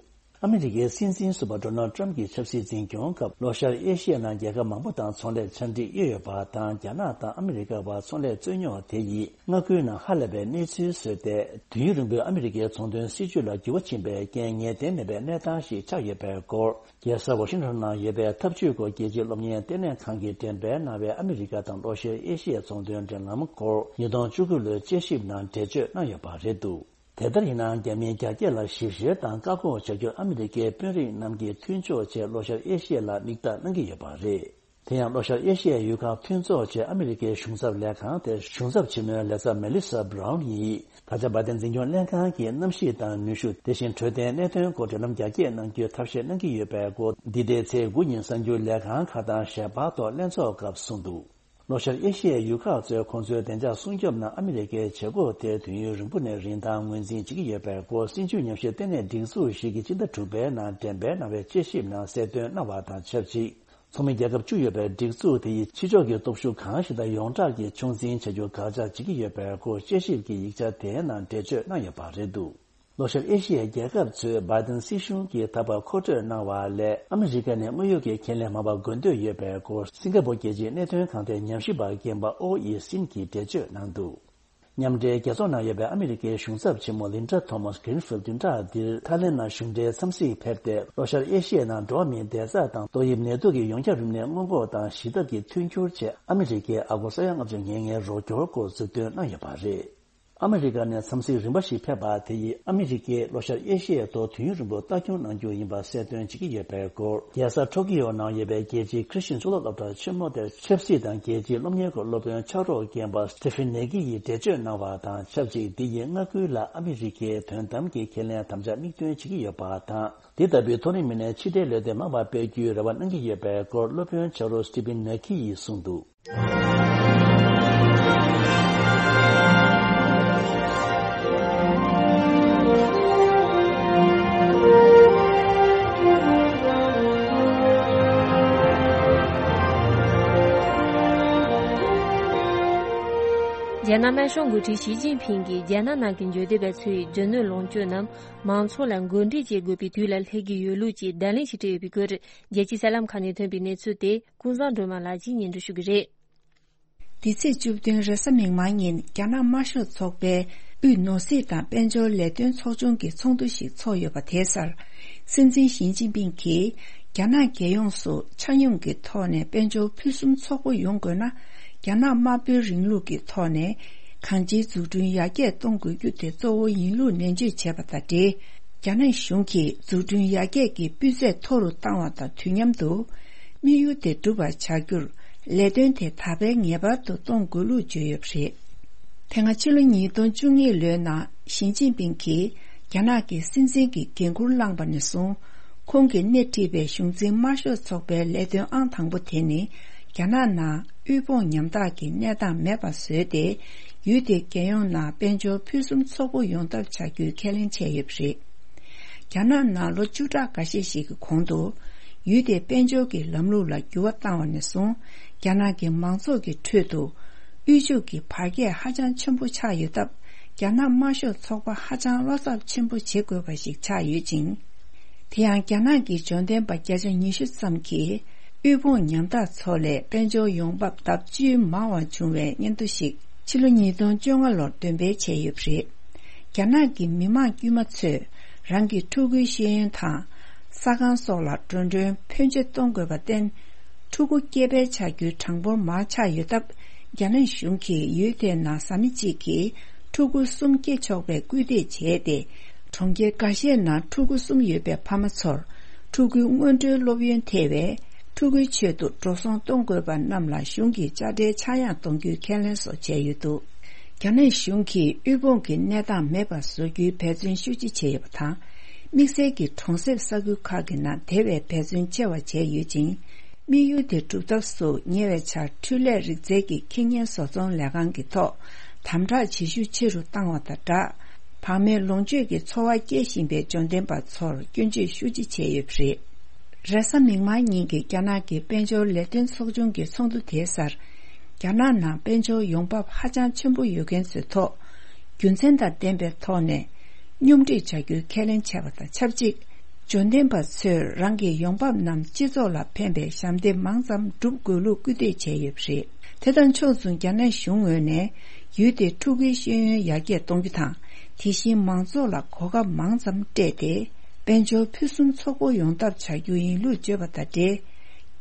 ཨ་མི་རི་ཀའི་སྲིད་འཛིན་ཟུར་པ་ཌོ་ནལ་ཊམ་གྱི་ཆབ་སྲིད་འཛིན་སྐྱོང་སྐབས་ལྷོ་ཤར་ཨེ་ཤི་ཡའི་ནང་རྒྱལ་ཁབ་མང་པོ་དང་ཚོང་ལས་ཆ་འགྲིག་ཡོད་ཡོད་པ་དང་། རྒྱ་ནག་དང་ཨ་མི་རི་ཀ་བར་ཚོང་ལས་རྩོད་རྙོག་དེ་ཡིས་མངའ་ཁུལ་ནང་ཧ་ལས་པའི་གནས་ཚུལ་བཟོས་ཏེ། དུས་ཡུན་རིང་པོའི་ཨ་མི་རི་ཀའི་ཚོང་དོན་སྲིད་ཇུས་ལ་འགྱུར་བ་ཕྱིན་པའི་རྐྱེན་ངེས་གཏན་མེད་པའི་གནས་སྟངས་ཤིག་ཆགས་ཡོད་པའི་སྐོར། རྒྱལ་ས་ཝ་ཤིང་ཊོན་ནང་ཡོད་པའི་འཐབ་ཇུས་སྐོར་རྒྱལ་སྤྱིའི་སློབ་གཉེར་ལྟེ་གནས་ཁང་གིས་འགྲེམས་སྤེལ་གནང་བའི་ཨ་མི་རི་ཀ་དང་ལྷོ་ཤར་ཨེ་ཤི་ཡའི་ཚོང་དོན་འབྲེལ་ལམ་སྐོར་ཉིས་སྟོང་བཅུ་དགུ་ལོའི་དཔྱད་ཞིབ་ནང་འགྲེལ་བརྗོད་གནང་ཡོད་པ་རེད་འདུག་དེ་ལྟར་ཡིན་ནའང་། རྒྱ་མིའི་རྒྱ་སྐྱེད་ལ་ཞིབ་བཤེར་དང་བཀག་འགོག་བྱ་རྒྱུར་ཨ་མི་རི་ཀའི་དཔོན་རིགས་རྣམས་ཀྱིས་མཐུན་ཕྱོགས་བྱས་ལྷོ་ཤར་ཨེ་ཤི་ཡ་ལ་མིག་ལྟ་གནང་གི་ཡོད་པ་རེད། དེ་ཡང་ལྷོ་ཤར་ཨེ་ཤི་ཡའི་ཡུལ་ཁག་མཐུན་ཚོགས་ཆེད་ཨ་མི་རི་ཀའི་གཞུང་ཚབ་ལས་ཁང་དེར་གཞུང་ཚབ་ཆེན་མོའི་ལས་ཚབ་མེ་ལི་ས་བྷ་རའུན་ཡིས། ད་ཆ་བྷའི་ཏན་འཛིན་སྐྱོང་ལྷན་ཁང་གིས་གནམ་གཤིས་དང་ནུས་ཤུགས། དེ་བཞིན་འཕྲོད་བསྟེན་གནད་དོན་སྐོར་འབྲེལ་ལམ་རྒྱ་སྐྱེད་གནང་རྒྱུའི་ཐབས་ཤེས་གནང་གི་ཡོད་པའི་སྐོར། འདི་ཟླའི་ཚེས་དགུ་ཉིན་གསར་འགྱུར་ལས་ཁང་ཁག་དང་ཞལ་པར་ཐོག་ལྷན་ཚོགས་སྐབས་གསུངས་འདུག་ལྷོ་ཤར་ཨེ་ཤི་ཡའི་ཡུལ་ཁག་ཚོས་ཁོང་ཚོའི་བདེ་འཇགས་སྲུང་སྐྱོབ་ནང་ཨ་མི་རི་ཀའི་བྱེད་སྒོ་དེ་དུས་ཡུན་རིང་པོ་ནས་རིན་ཐང་ངོས་འཛིན་བྱེད་ཀྱི་ཡོད་པའི་སྐོར། སྲིད་བྱུས་ཉམས་ཞིབ་ལྟེ་གནས་སྒྲིག་འཛུགས་ཤིག་གིས་སྤྱི་ཟླ་དྲུག་པའི་ནང་འགྲེམས་སྤེལ་གནང་བའི་དཔྱད་ཞིབ་ནང་གསལ་སྟོན་གནང་བ་དང་ཆབས་ཅིག་ཚོགས་མི་རྒྱལ་ཁབ་བཅུ་ཡོད་པའི་སྒྲིག་འཛུགས་དེ་ཡིས་ཕྱི་ཕྱོགས་ཀྱི་སྟོབས་ཤུགས་གང་ཞིག་དང་ཡོངས་གྲགས་ཀྱིས་ཕྱོགས་འཛིན་བྱ་རྒྱུར་དགག་བྱ་བྱེད་ཀྱི་ཡོད་པའི་སྐོར། དཔྱད་ཞིབ་ཀྱི་ཡིག་ཆ་དེའི་ནང་འགྲེལ་བརྗོད་གནང་ཡོད་པ་རེད་འདུག་ལྷོ་ཤར་ཨེ་ཤི་ཡའི་རྒྱལ་ཁབ་ཚོས་བྷའི་ཏན་སྲིད་གཞུང་གིས་ད་བར་མཁོ་སྤྲོད་གནང་བ་ལས། ཨ་མི་རི་ཀ་ནས་དངོས་ཡོད་ཀྱི་ཁས་ལེན་མང་བ་དགོས་འདོད་ཡོད་པའི་སྐོར། སིང་ག་པོར་རྒྱལ་སྤྱིའི་གནད་དོན་ཁང་དེའི་ཉམས་ཞིབ་པ་རྒན་པ་ཨོ་ཡི་སིན་གྱིས་འགྲེལ་བརྗོད་གནང་འདུག་མཉམ་འབྲེལ་རྒྱལ་ཚོགས་ནང་ཡོད་པའི་ཨ་མི་རི་ཀའི་གཞུང་ཚབ་ཆེན་མོ་ལིན་ཌ་ཐོ་མཱས་གྷི་རིན་ཕིལ་བདུན་ཕྲག་འདིར་ཐའི་ལེན་ནང་གཞུང་འབྲེལ་འཚམས་གཟིགས་ཕེབས་ཏེ། ལྷོ་ཤར་ཨེ་ཤི་ཡའི་ནང་འགྲོ་བ་མིའི་བདེ་འཇགས་དང་ཏོག་དབྱིབས་ནད་དུག་གི་ཡོངས་ཁྱབ་རིམས་ནད་སྔོན་འགོག་དང་ཞི་ཐབས་ཀྱི་མཐུན་འགྱུར་ཆེད་ཨ་མི་རི་ཀས་ཨ་སྒོར་ས་ཡ་ལྔ་བཅུ་ཉེར་ལྔའི་རོགས་སྐྱོར་སྐོར་གཟིགས་འདོན་གནང་ཡོད་པ་རེད། ཨ་མི་རི་ཀ་ནས་འཚམས་གཟིགས་རིམ་པ་ཞིག་ཕེབས་པ་དེ་ཡིས་ཨ་མི་རི་ཀས་ལྷོ་ཤར་ཨེ་ཤི་ཡའི་ཐོག་དུས་ཡུན་རིང་པོ་ལྟ་སྐྱོང་གནང་རྒྱུ་ཡིན་པ་གསལ་སྟོན་བྱེད་ཀྱི་ཡོད་པའི་སྐོར། རྒྱལ་ས་ཊོ་ཀི་ཡོ་ནང་ཡོད་པའི་རྒྱལ་སྤྱིའི་ཁྲི་ཤིང་གཙུག་ལག་སློབ་གྲྭ་ཆེན་མོ་དེར་ཆབ་སྲིད་དང་རྒྱལ་སྤྱིའི་སློབ་གཉེར་སྐོར་སློབ་དཔོན་ཕྱག་རོགས་རྒན་པ་སི་ཊི་ཕིན་ནེ་ཀི་ཡིས་འགྲེལ་བརྗོད་གནང་བ་དང་ཆབས་ཅིག་འདི་ཡིས་མངའ་ཁུལ་ལ་ཨ་མི་རི་ཀའི་དོན་དམ་གྱི་ཁས་ལེན་དམ་བཅའ་མིག་སྟོན་བྱེད་ཀྱི་ཡོད་པ་དང་། འདི་ལྟ་བུའི་མཐོ་རིམ་མི་སྣའི་ཕྱི་འབྲེལ་ལས་དོན་མང་བ་སྤེལ་རྒྱུའི་རེ་བ་གནང་གི་ཡོད་པའི་སྐོར་སློབ་དཔོན་ཕྱག་རོགས་སི་ཊི་ཕིན་ནེ་ཀི་ཡིས་གསུངས་འདུག་རྒྱ་ནག་དམར་ཤོག་འགོ་ཁྲིད་ཞི་ཅིན་ཕིང་གིས་རྒྱ་ནག་ནང་གི་འབྱོར་ལྡན་པ་ཚོས་རྒྱུ་ནོར་ལོངས་སྤྱོད་རྣམས་མང་ཚོགས་ལ་འགོ་འདྲེན་བྱེད་དགོས་པའི་དུས་ལ་སླེབས་ཀྱི་ཡོད་ལུགས་ཀྱི་བརྡ་ལན་ཞིག་སྤྲད་ཡོད་པའི་སྐོར། རྒྱལ་སྤྱིའི་གསར་ལམ་ཁག་ནས་ཐོན་པའི་གནས་ཚུལ་དེ་ཀུན་བཟང་སྒྲོལ་མ་ལགས་ཀྱིས་སྙན་སྒྲོན་ཞུ་གི་རེད། འདི་ཚེས་བཅུ་བདུན་རེས་གཟའ་མིག་དམར་ཉིན་རྒྱ་ནག་དམར་ཤོག་ཚོགས་པའི་དབུས་ནོར་སྲིད་དང་དཔལ་འབྱོར་ལས་དོན་ཚོགས་ཆུང་གི་ཚོགས་འདུ་ཞིག་ཚོགས་ཡོད་པ་དེའི་སར། སྲིད་འཛིན་ཞི་ཅིན་ཕིང་གིས་རྒྱ་ནག་རྒྱལ་ཡོངས་སུ་ཆ་སྙོམས་ཀྱི་ཐོག་ནས་དཔལ་འབྱོར་ཕུན་སུམ་ཚོགས་པོ་ཡོང་དགོས་ན། རྒྱ་ནག་དམར་པོའི་རིང་ལུགས་ཀྱི་ཐོག་ནས་གང་ཅིའི་འཛུགས་སྐྲུན་ཡར་རྒྱས་གཏོང་དགོས་རྒྱུ་དེ་གཙོ་བོ་ཡིན་ལུགས་ནན་བརྗོད་བྱས་པ་དང་འབྲེལ། རྒྱ་ནག་གཞུང་གིས་འཛུགས་སྐྲུན་ཡར་རྒྱས་ཀྱི་སྤུས་ཚད་མཐོ་རུ་བཏང་བ་དང་དུས་མཉམ་དུ། དམིགས་ཡུལ་དེ་འགྲུབ་པར་བྱ་རྒྱུར་ལས་དོན་དེ་དར་སྤེལ་ངེས་པར་དུ་གཏོང་དགོས་ལུགས་བརྗོད་ཡོད་པ་རེད། དེ་སྔ་ཕྱི་ལོ་ཉིས་སྟོང་བཅུ་གཉིས་ལོའི་ནང་ཞི་ཅིན་ཕིང་གིས་རྒྱ་ནག་གི་སྲིད་འཛིན་གྱི་འགན་འཁུར་བླངས་པ་ནས་བཟུང་། ཁོང་གིས་སྣེ་ཁྲིད་པའི་གཞུང་འཛིན་དམར་ཤོག་ཚོགས་པའི་ལས་དོན་ཨང་དང་པོ་དེ་ནི་རྒྱ་ནག་ནང་དབུལ་ཕོངས་ཉམ་ཐག་གི་གནས་སྟངས་མེད་པ་བཟོས་ཏེ། ཡུལ་དེའི་རྒྱལ་ཡོངས་ནང་དཔལ་འབྱོར་ཕུན་སུམ་ཚོགས་པོ་ཡོང་ཐབས་བྱ་རྒྱུའི་ཁས་ལེན་བྱས་ཡོད་པ་རེད། རྒྱ་ནག་ནང་ལོ་བཅུ་ཕྲག་འགའ་ཤས་ཤིག་གི་གོང་དུ། ཡུལ་དེའི་དཔལ་འབྱོར་གྱི་ལམ་ལུགས་ལ་འགྱུར་བ་བཏང་བ་ནས་བཟུང་། རྒྱ་ནག་གི་མང་ཚོགས་ཀྱི་ཁྲོད་དུ་དབུལ་ཕྱུག་གི་བར་ཁྱད་ཧ་ཅང་ཆེན་པོ་ཆགས་ཡོད་སྟབས། རྒྱ་ནག་དམར་ཤོག་ཚོགས་པ་ཧ་ཅང་བློ་འཚབ་ཆེན་པོ་བྱེད་དགོས་པ་ཞིག་ཆགས་ཡོད་ཅིང་། དེ་ཡང་རྒྱ་ནག་གི་འབྱོར་ལྡན་པ་བརྒྱ་ཆ་ཉི་ཤུ་ཙམ་གྱིས་དབུལ་ཕོངས་ཉམ་ཐག་ཚོ་ལས་དཔལ་འབྱོར་ཡོང་འབབ་ལྡབ་བཅུས་མང་བ་བྱུང་བའི་སྙན་ཐོ་ཞིག་ཕྱི་ལོ་ཉིས་སྟོང་བཅོ་ལྔ་ལོར་འདོན་སྤེལ་བྱས་ཡོད་པ་རེད། རྒྱ་ནག་གི་མི་མང་དཀྱུས་མ་ཚོས་རང་གི་ཕྲུ་གུའི་ཤེས་ཡོན་དང་། ས་ཁང་སོགས་ལ་འགྲོ་གྲོན་ཕོན་ཆེ་གཏོང་དགོས་པར་བརྟེན། ཕྲུ་གུ་སྐྱེས་སྤེལ་བྱ་རྒྱུའི་གྲངས་འབོར་མང་ཆགས་ཡོད་སྟབས། རྒྱ་ནག་གཞུང་གིས་ཡུལ་དེའི་ནང་བཟའ་མི་གཅིག་གིས་ ཕྲུ་གུ་གསུམ་སྐྱེ་ཆོག་པའི་སྐུལ་འདེད་བྱས་ཏེ། གྲོང་ཁྱེར་འགའ་ཤས་ནང་ཕྲུ་གུ་གསུམ་ཡོད་པའི་ཕ་མ་ཚོར་ཕྲུ་གུའི་སྔོན་འགྲོའི་སློབ་ཡོན་ཐེ་བའི་ཕྲུ་གུའི་ཆེད་དུ་འགྲོ་སོང་གཏོང་དགོས་པ་རྣམས་ལ་གཞུང་གིས་དཔྱ་ཁྲལ་ཆག་ཡང་གཏོང་རྒྱུའི་ཁས་ལེན་སོགས་བྱས་ཡོད་འདུག་རྒྱ་ནག་གཞུང་གིས་དབུལ་ཕོངས་ཀྱི་གནས་སྟངས་མེད་པར་བཟོ་རྒྱུའི་འབད་བརྩོན་ཤུགས་ཆེ་བྱས་ཡོད་པ་དང་། དམིགས་བསལ་གྱིས་གྲོང་གསེབ་ས་ཁུལ་ཁག་གི་ནང་དེ་བས་འབད་བརྩོན་ཆེ་བ་བྱས་ཡོད་ཅིང་། དམིགས་ཡུལ་དེ་སྒྲུབ་ཐབས་སུ་ཉེ་བའི་ཆར་འཕྲུལ་ལས་རིག་རྩལ་གྱི་ཁེ་ཉེན་བཟོ་ཚོང་ལས་ཁང་གི་ཐོག་དམ་དྲག་བྱེད་ཤུགས་ཆེ་རུ་བཏང་བ་དང་སྦྲགས། བག་མེད་ལོངས་སྤྱོད་ཀྱི་འཚོ་བ་སྐྱེལ་བཞིན་པའི་འབྱོར་ལྡན་པ་ཚོར་སྐྱོན་བརྗོད་ཤུགས་ཆེ་བྱས་ཡོད་པ་རེད། རེས་གཟའ་མིག་དམར་ཉིན་གྱི་རྒྱ་ནག་གི་དཔལ་འབྱོར་ལས་དོན་ཚོགས་ཆུང་གི་ཚོགས་འདུ་དེའི་སར། རྒྱ་ནག་ནང་དཔལ་འབྱོར་ཡོང་འབབ་ཧ་ཅང་ཆེན་པོ་ཡོད་མཁན་ཚོའི་ཐོག་རྒྱུ་མཚན་དང་ལྡན་པའི་ཐོག་ནས། སྙོམས་སྒྲིག་བྱ་རྒྱུའི་ཁས་ལེན་བྱས་པ་དང་ཆབས་ཅིག་འབྱོར་ལྡན་པ་ཚོས་རང་གི་ཡོང་འབབ་རྣམས་སྤྱི་ཚོགས་ལ་ཕན་པའི་ཞབས་འདེགས་མང་ཙམ་སྒྲུབ་དགོས་ལུགས་སྐུལ་འདེད་བྱས་ཡོད་པ་རེད། དེ་དང་ཕྱོགས་མཚུངས་རྒྱ་ནག་གཞུང་ངོས་ནས་ཡུལ་དེའི་ཕྲུ་གུའི་ཤེས་ཡོན་ཡར་རྒྱས་གཏོང་རྒྱུ་དང་། དེ་བཞིན་མང་ཚོགས་ལ་གོ་སྐབས་མང་ཙམ་སྤྲད་དེ། དཔལ་འབྱོར་ཕུན་སུམ་ཚོགས་པོ་ཡོང་ཐབས་བྱ་རྒྱུ་ཡིན་ལུགས་བརྗོད་པ་དང་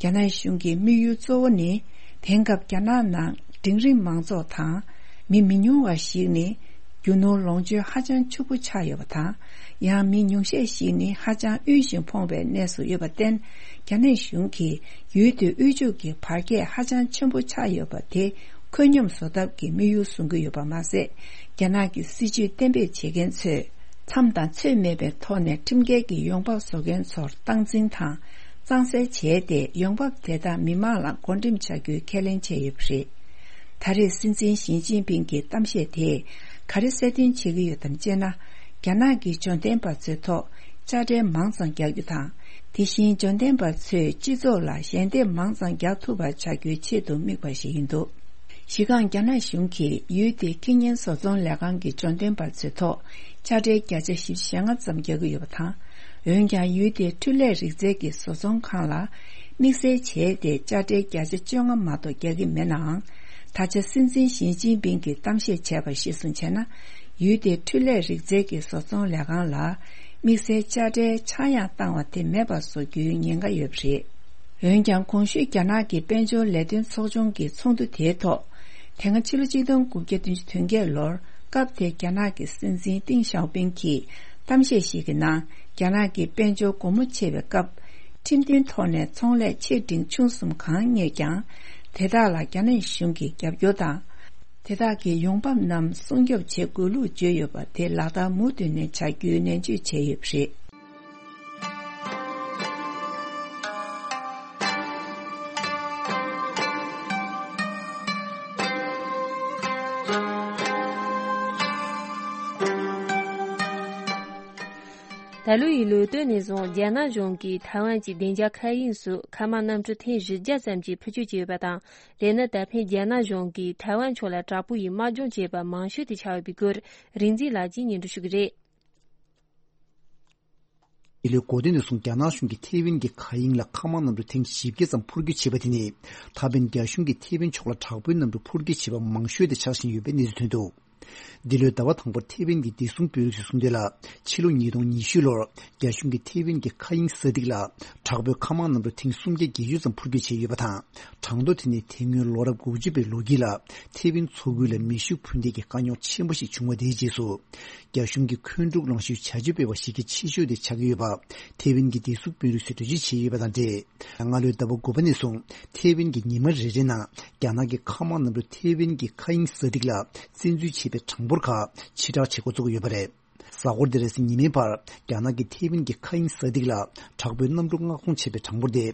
འབྲེལ། རྒྱ་ནག་གཞུང་གི་དམིགས་ཡུལ་གཙོ་བོ་ནི། དེང་སྐབས་རྒྱ་ནག་ནང་འབྲིང་རིམ་མང་ཚོགས་དང་། མི་མི་ཉུང་བ་ཞིག་ནི། རྒྱུ་ནོར་ལོངས་སྤྱོད་ཧ་ཅང་ཕྱུག་པོ་ཆགས་ཡོད་པ་དང་། ཡང་མི་ཉུང་ཤས་ཤིག་ནི་ཧ་ཅང་དབུལ་ཞིང་ཕོངས་པའི་གནས་སུ་ཡོད་པར་བརྟེན། རྒྱ་ནག་གཞུང་གིས་ཡུལ་དེའི་དབུལ་ཕྱུག་གི་བར་ཁྱད་ཧ་ཅང་ཆེན་པོ་ཆགས་ཡོད་པ་དེ་ཁོད་སྙོམས་བཟོ་ཐབས་ཀྱི་དམིགས་ཡུལ་བཟུང་གི་ཡོད་པ་མ་ཟད། རྒྱ་ནག་གི་སྲིད་ཇུས་གཏན་འབེབས་བྱེད་མཁན་ཚོས་མཚམས་དང་ཚོད་མེད་པའི་ཐོག་ནས་ཁྲིམས་འགལ་གྱི་ཡོང་འབབ་བཟོ་མཁན་ཚོར་སྟངས་འཛིན་དང་གཙང་སེལ་བྱས་ཏེ། ཡོང་འབབ་དེ་དག་མི་མང་ལ་བགོ་འགྲེམས་བྱ་རྒྱུའི་ཁས་ལེན་བྱས་ཡོད་པ་རེད། ད་རེས་སྲིད་འཛིན་ཞི་ཅིན་ཕིང་གི་གཏམ་བཤད་དེས་ག་རེ་གསལ་སྟོན་བྱེད་ཀྱི་ཡོད་དམ་ཅེ་ན། རྒྱ་ནག་གི་འབྱོར་ལྡན་པ་ཚོའི་ཐོག་དཔྱ་ཁྲལ་མང་ཙམ་རྒྱག་རྒྱུ་དང་། དེ་བཞིན་འབྱོར་ལྡན་པ་ཚོས་སྤྱི་ཚོགས་ལ་ཞལ་འདེབས་མང་ཙམ་རྒྱག་ཐུབ་པ་བྱ་རྒྱུའི་ཆེད་དུ་དམིགས་པ་ཞིག་ཡིན་འདུག་གཞི་རྐང་རྒྱ་ནག་གཞུང་གིས་ཡུལ་དེའི་ཁེ་ཉེན་བཟོ་ཚོང་ལས་ཁང་གི་འབྱོར་ལྡན་པ་ཚོའི་ཐོག་དཔྱ་ཁྲལ་བརྒྱ་ཆ་བཞི་བཅུ་ཞེ་ལྔ་ཙམ་རྒྱག་གི་ཡོད་པ་དང་། འོན་ཀྱང་ཡུལ་དེའི་འཕྲུལ་ལས་རིག་རྩལ་གྱི་བཟོ་ཚོང་ཁང་ལ་དམིགས་བསལ་བྱས་ཏེ་དཔྱ་ཁྲལ་བརྒྱ་ཆ་བཅོ་ལྔ་མ་གཏོགས་རྒྱག་གི་མེད་ནའང་། ད་ཆ་སྲིད་འཛིན་ཞི་ཅིན་ཕིང་གིས་གཏམ་བཤད་བྱས་པ་གཞིར་བཟུང་བྱས་ན། ཡུལ་དེའི་འཕྲུལ་ལས་རིག་རྩལ་གྱི་བཟོ་ཚོང་ལས་ཁང་ལ་དམིགས་བསལ་དཔྱ་ཁྲལ་ཆག་ཡང་བཏང་བ་དེ་མེད་པར་བཟོ་རྒྱུའི་ཉེན་ཁ་ཡོད་པ་རེད། འོན་ཀྱང་། གོང་ཞུས་རྒྱ་ནག་གི་དཔལ་འབྱོར་ལས་དོན་ཚོགས་ཆུང་གི་ཚོགས་འདུ་དེའི་ཐོག་དེ་སྔ་ཕྱི་ལོ་ཆིག་སྟོང་དགུ་བརྒྱ་བདུན་ཅུ་དོན་བརྒྱད་ལོར་སྐབས་དེའི་རྒྱ་ནག་གི་སྲིད་འཛིན་ཏེང་ཞའོ་ཕིང་གིས་གཏམ་བཤད་ཞིག་གི་ནང་། རྒྱ་ནག་གི་དཔལ་འབྱོར་སྒོ་མོ་ཕྱེ་བའི་སྐབས། ཁྲིམས་མཐུན་ཐོག་ནས་ཚོང་ལས་ཆེ་འབྲིང་ཆུང་གསུམ་གང་རྙེད་ཀྱང་། དེ་དག་ལ་རྒྱ་ནག་གཞུང་གིས་རྒྱབ་སྐྱོར་དང་། དེ་དག་གི་ཡོང་འབབ་རྣམས་སྲུང་སྐྱོབ་བྱེད་དགོས་ལུགས་བརྗོད་ཡོད་པ་དེ་ལག་བསྟར་མུ་མཐུད་ནས་བྱ་རྒྱུའི་ནན་བརྗོད་བྱས་ཡོད་པ་རེད། ད་ལོ་ཡི་ལོ་སྟོད་ནས་བཟུང་རྒྱ་ནག་གཞུང་གིས་ཐའེ་ཝན་གྱི་བདེ་འཇགས་མཁའ་དབྱིངས་སུ་མཁའ་དམག་གནམ་གྲུ་ཐེངས་བཞི་བརྒྱ་ཙམ་གྱི་འཕུར་སྐྱོད་བྱས་ཡོད་པ་དང་། དེ་ནི་ད་ཕན་རྒྱ་ནག་གཞུང་གིས་ཐའེ་ཝན་ཕྱོགས་ལ་དྲག་པོ་ཡིས་དམག་སྦྱོང་བྱས་པ་མང་ཤོས་དེ་ཆགས་ཡོད་པའི་སྐོར་རིག་འཛིན་ལགས་ཀྱིས་སྙན་སྒྲོན་ཞུ་གི་རེད། འདི་ལོའི་འགོ་སྟོད་ནས་བཟུང་རྒྱ་ནག་གཞུང་གིས་ཐེ་ཝན་གྱི་མཁའ་དབྱིངས་ལ་མཁའ་དམག་གནམ་གྲུ་ཐེངས་བཞི་བརྒྱ་ཙམ་འཕུར་སྐྱོད་བྱས་པ་དེ་ནི། ད་ཕན་རྒྱ་གཞུང་གིས་ཐེ་ཝན་ཕྱོགས་ལ་དྲག་པོའི་གནམ་གྲུ་འཕུར་སྐྱོད་བྱས་པ་མང་ཤོས་དེ་ཆགས་བཞིན་ཡོད་པའི་གནས་ཚུལ་ཐོན་འདུག་འདི་ལོའི་ཟླ་བ་དང་པོར་ཐེ་ཝན་གྱི་བདེ་སྲུང་དཔོན་རིགས་ཚོས་གསུངས་དོན་ལ། ཕྱི་ལོ་ཉིས་སྟོང་ཉི་ཤུ་ལོར་རྒྱ་གཞུང་གིས་ཐེ་ཝན་གྱི་མཁའ་དབྱིངས་ས་ཐིག་ལ་དྲག་པོའི་མཁའ་དམག་གནམ་གྲུ་ཐེངས་སུམ་བརྒྱ་བརྒྱད་ཅུ་ཙམ་འཕུར་སྐྱོད་བྱས་ཡོད་པ་དང་། གྲངས་ཐོ་དེ་ནི་དེ་སྔོན་ལོ་རབས་དགུ་བཅུ་པའི་ལོ་དཀྱིལ་ལ་ཐེ་ཝན་མཚོ་ཁུལ་ལ་མེ་ཤུགས་འཕུར་མདེལ་གྱི་དཀའ་རྙོག་ཆེན་པོ་ཞིག་བྱུང་བ་དེའི་རྗེས་སུ། རྒྱ་གཞུང་གིས་འཁོན་འཁྲུག་ལངས་ཤུལ་བྱ་སྤྱོད་སྤེལ་བ་ཞིག་གི་ཆེ་ཤོས་དེ་ཆགས་ཀྱི་ཡོད་པ། ཐེ་ཝན་གྱི་བདེ་སྲུང་དཔོན་རིགས་ཚོས་འགྲེལ་བརྗོད་བྱས་ཡོད་པ་དང་འབྲེལ། སྔ་ལོའི་ཟླ་བ་དགུ་པ་ནས་བཟུང་ཐེ་ཝན་གྱིས་ཉི་མ་རེ་རེ་ནང་རྒྱ་ནག་གི་མཁའ་དམག་གནམ་གྲུ་ཐེ་ཝན་གྱི་མཁའ་དབྱིངས་ས་ཐིག་ལ་བཙན་འཛུལ་བྱས་པའི་གྲངས་འབོར་ཁག་ཕྱིར་བསྒྲགས་བྱེད་འགོ་བཙུགས་ཡོད་པ་རེད། གཟའ་འཁོར་འདིར་རེས་གཟའ་ཉི་མའི་བར་རྒྱ་ནག་གིས་ཐེ་ཝན་གྱི་མཁའ་དབྱིངས་ས་ཐིག་ལ་དྲག་པོའི་གནམ་གྲུ་མངགས་གཏོང་བྱས་པའི་གྲངས་འབོར་དེ་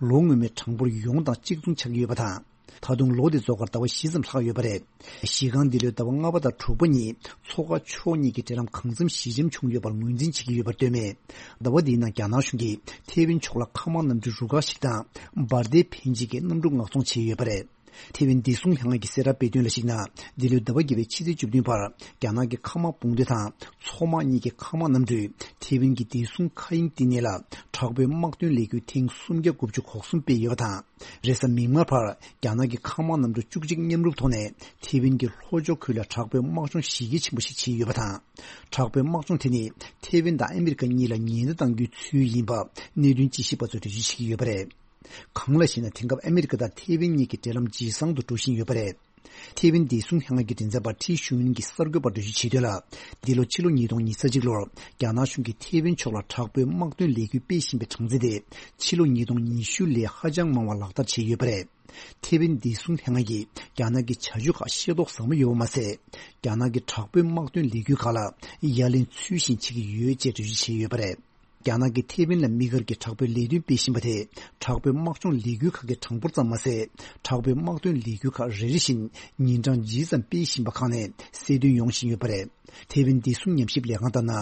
ལོ་སྔོན་མའི་གྲངས་འབོར་ཡོངས་དང་གཅིག་མཚུངས་ཆགས་ཀྱི་ཡོད་པ་དང་། ད་དུང་ལོ་དེ་རྫོགས་ཁར་ཟླ་བ་བཞི་ཙམ་ལྷག་ཡོད་པ་རེད། གཞི་རྐང་འདི་ལོའི་ཟླ་བ་ལྔ་པ་དང་དྲུག་པ་ཉིན་མཚོ་ཁ་ཕྱོགས་གཉིས་ཀྱི་འབྲེལ་ལམ་གང་འཚམ་ཞི་འཇམ་བྱུང་ཡོད་པར་ངོས་འཛིན་བྱེད་ཀྱི་ཡོད་པར་ལྟོས་མེད། ཟླ་བ་འདིའི་ནང་རྒྱ་ནག་གཞུང་གིས་ཐེ་ཝན་ཕྱོགས་ལ་མཁའ་དམག་གནམ་གྲུ་རུ་ཁག་ཞིག་དང་འབར་མདེལ་འཕེན་བྱེད་ཀྱི་གནམ་གྲུ་མངགས་གཏོང་བྱས་ཡོད་པ་རེད། ཐེ་ཝན་བདེ་སྲུང་ལྷན་ཁང་གིས་གསལ་བསྒྲགས་སྤེལ་དོན་ལ་གཞིགས་ན། འདི་ལོའི་ཟླ་བ་བརྒྱད་པའི་ཕྱི་ཚེས་བཅུ་བདུན་བར་རྒྱ་ནག་གི་མཁའ་དམག་དཔུང་སྡེ་དང་མཚོ་དམག་གཉིས་ཀྱི་མཁའ་དམག་གནམ་གྲུས་ཐེ་ཝན་གྱི་བདེ་སྲུང་མཁའ་དབྱིངས་བསྟི་གནས་ལ་དྲག་པོའི་དམག་དོན་ལས་འགུལ་ཐེངས་སུམ་བརྒྱ་དགུ་བཅུ་གོ་གསུམ་སྤེལ་ཡོད་པ་དང་། རེས་གཟའ་མིག་དམར་བར་རྒྱ་ནག་གི་མཁའ་དམག་གནམ་གྲུ་བཅུ་གཅིག་མཉམ་རུབ་ཐོག་ནས་ཐེ་ཝན་གྱི་ལྷོ་ཕྱོགས་ཁུལ་ལ་དྲག་པོའི་དམག་སྦྱོང་གཞི་རྒྱ་ཆེན་པོ་ཞིག་བྱས་ཡོད་པ་དང་། དྲག་པོའི་དམག་སྦྱོང་དེ་ནི་ཐེ་ཝན་དང་ཨ་མི་རི་ཀ་གཉིས་ལ་ཉེན་བརྡ་གཏང་རྒྱུའི་ཚུལ་ཡིན་པ་གནད་དོན་དཔྱད་ཞིབ་པ་ཚོས་འགྲེལ་བརྗོད་བྱེད་ཀྱི་ཡོད་པ་རེད། གང་ལ་ཞེ་ན། དེང་སྐབས་ཨ་མི་རི་ཀ་དང་ཐེ་ཝན་གཉིས་ཀྱི་འབྲེལ་ལམ་ཇེ་བཟང་དུ་འགྲོ་བཞིན་ཡོད་པ་རེད། ཐེ་ཝན་བདེ་སྲུང་ལྷན་ཁང་གི་མགྲིན་ཚབ་པ་ཁྲི་ཞུ་ཡུན་གྱིས་གསར་འགོད་པར་འགྲེལ་བརྗོད་བྱས་དོན་ལ། འདི་ལོ་ཕྱི་ལོ་ཉིས་སྟོང་ཉེར་གཅིག་ལོར་རྒྱ་ནག་གཞུང་གིས་ཐེ་ཝན་ཕྱོགས་ལ་དྲག་པོའི་དམག་དོན་ལས་འགུལ་སྤེལ་བཞིན་པའི་གྲངས་ཚད་དེ། ཕྱི་ལོ་ཉིས་སྟོང་ཉི་ཤུ་ལས་ཧ་ཅང་མང་བ་ལག་བསྟར་བྱས་ཡོད་པ་རེད། ཐེ་ཝན་བདེ་སྲུང་ལྷན་ཁང་གིས་རྒྱ་ནག་གི་བྱ་སྤྱོད་ཁག་ཤེས་རྟོགས་ཟབ་མོ་ཡོད་པ་མ་ཟད། རྒྱ་ནག་གི་དྲག་པོའི་དམག་དོན་ལས་འགུལ་ཁག་ལ་ཡ་ལན་ཚུལ་བཞིན་བྱེད་ཀྱི་ཡོད་ཅེས་འགྲེལ་བརྗོད་བྱས་ཡོད་པ་རེད། རྒྱ་ནག་གིས་ཐེ་ཝན་ལ་དམིགས་བཀར་གྱིས་དྲག་པོའི་ལས་དོན་སྤེལ་བཞིན་པ་དེ། དྲག་པོའི་དམག་སྦྱོང་ལས་འགུལ་ཁག་གི་གྲངས་འབོར་ཙམ་མ་ཟད། དྲག་པོའི་དམག་དོན་ལས་འགུལ་ཁག་རེ་རེ་བཞིན་ཉིན་གྲངས་ཇི་ཙམ་སྤེལ་བཞིན་པ་ཁག་ནས་གསལ་སྟོན་ཡོང་བཞིན་ཡོད་པ་རེད། ཐེ་ཝན་བདེ་སྲུང་ཉམས་ཞིབ་ལས་ཁང་ལྟར་ན།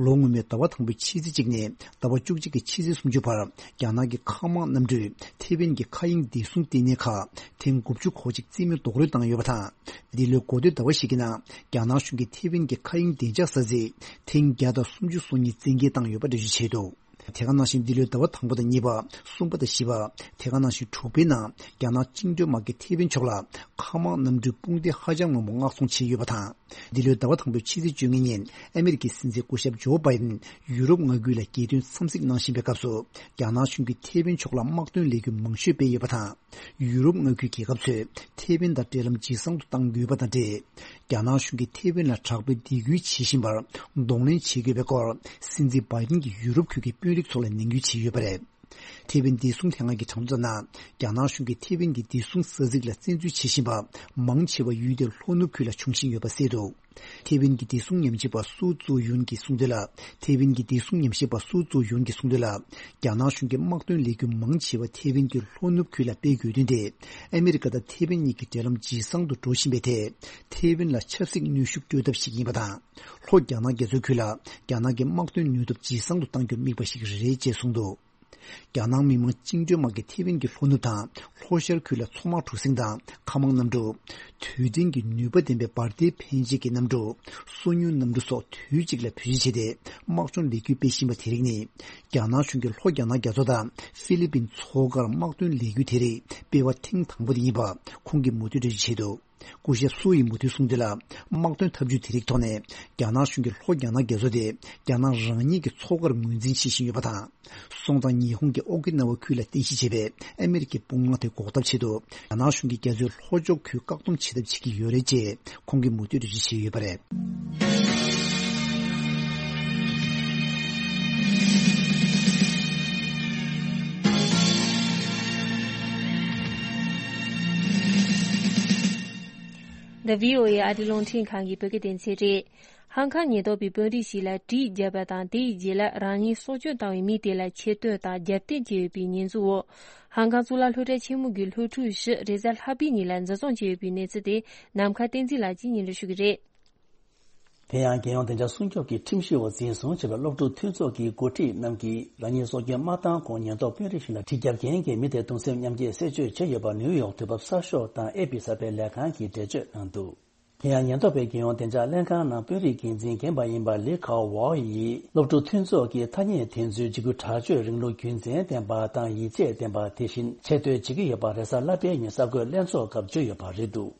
ལོ་སྔོན་མའི་ཟླ་བ་དང་པོའི་ཕྱི་ཚེས་གཅིག་ནས་ཟླ་བ་བཅུ་གཅིག་གི་ཕྱི་ཚེས་སུམ་ཅུ་བར། རྒྱ་ནག་གི་མཁའ་དམག་གནམ་གྲུས་ཐེ་ཝན་གྱི་མཁའ་དབྱིངས་བདེ་སྲུང་ལྟེ་གནས་ཁག་ཐེངས་དགུ་བཅུ་གོ་གཅིག་རྩིས་མེད་རྡོག་རོལ་བཏང་ཡོད་པ་དང་། འདི་ལོའི་འགོ་སྟོད་ཟླ་བ་ཞིག་གི་ནང་། རྒྱ་ནག་གཞུང་གིས་ཐེ་ཝན་གྱི་མཁའ་དབྱིངས་བདེ་འཇགས་ས་ཚིགས་ཐེངས་བརྒྱ་དང་སུམ་ཅུ་སོ་གཉིས་བཙན་འགེལ་བཏང་ཡོད་པ་འགྲེལ་བརྗོད་བྱས་འདུག་དེ་ག་ནང་བཞིན། འདི་ལོའི་ཟླ་བ་དང་པོ་དང་གཉིས་པ། གསུམ་པ་དང་བཞི་པ། དེ་ག་ནང་བཞིན་དྲུག་པའི་ནང་། རྒྱ་ནག་བཅིངས་འགྲོལ་དམག་གིས་ཐེ་ཝན་ཕྱོགས་ལ་མཁའ་དམག་གནམ་གྲུའི་དཔུང་སྡེ་ཧ་ཅང་མང་པོ་མངགས་གཏོང་བྱས་ཡོད་པ་དང་། འདི་ལོའི་ཟླ་བ་དང་པོའི་ཕྱི་ཚེས་བཅོ་ལྔ་ཉིན། ཨ་མེ་རི་ཀའི་སྲིད་འཛིན་སྐུ་ཞབས་ཇོ་བྷའི་ཌེན་ཡུ་རོབ་མངའ་ཁུལ་ལ་རྒྱལ་དོན་འཚམས་གཟིགས་གནང་བཞིན་པའི་སྐབས་སུ། རྒྱ་ནག་གཞུང་གིས་ཐེ་ཝན་ཕྱོགས་ལ་དམག་དོན་ལས་འགུལ་མང་ཤོས་སྤེལ་ཡོད་པ་དང་། ཡུ་རོབ་མངའ་ཁུལ་རྒྱལ་ཁབ་ཚོས་ཐེ་ཝན་དང་འབྲེལ་ལམ་ཇེ་བཟང་དུ་གཏང་དགོས་པ་དང་འབྲེལ། རྒྱ་ནག་གཞུང་གིས་ཐེ་ཝན་ལ་དྲག་པོའི་སྡིགས་སྐུལ་བྱེད་བཞིན་པར་གདོང་ལེན་བྱེད་དགོས་པའི་སྐོར། སྲིད་འཛིན་བྷའི་ཌེན་གྱིས་ཡུ་རོབ་ཁུལ་གྱི་དཔོན་རིགས་ཚོ་ལ་ནན་སྐུལ་བྱས་ཡོད་པ་རེད། ཐེ་ཝན་བདེ་སྲུང་ལྷན་ཁང་གི་གྲངས་ཐོ་ལྟར་ན། རྒྱ་ནག་གཞུང་གིས་ཐེ་ཝན་གྱི་བདེ་སྲུང་ས་ཚིགས་ལ་བཙན་འཛུལ་བྱེད་བཞིན་པ་མང་ཆེ་བ་ཡུལ་དེའི་ལྷོ་ནུབ་ཁུལ་ལ་འབྱུང་བཞིན་ཡོད་པ་གསལ་འདུག་ཐེ་ཝན་གྱི་བདེ་སྲུང་ཉམས་ཞིབ་པ་སུའུ་ཙུའུ་ཡུན་གྱིས་གསུངས་དོན་ལ། ཐེ་ཝན་གྱི་བདེ་སྲུང་ཉམས་ཞིབ་པ་སུའུ་ཙུའུ་ཡུན་གྱིས་གསུངས་དོན་ལ། རྒྱ་ནག་གཞུང་གིས་དམག་དོན་ལས་འགུལ་མང་ཆེ་བ་ཐེ་ཝན་གྱི་ལྷོ་ནུབ་ཁུལ་ལ་སྤེལ་དགོས་དོན་དེ། ཨ་མེ་རི་ཀ་དང་ཐེ་ཝན་གཉིས་ཀྱི་འབྲེལ་ལམ་ཇེ་བཟང་དུ་འགྲོ་བཞིན་པའི་ཐད། ཐེ་ཝན་ལ་ཆབ་སྲིད་གནོན་ཤུགས་སྤྲོད་ཐབས་ཤིག་ཡིན་པ་དང་། ལྷོ་རྒྱ་ནག་རྒྱ་མཚོའི་ཁུལ་ལ་རྒྱ་ནག་གི་དམག་དོན་ནུས་སྟོབས་ཇེ་བཟང་དུ་གཏང་རྒྱུར་དམིགས་པ་ཞིག་རེད་ཅེས་གསུངས་འདུག་རྒྱ་ནག་མི་དམངས་བཅིངས་འགྲོལ་དམག་གིས་ཐེ་ཝན་གྱི་ལྷོ་ནུབ་དང་ལྷོ་ཤར་ཁུལ་ལ་མཚོ་དམག་གྲུ་གཟིངས་དང་མཁའ་དམག་གནམ་གྲུ། དུས་ལྡན་གྱི་ནུས་པ་ལྡན་པའི་འབར་མདེལ་འཕེན་བྱེད་ཀྱི་གནམ་གྲུ། སོ་ཉུལ་གནམ་གྲུ་སོགས་དུས་གཅིག་ལ་བེད་སྤྱོད་བྱས་ཏེ་དམག་སྦྱོང་ལས་འགུལ་སྤེལ་བཞིན་པ་དེ་རིགས་ནི། རྒྱ་ནག་གཞུང་གིས་ལྷོ་རྒྱ་ནག་རྒྱ་མཚོ་དང་ཧྥི་ལི་པིན་མཚོ་ཁར་དམག་དོན་ལས་འགུལ་དེ་རིགས་སྤེལ་བ་ཐེངས་དང་པོ་དེ་ཡིན་པ་ཁོང་གིས་མུ་མཐུད་འགྲེལ་བརྗོད་བྱས་འདུག་སྐུ་ཞབས་སུའུ་ཡིས་མུ་མཐུད་གསུངས་དོན་ལ། དམག་དོན་ཐབས་ཇུས་དེ་རིགས་ཐོག་ནས་རྒྱ་ནག་གཞུང་གིས་ལྷོ་རྒྱ་ནག་རྒྱ་མཚོ་དེ་རྒྱ་ནག་རང་ཉིད་ཀྱི་མཚོ་ཁར་ངོས་འཛིན་བྱེད་བཞིན་ཡོད་པ་དང་། སོང་ཙང་ཉི་ཧོང་གི་ཨོ་ཀི་ན་ཝ་ཁུལ་ལ་རྟེན་གཞི་བྱས་པའི་ཨ་མེ་རི་ཀའི་དཔུང་དམག་དེ་འགོག་ཐབས་ཆེད་དུ། རྒྱ་ནག་གཞུང་གིས་རྒྱ་མཚོའི་ལྷོ་ཕྱོགས་ཁུལ་བཀག་སྡོམ་བྱེད་ཐབས་བྱེད་ཀྱི་ཡོད་རེད་ཅེས་ཁོང་གིས་མུ་མཐུད་འགྲེལ་བརྗོད་བྱས་ཡོད་པ་རེད། འདི་བྷི་ཨོ་ཨེ་ཨ་རིའི་རླུང་འཕྲིན་ཁང་གི་བོད་སྐད་སྡེ་ཚན་རེད། ཧང་ཀང་ཉེན་རྟོག་པས་དཔོན་རིགས་ཤིག་ལ་གྲི་བརྒྱབ་པ་དང་། དེའི་རྗེས་ལ་རང་ཉིད་སྲོག་སྐྱོན་བཏང་བའི་མི་དེ་ལ་ཆེད་བསྟོད་དང་རྒྱབ་རྟེན་བྱས་ཡོད་པའི་ཉེས་འཛུགས་འོག་ཧང་ཀང་གཙུག་ལག་སློབ་གྲྭ་ཆེན་མོ་གི་སློབ་ཕྲུག་བཞི་རེས་གཟའ་ལྷག་པའི་ཉིན་ལ་འཛིན་བཟུང་བྱས་ཡོད་པའི་གནས་ཚུལ་དེ་ནམ་མཁའ་བསྟན་འཛིན་ལགས་ཀྱིས་སྙན་སྒྲོན་ཞུ་གི་རེད། དེ་ཡང་། རྒྱལ་ཡོངས་བདེ་འཇགས་སྲུང་སྐྱོབ་ཀྱི་ཁྲིམས་གཞི་འོག་འཛིན་བཟུང་བྱས་པའི་སློབ་ཕྲུག་མཐུན་ཚོགས་ཀྱི་འགོ་ཁྲིད་རྣམས་ཀྱིས་རང་ཉིད་སྲོག་སྐྱོན་མ་བཏང་གོང་ཉེན་རྟོག་དཔོན་རིགས་ཤིག་ལ་གྲི་རྒྱབ་མཁན་གྱི་མི་དེ་གདུང་སེམས་མཉམ་སྐྱེད་གསལ་བརྗོད་བྱས་ཡོད་པ་ནིའུ་ཡོག་དུས་བབ་གསར་ཤོག་དང་ཨེ་པི་གསར་པའི་ལས་ཁང་གིས་འགྲེལ་བརྗོད་གནང་འདུག་དེ་ཡང་། ཉེན་རྟོག་པས་རྒྱལ་ཡོངས་བདེ་འཇགས་ལྷན་ཁང་ནང་དཔོན་རིགས་འགན་འཛིན་རྒན་པ་ཡིན་པ་ལི་ཁའོ་ཝའོ་ཡིས། སློབ་ཕྲུག་མཐུན་ཚོགས་ཀྱིས་ཐ་སྙད་དེ་ཚོའི་འཇིགས་སྐུལ་དྲག་སྤྱོད་རིང་ལུགས་རྒྱུ་མཚན་ལྡན་པ་དང་ཡིད་ཆེས་ལྡན་པ། དེ་བཞིན་ཆེ་བསྟོད་བྱེད་ཀྱི་ཡོད་པ་རེས་གཟའ་ལྷག་པའི་ཉིན་གསར་འགོད་ལྷན་ཚོགས་སྐབས་བརྗོད་ཡོད་པ་རེད་འདུག་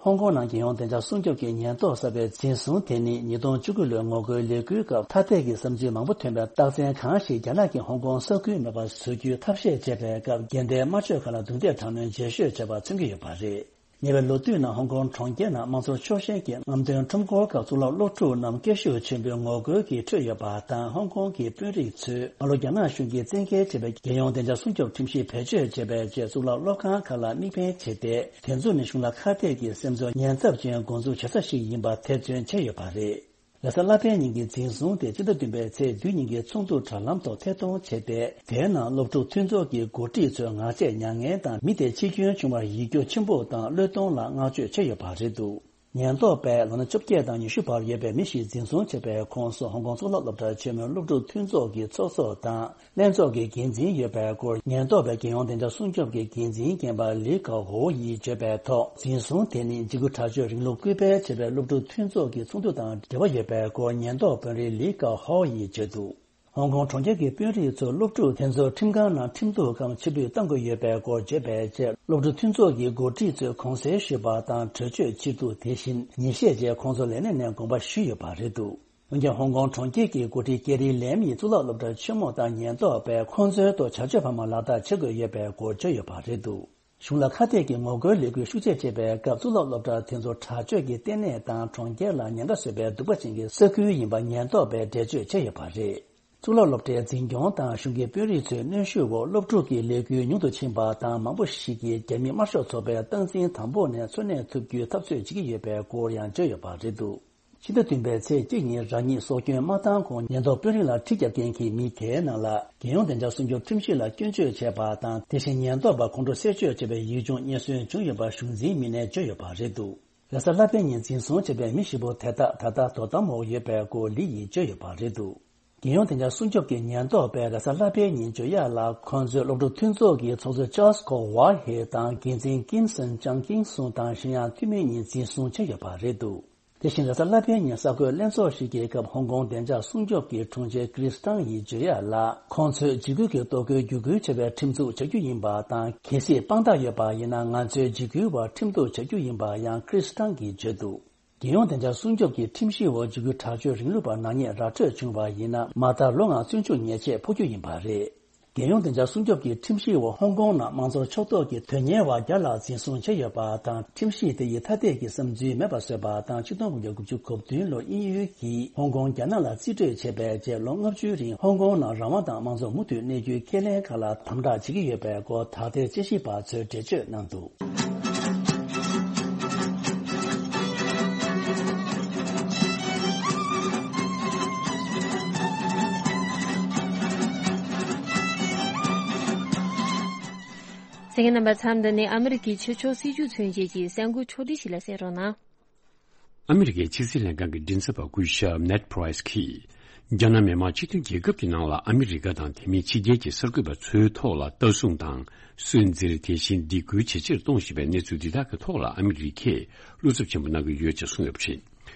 ཧོང་ཀོང་ནང་རྒྱལ་ཡོངས་བདེ་འཇགས་སྲུང་སྐྱོབ་ཀྱི་ཉེན་རྟོག་གསར་པའི་འཛིན་བཟུང་དེ་ནི། ཉིས་སྟོང་བཅུ་དགུ་ལོའི་ངོ་རྒོལ་ལས་འགུལ་སྐབས་ཐ་དད་ཀྱི་བསམ་ཚུལ་མང་པོ་ཐོན་པའི་རྟགས་མཚན་གང་ཞིག་རྒྱ་ནག་གིས་ཧོང་ཀོང་ས་ཁུལ་མེད་པར་བཟོ་རྒྱུའི་ཐབས་ཤེས་བྱས་པའི་སྐབས། འགལ་ཟླའི་དམར་མཆོད་ཁག་ལ་རྡུང་རྡེག་དྲག་གནོན་རྒྱས་ཤོས་བྱས་པ་མཚོན་གྱི་ཡོད་པ་རེད། ཉེ་བའི་ལོ་དུས་ནང་ཧོང་ཀོང་གྲོང་ཁྱེར་ནང་དམངས་གཙོ་ཕྱོགས་ཞེན་གྱི་རྔམ་སྟོན་ཁྲོམ་སྐོར་སྐབས། གཙུག་ལག་སློབ་ཕྲུག་རྣམས་སྐད་ཤུགས་ཆེན་པོས་ངོ་རྒོལ་གྱིས་ཁྲོད་ཡོད་པ་དང་། ཧོང་ཀོང་གི་དཔོན་རིགས་ཚོས་སྔ་ལོ་རྒྱ་ནག་གཞུང་གིས་བཙན་འགེལ་བྱས་པའི་རྒྱལ་ཡོངས་བདེ་འཇགས་སྲུང་སྐྱོབ་ཁྲིམས་གཞི་བེད་སྤྱོད་བྱས་པའི་རྗེས། གཙུག་ལག་སློབ་ཁང་ཁག་ལ་དམིགས་འབེན་བྱས་ཏེ། དེ་ཚོ་ནི་གཞུང་ལ་ཁ་གཏད་ཀྱི་སེམས་ཚོར་ཉེན་ཚབས་ཅན་འགོ་འཛུགས་བྱེད་ས་ཞིག་ཡིན་པ་ཐེར་འདོན་བྱས་ཡོད་པ་རེད། རེས་གཟའ་ལྷག་པའི་ཉིན་གྱི་འཛིན་བཟུང་དེ་སྤྱི་ཟླ་བདུན་པའི་ཚེས་བདུན་ཉིན་གྱི་ཚོགས་འདུ་དྲ་ལམ་ཐོག་ཐད་གཏོང་བྱས་ཏེ། དེའི་ནང་སློབ་ཕྲུག་མཐུན་ཚོགས་ཀྱི་འགོ་ཁྲིད་ཚོས་ངག་བཅད་མྱ་ངན་དང་། མི་དེ་འཆི་སྐྱོན་བྱུང་བར་ཡིད་སྐྱོ་ཆེན་པོ་དང་བློས་གཏོང་ལ་བསྔགས་བརྗོད་བྱས་ཡོད་པ་རེད་འདུག་ཉེན་རྟོག་པས་ལོ་ན་བཅོ་བརྒྱད་དང་ཉི་ཤུ་བར་ཡོད་པའི་མི་ཞིག་འཛིན་བཟུང་བྱས་པའི་ཁོངས་སུ། ཧོང་ཀོང་གཙུག་ལག་སློབ་གྲྭ་ཆེན་མོའི་སློབ་ཕྲུག་མཐུན་ཚོགས་ཀྱི་ཚོགས་གཙོ་དང་། ལྷན་ཚོགས་ཀྱི་འགན་འཛིན་ཡོད་པའི་སྐོར། ཉེན་རྟོག་པའི་རྒྱལ་ཡོངས་བདེ་འཇགས་སྲུང་སྐྱོབ་ཀྱི་འགན་འཛིན་རྒན་པ་ལི་ཀའོ་ཧོ་ཡིས་བརྗོད་པའི་ཐོག་འཛིན་བཟུང་དེ་ནི་འཇིགས་སྐུལ་དྲག་སྤྱོད་རིང་ལུགས་སྐུལ་སྤེལ་བྱེད་པའི་སློབ་ཕྲུག་མཐུན་ཚོགས་ཀྱི་ཚོགས་འདུ་དང་འབྲེལ་བ་ཡོད་པའི་སྐོར། ཉེན་རྟོག་དཔོན་རིགས་ལི་ཀའོ་ཧོ་ཡིས་བརྗོད་འདུག་ཧོང་ཀོང་གྲོང་ཁྱེར་གྱི་དཔོན་རིགས་ཚོས་སློབ་ཕྲུག་དེ་ཚོར་ཁྲིམས་ཁང་ནང་ཁྲིམས་གཏུག་གམ་ཕྱིར་འབུད་གཏང་དགོས་ཡོད་པའི་སྐོར་བརྗོད་པའི་རྗེས། སློབ་ཕྲུག་མཐུན་ཚོགས་ཀྱི་འགོ་ཁྲིད་ཚོས་དགོངས་སེལ་ཞུས་པ་དང་། གྲོས་ཆོད་ཕྱིར་བསྡུ། དེ་བཞིན་ཉེས་བཤད་བཅས་ཁོང་ཚོ་ལས་གནས་ནས་དགོངས་པ་ཞུས་ཡོད་པ་རེད་འདུག་འོན་ཀྱང་། ཧོང་ཀོང་གྲོང་ཁྱེར་གྱི་འགོ་ཁྲིད་ཀེ་རི་ལེམ་ཡིས་གཙུག་ལག་སློབ་གྲྭ་ཆེན་མོ་དང་ཉེན་རྟོག་པས་ཁོང་ཚོའི་ཐོག་བྱ་སྤྱོད་ཕ་མ་ལག་བསྟར་བྱེད་དགོས་ཡོད་པའི་སྐོར་བརྗོད་ཡོད་པ་རེད་འདུག་གཞུང་ལ་ཁ་གཏད་ཀྱི་ངོ་རྒོལ་ལས་འགུལ་ཤུགས་ཆེ་བྱེད་པའི་སྐབས། གཙུག་ལག་སློབ་གྲྭ་དེ་ཚོ་དྲག་སྤྱོད་ཀྱི་ལྟེ་གནས་དང་གྲོང་ཁྱེར་ལ་ཉེན་ཁ་བཟོས་པའི་སྡུག་པ་ཅན་གྱི་ས་ཁུལ་ཡིན་པ་ཉེན་རྟོག་པས་འགྲེལ་བརྗོད་བྱས་ཡོད་པ་རེད། གཙུག་ལག་སློབ་གྲྭའི་འཛིན་སྐྱོང་དང་གཞུང་གི་དཔོན་རིགས་ཚོའི་གནོན་ཤུགས་འོག་སློབ་ཕྲུག་གི་ལས་འགུལ་ཉུང་དུ་ཕྱིན་པ་དང་། མང་པོ་ཞིག་གིས་རྒྱ་མི་དམར་ཤོག་ཚོགས་པའི་སྟངས་འཛིན་དམ་པོ་ནས་འཚོ་གནས་ཐུབ་རྒྱུའི་འཐབ་རྩོད་བྱེད་ཀྱི་ཡོད་པའི་སྐོར་ཡང་བརྗོད་ཡོད་པ་རེད་འདུག་ཕྱི་ཟླ་བདུན་པའི་ཚེས་གཅིག་ཉིན་རང་ཉིད་སྲོག་སྐྱོན་མ་བཏང་གོང་ཉེན་རྟོག་དཔོན་རིགས་ལ་ཁྲིམས་བརྒྱབ་མཁན་གྱི་མི་འགའི་ནང་ལ། རྒྱལ་ཡོངས་བདེ་འཇགས་སྲུང་སྐྱོབ་ཁྲིམས་གཞི་ལ་སྐྱོན་བརྗོད་བྱས་པ་དང་། དེ་བཞིན་ཉེན་རྟོག་པ་ཁོང་ཁྲོ་སེལ་བཅོས་བྱས་པའི་ཡིག་ཆུང་རྙེད་སོན་བྱུང་ཡོད་པ་གཞུང་འཛིན་མི་སྣས་བརྗོད་ཡོད་པ་རེད་འདུག་རེས་གཟའ་ལྷག་པའི་ཉིན་འཛིན་བཟུང་བྱས་པའི་མི་བཞི་པོ་དེ་དག་ད་ལྟ་དོ་དམ་འོག་ཡོད་པའི་སྐོར་ལི་ཡིས་བརྗོད་ཡོད་པ་རེད་འདུག་རྒྱལ་ཡོངས་བདེ་འཇགས་སྲུང་སྐྱོབ་ཀྱི་ཉེན་རྟོག་པས་རེས་གཟའ་ལྷག་པའི་ཉིན་བརྗོད་ཡག་ལ། ཁོང་ཚོའི་སློབ་ཕྲུག་མཐུན་ཚོགས་ཀྱི་ཚོགས་གཙོ་ཅཱལ་ཀོ་ཝར་ཧེ་དང་། འགན་འཛིན་ཀིམ་སོན་ཅང་ཀིང་སུང་དང་གཞན་ཡང་འཐུས་མི་གཉིས་འཛིན་བཟུང་བྱས་ཡོད་པ་རེད་འདུག་དེ་བཞིན་རེས་གཟའ་ལྷག་པའི་ཉིན་གསར་འགོད་ལྷན་ཚོགས་ཤིག་གི་སྐབས། ཧོང་ཀོང་བདེ་འཇགས་སྲུང་སྐྱོབ་ཀྱི་དྲུང་ཆེ་ཀྲིས་ཏང་ཡིས་བརྗོད་ཡག་ལ། ཁོང་ཚོས་འཇིགས་སྐུལ་གྱི་གཏོར་རྒོལ་བརྒྱུད་སྐུལ་བྱ་བའི་ཁྲིམས་འཛུགས་བྱ་རྒྱུ་ཡིན་པ་དང་། གལ་སྲིད་དཔང་རྟགས་ཡོད་པ་ཡིན་ན། ང་ཚོས་འཇིགས་སྐུལ་བར་ཁྲིམས་གཏུག་བྱ་རྒྱུ་ཡིན་པ་ཡང་ཀྲིས་ཏང་གིས་བརྗོད་འདུག་རྒྱལ་ཡོངས་བདེ་འཇགས་སྲུང་སྐྱོབ་ཀྱི་ཁྲིམས་གཞིའི་འོག་འཇིགས་སྐུལ་དྲག་སྤྱོད་རིང་ལུགས་པ་ནག་ཉེས་ར་སྤྲོད་བྱུང་བ་ཡིན་ན། མ་མཐའ་ལོ་ལྔ་བཙོན་འཇུག་ཉེས་ཆད་ཕོག་རྒྱུ་ཡིན་པ་རེད། རྒྱལ་ཡོངས་བདེ་འཇགས་སྲུང་སྐྱོབ་ཀྱི་ཁྲིམས་གཞིའི་འོག་ཧོང་ཀོང་ནང་དམངས་གཙོ་ཕྱོགས་གཏོགས་ཀྱི་དོན་གཉེར་བ་བརྒྱ་ལྷག་འཛིན་བཟུང་བྱས་ཡོད་པ་དང་། ཁྲིམས་གཞི་དེ་ཡི་ཐ་དད་ཀྱི་བསམ་ཚུལ་མེད་པར་བཟོས་པ་དང་། ཆིག་སྟོང་དགུ་བརྒྱ་དགུ་བཅུ་གོ་བདུན་ལོར་དབྱིན་ཡུལ་གྱིས་ཧོང་ཀོང་རྒྱ་ནག་ལ་རྩིས་སྤྲོད་བྱས་པའི་རྗེས། ལོ་ལྔ་བཅུའི་རིང་ཧོང་ཀོང་ནང་རང་དབང་དང་དམངས་གཙོ་མུ་མཐུད་གནས་རྒྱུའི་ཁས་ལེན་ཁག་ལ་དམ་དྲག་བྱེད་ཀྱི་ཡོད་པའི་སྐོར། དག་ཐེར་དཔྱད་ཞིབ་པ་ཚོས་འགྲེལ་བརྗོད་གནང་འདུག་གསན་མཁན་རྣམ་པ། མཚམས་འདི་ནས་ཨ་མི་རི་ཀའི་ཕྱི་ཕྱོགས་སྲིད་བྱུས་མཚོན་བྱེད་ཀྱི་གསར་འགོད་ཕྱོགས་སྒྲིག་ཞིག་ལ་གསན་རོགས་གནང་། ཨ་མི་རི་ཀའི་ཕྱི་སྲིད་ལྷན་ཁང་གི་མགྲིན་ཚབ་པ་སྐུ་ཞབས་ནེད་པྲའི་སི་གིས། རྒྱ་ནག་མི་དམངས་སྤྱི་མཐུན་རྒྱལ་ཁབ་ཀྱི་ནང་ལ་ཨ་མི་རི་ཀ་དང་དེ་མིན་ཕྱི་རྒྱལ་གྱི་གསར་འགོད་པ་ཚོའི་ཐོག་ལ་ལྟ་སྲུང་དང་སུན་གཙེར། དེ་བཞིན་སྡིགས་སྐུལ་ཇེ་ཆེར་གཏོང་བཞིན་པའི་གནས་ཚུལ་འདི་དག་གི་ཐོག་ལ་ཨ་མི་རི་ཀས་བློ་འཚབ་ཆེན་པོ་གནང་གི་ཡོད་ཅེས་གསུངས་ཡོད་པ་རེད།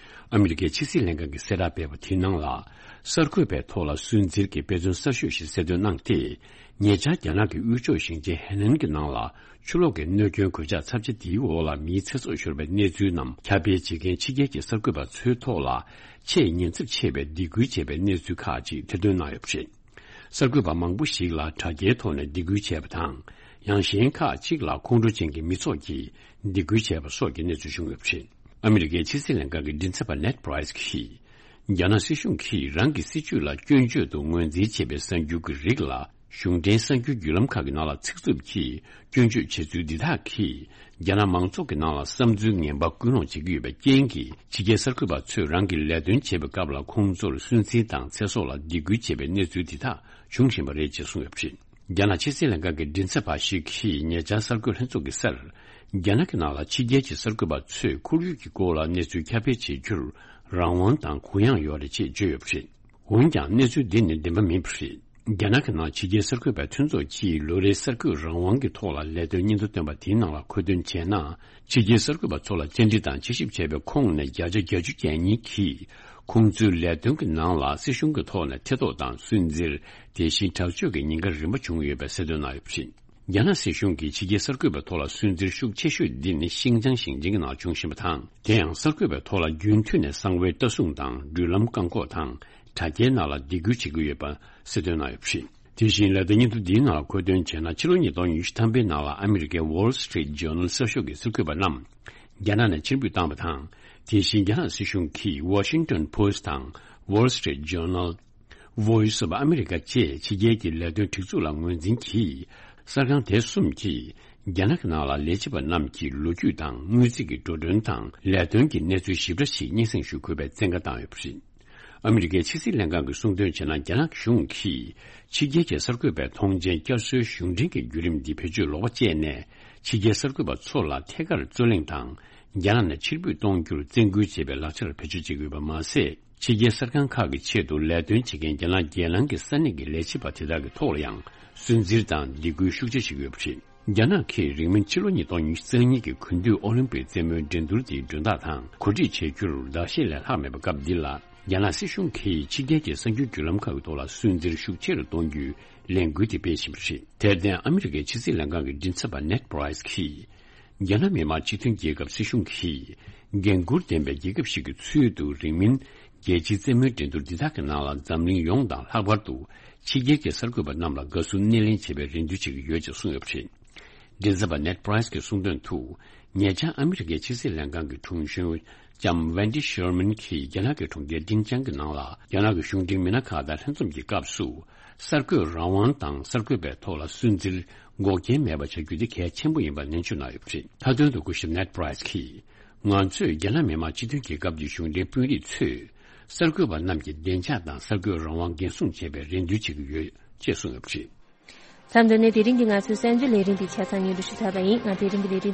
ཨ་མི་རི་ཀའི་ཕྱི་སྲིད་ལྷན་ཁང་གིས་གསལ་བསྒྲགས་སྤེལ་བ་དེའི་ནང་ལ། གསར་འགོད་པའི་ཐོག་ལ་སུན་གཙེར་གྱི་དཔེ་མཚོན་གསར་ཤོས་ཤིག་གསལ་སྟོན་གནང་སྟེ། ཉེ་ཆར་རྒྱ་ནག་གི་དབུས་ཕྱོགས་ཞིང་ཆེན་ཧེ་ནན་གྱི་ནང་ལ། ཆུ་ལོག་གི་གནོད་སྐྱོན་གོད་ཆག་ཚབས་ཆེ་དེའི་འོག་ལ་མིའི་ཚེ་སྲོག་ཤོར་བའི་གནས་ཚུལ་རྣམས་ཁྱབ་སྤེལ་བྱེད་མཁན་ཕྱི་རྒྱལ་གྱི་གསར་འགོད་པ་ཚོའི་ཐོག་ལ་ཆེས་ཉེན་ཚབས་ཆེ་བའི་སྡིགས་སྐུལ་བྱས་པའི་གནས་ཚུལ་ཁག་ཅིག་ཐེར་འདོན་གནང་ཡོད་པ་རེད། གསར་འགོད་པ་མང་པོ་ཞིག་ལ་དྲ་རྒྱའི་ཐོག་ནས་སྡིགས་སྐུལ་བྱས་པ་དང་། ཡང་གཞན་ཁག་ཅིག་ལ་ཁོང་ཁྲོ་ཅན་གྱི་མི་ཚོགས་ཀྱིས་སྡིགས་སྐུལ་བྱས་པ་སོགས་ཀྱི་གནས་ཚུལ་བྱུང་ཡོད་པ་རེད། ཨ་མི་རི་ཀའི་ཕྱི་སྲིད་ལྷན་ཁང་གི་མགྲིན་ཚབ་པ་ནེད་པྲའི་སི་གིས། རྒྱ་ནག་སྲིད་གཞུང་གིས་རང་གི་སྲིད་ཇུས་ལ་སྐྱོན་བརྗོད་དུ་ངོས་འཛིན་བྱས་པའི་གསར་འགྱུར་གྱི་རིགས་ལ། གཞུང་འབྲེལ་གསར་འགྱུར་བརྒྱུད་ལམ་ཁག་གི་ནང་ལ་ཚིག་རྩུབ་ཀྱིས་སྐྱོན་བརྗོད་བྱེད་ཚུལ་འདི་དག་གིས། རྒྱ་ནག་མང་ཚོགས་ཀྱི་ནང་ལ་བསམ་ཚུལ་ངན་པ་ཀུན་སློང་བྱེད་ཀྱི་ཡོད་པའི་རྐྱེན་གྱིས། ཕྱི་རྒྱལ་གསར་འགོད་པ་ཚོས་རང་གི་ལས་དོན་བྱེད་པའི་སྐབས་ལ་ཁོང་ཚོར་སུན་གཙེར་དང་ཚེ་སྲོག་ལ་སྡིགས་སྐུལ་བྱེད་པའི་གནས་ཚུལ་འདི་དག་འབྱུང་བཞིན་པ་རེད་ཅེས་གསུངས་ཡོད་པ་རེད། རྒྱ་ནག་ཕྱི་སྲིད་ལྷན་ཁང་གི་མགྲིན་ཚབ་པ་ཞིག་གིས་ཉེ་ཆར་གསར་འགོད་ལྷན་ཚོགས་ཀྱི་སར། རྒྱ་ནག་གི་ནང་ལ་ཕྱི་རྒྱལ་གྱི་གསར་འགོད་པ་ཚོས་ཁོར་ཡུག་གི་སྐོར་ལ་གནས་ཚུལ་ཁྱབ་སྤེལ་བྱེད་རྒྱུར་རང་དབང་དང་གུ་ཡངས་ཡོད་རེད་ཅེས་བརྗོད་ཡོད་པ་རེད། འོན་ཀྱང་གནས་ཚུལ་འདི་ནི་བདེན་པ་མིན་པ་རེད། རྒྱ་ནག་གི་ནང་ཕྱི་རྒྱལ་གསར་འགོད་པའི་མཐུན་ཚོགས་ཀྱིས་ལོ་རེའི་གསར་འགོད་རང་དབང་གི་ཐོག་ལ་ལས་དོན་སྙིང་སྟོབས་བཏོན་པ་དེའི་ནང་ལ་མཁོ་འདོན་བྱས་ན། ཕྱི་རྒྱལ་གསར་འགོད་པ་ཚོ་ལ་བཅར་འདྲི་དང་དཔྱད་ཞིབ་བྱས་པའི་ཁོངས་ནས་བརྒྱ་ཆ་བརྒྱད་ཅུ་གྱ་གཉིས་ཀྱིས་ཁོང་ཚོའི་ལས་དོན་གྱི་ནང་ལ་སྲིད་གཞུང་གི་ཐོག་ནས་ཐེ་གཏོགས་དང་སུན་གཙེར། དེ་བཞིན་དྲག་སྤྱོད་ཀྱི་ཉེན་ཁ་རིམ་པ་བྱུང་ཡོད་པའི་གསལ་སྟོན་གནང་ཡོད་པ་རེད། རྒྱ་ནག་སྲིད་གཞུང་གིས་ཕྱི་རྒྱལ་གསར་འགོད་པའི་ཐོག་ལ་སུན་གཙེར་ཤུགས་ཆེ་ཤོས་འདི་ནི་ཤིན་ཅང་ཞིང་ཆེན་གྱི་ནང་བྱུང་བཞིན་པ་དང་། དེ་ཡང་གསར་འགོད་པའི་ཐོག་ལ་རྒྱུན་མཐུད་ནས་གསང་བའི་ལྟ་སྲུང་དང་འགྲུལ་ལམ་བཀག་འགོག་དང་དྲ་རྒྱའི་ནང་ལ་སྡིགས་སྐུལ་བྱེད་ཀྱི་ཡོད་པ་གསལ་སྟོན་གནང་ཡོད་པ་རེད། དེ་བཞིན་ལས་དོན་སྙིང་སྟོབས་འདིའི་ནང་ལ་མཁོ་འདོན་བྱས་ན། ཕྱི་ལོ་ཉིས་སྟོང་ཉི་ཤུ་ཐམ་པའི་ནང་ལ་ཨ་མི་རི་ཀའི་Wall Street Journal་གསར་ཤོག་གི་གསར་འགོད་པ་རྣམས་རྒྱ་ནག་ནས་ཕྱིར་འབུད་བཏང་བ་དང་། དེ་བཞིན་རྒྱ་ནག་སྲིད་གཞུང་གིས་Washington Post་དང་Wall Street Journal། Voice of America་བཅས་ཕྱི་རྒྱལ་གྱི་ལས་དོན་སྒྲིག་འཛུགས་ལ་ངོས་འཛིན་གྱིས། གསར་ཁང་དེ་གསུམ་གྱིས་རྒྱ་ནག་གི་ནང་ལ་ལས་བྱེད་པ་རྣམས་ཀྱི་ལོ་རྒྱུས་དང་དངུལ་རྩིས་ཀྱི་འགྲོ་གྲོན་དང་ལས་དོན་གྱི་གནས་ཚུལ་ཞིབ་ཕྲ་ཞིག་སྙན་སེང་ཞུ་དགོས་པའི་བཙན་བཀའ་བཏང་ཡོད་པ་རེད། ཨ་མི་རི་ཀའི་ཕྱི་སྲིད་ལྷན་ཁང་གིས་གསུངས་དོན་བྱས་ན། རྒྱ་ནག་གཞུང་གིས་ཕྱི་རྒྱལ་གྱི་གསར་འགོད་པའི་ཐོངས་མཆན་བསྐྱར་གསོའི་གཞུང་འབྲེལ་གྱི་བརྒྱུད་རིམ་འདི་བེད་སྤྱོད་ལོག་པ་སྤྱད་ནས། ཕྱི་རྒྱལ་གསར་འགོད་པ་ཚོ་ལ་ཐད་ཀར་རྩོད་གླེང་དང་། རྒྱ་ནག་ནས་ཕྱིར་འབུད་གཏོང་རྒྱུར་བཙན་སྐུལ་བྱེད་པའི་ལག་ཆར་བེད་སྤྱོད་བྱེད་ཀྱི་ཡོད་པ་མ་ཟད། ཕྱི་རྒྱལ་གསར་ཁང་ཁག་གི་ཆེད་དུ་ལས་དོན་བྱེད་མཁན་རྒྱ་ནག་རྒྱལ་ནང་གི་ས་གནས་ཀྱི་ལས་བྱེད་པ་དེ་དག་གི་ཐོག་ལ་ཡང་སུན་གཙེར་དང་སྡིགས་སྐུལ་ཤུགས་ཆེ་བྱེད་ཀྱི་ཡོད་པ་རེད། རྒྱ་ནག་གིས་རིང་མིན་ཕྱི་ལོ་ཉིས་སྟོང་ཉི་ཤུ་རྩ་གཉིས་ཀྱི་དགུན་དུས་ཨོ་ལིམ་པིག་རྩེད་མོའི་འགྲན་བསྡུར་དེའི་མགྲོན་བདག་དང་གོ་སྒྲིག་བྱེད་རྒྱུར་ཟླ་ཤས་ལས་ལྷག་མེད་པའི་སྐབས་འདི་ལ། རྒྱ་ནག་སྲིད་གཞུང་གིས་ཕྱི་རྒྱལ་གྱི་གསར་འགྱུར་བརྒྱུད་ལམ་ཁག་གི་ཐོག་ལ་སུན་གཙེར་ཤུགས་ཆེ་རུ་གཏོང་རྒྱུའི་ལས་འགུལ་དེ་སྤེལ་བཞིན་པ་རེད། དེར་བརྟེན་ཨ་མི་རི་ཀའི་ཕྱི་སྲིད་ལྷན་ཁང་གི་མགྲིན་ཚབ་པ་ནེད་པྲའི་སི་གིས། རྒྱ་ནག་མི་དམངས་སྤྱི་མཐུན་རྒྱལ་ཁབ་སྲིད་གཞུང་གིས་འགན་འཁུར་ལྡན་པའི་རྒྱལ་ཁབ་ཞིག་གི་ཚུལ་དུ། རིང་མིན་རྒྱལ་སྤྱིའི་རྩེད་མོའི་འགྲན་བསྡུར་འདི་དག་གི་ནང་ལ་འཛམ་གླིང་ཡོངས་དང་ལྷག་པར་དུ་ཕྱི་རྒྱལ་གྱི་གསར་འགོད་པ་རྣམས་ལ་དགའ་བསུ་སྣེ་ལེན་བྱེད་པའི་རེ་འདུན་བྱེད་ཀྱི་ཡོད་ཅེས་གསུངས་ཡོད་པ་རེད། མགྲིན་ཚབ་པ་Ned Price་གྱིས་གསུངས་དོན་དུ། ཉེ་ཆར་ཨ་མི་རི་ཀའི་ཕྱི་སྲིད་ལྷན་ཁང་གི་དྲུང་གཞོན་ལྕམ་Wendy Sherman་གྱིས་རྒྱ་ནག་གི་གྲོང་ཁྱེར་ཏིང་ཅང་གི་ནང་ལ་རྒྱ་ནག་གི་གཞུང་འབྲེལ་མི་སྣ་ཁག་དང་ལྷན་འཛོམས་ཀྱི་སྐབས་སུ། གསར་འགོད་རང་དབང་དང་གསར་འགོད་པའི་ཐོག་ལ་སུན་གཙེར་འགོག་རྐྱེན་མེད་པ་བྱ་རྒྱུ་དེ་གལ་ཆེན་པོ་ཡིན་པ་ནན་བརྗོད་གནང་ཡོད་པ་རེད། མཐའ་དོན་དུ་སྐུ་ཞབས་Ned Price་གྱིས། ང་ཚོས་རྒྱ་ནག་མི་དམངས་སྤྱི་མཐུན་རྒྱལ་ཁབ་ཀྱི་གཞུང་འབྲེལ་དཔོན་རིགས་ཚོས་གསར་འགོད་པ་རྣམས་ཀྱི་བདེ་འཇགས་དང་གསར་འགོད་རང་དབང་འགན་སྲུང་བྱེད་པའི་རེ་འདུན་བྱེད་ཀྱི་ཡོད་ཅེས་གསུངས་ཡོད་པ་རེད། མཚམས་འདི་ནས་དེ་རིང་གི་ང་ཚོའི་གསར་འགྱུར་ལས་རིམ་པའི་ཆ་ཚང་སྙན་སྒྲོན་ཞུས་ཚར་བ་ཡིན། ང་དེ་རིང་གི་ལས་རིམ།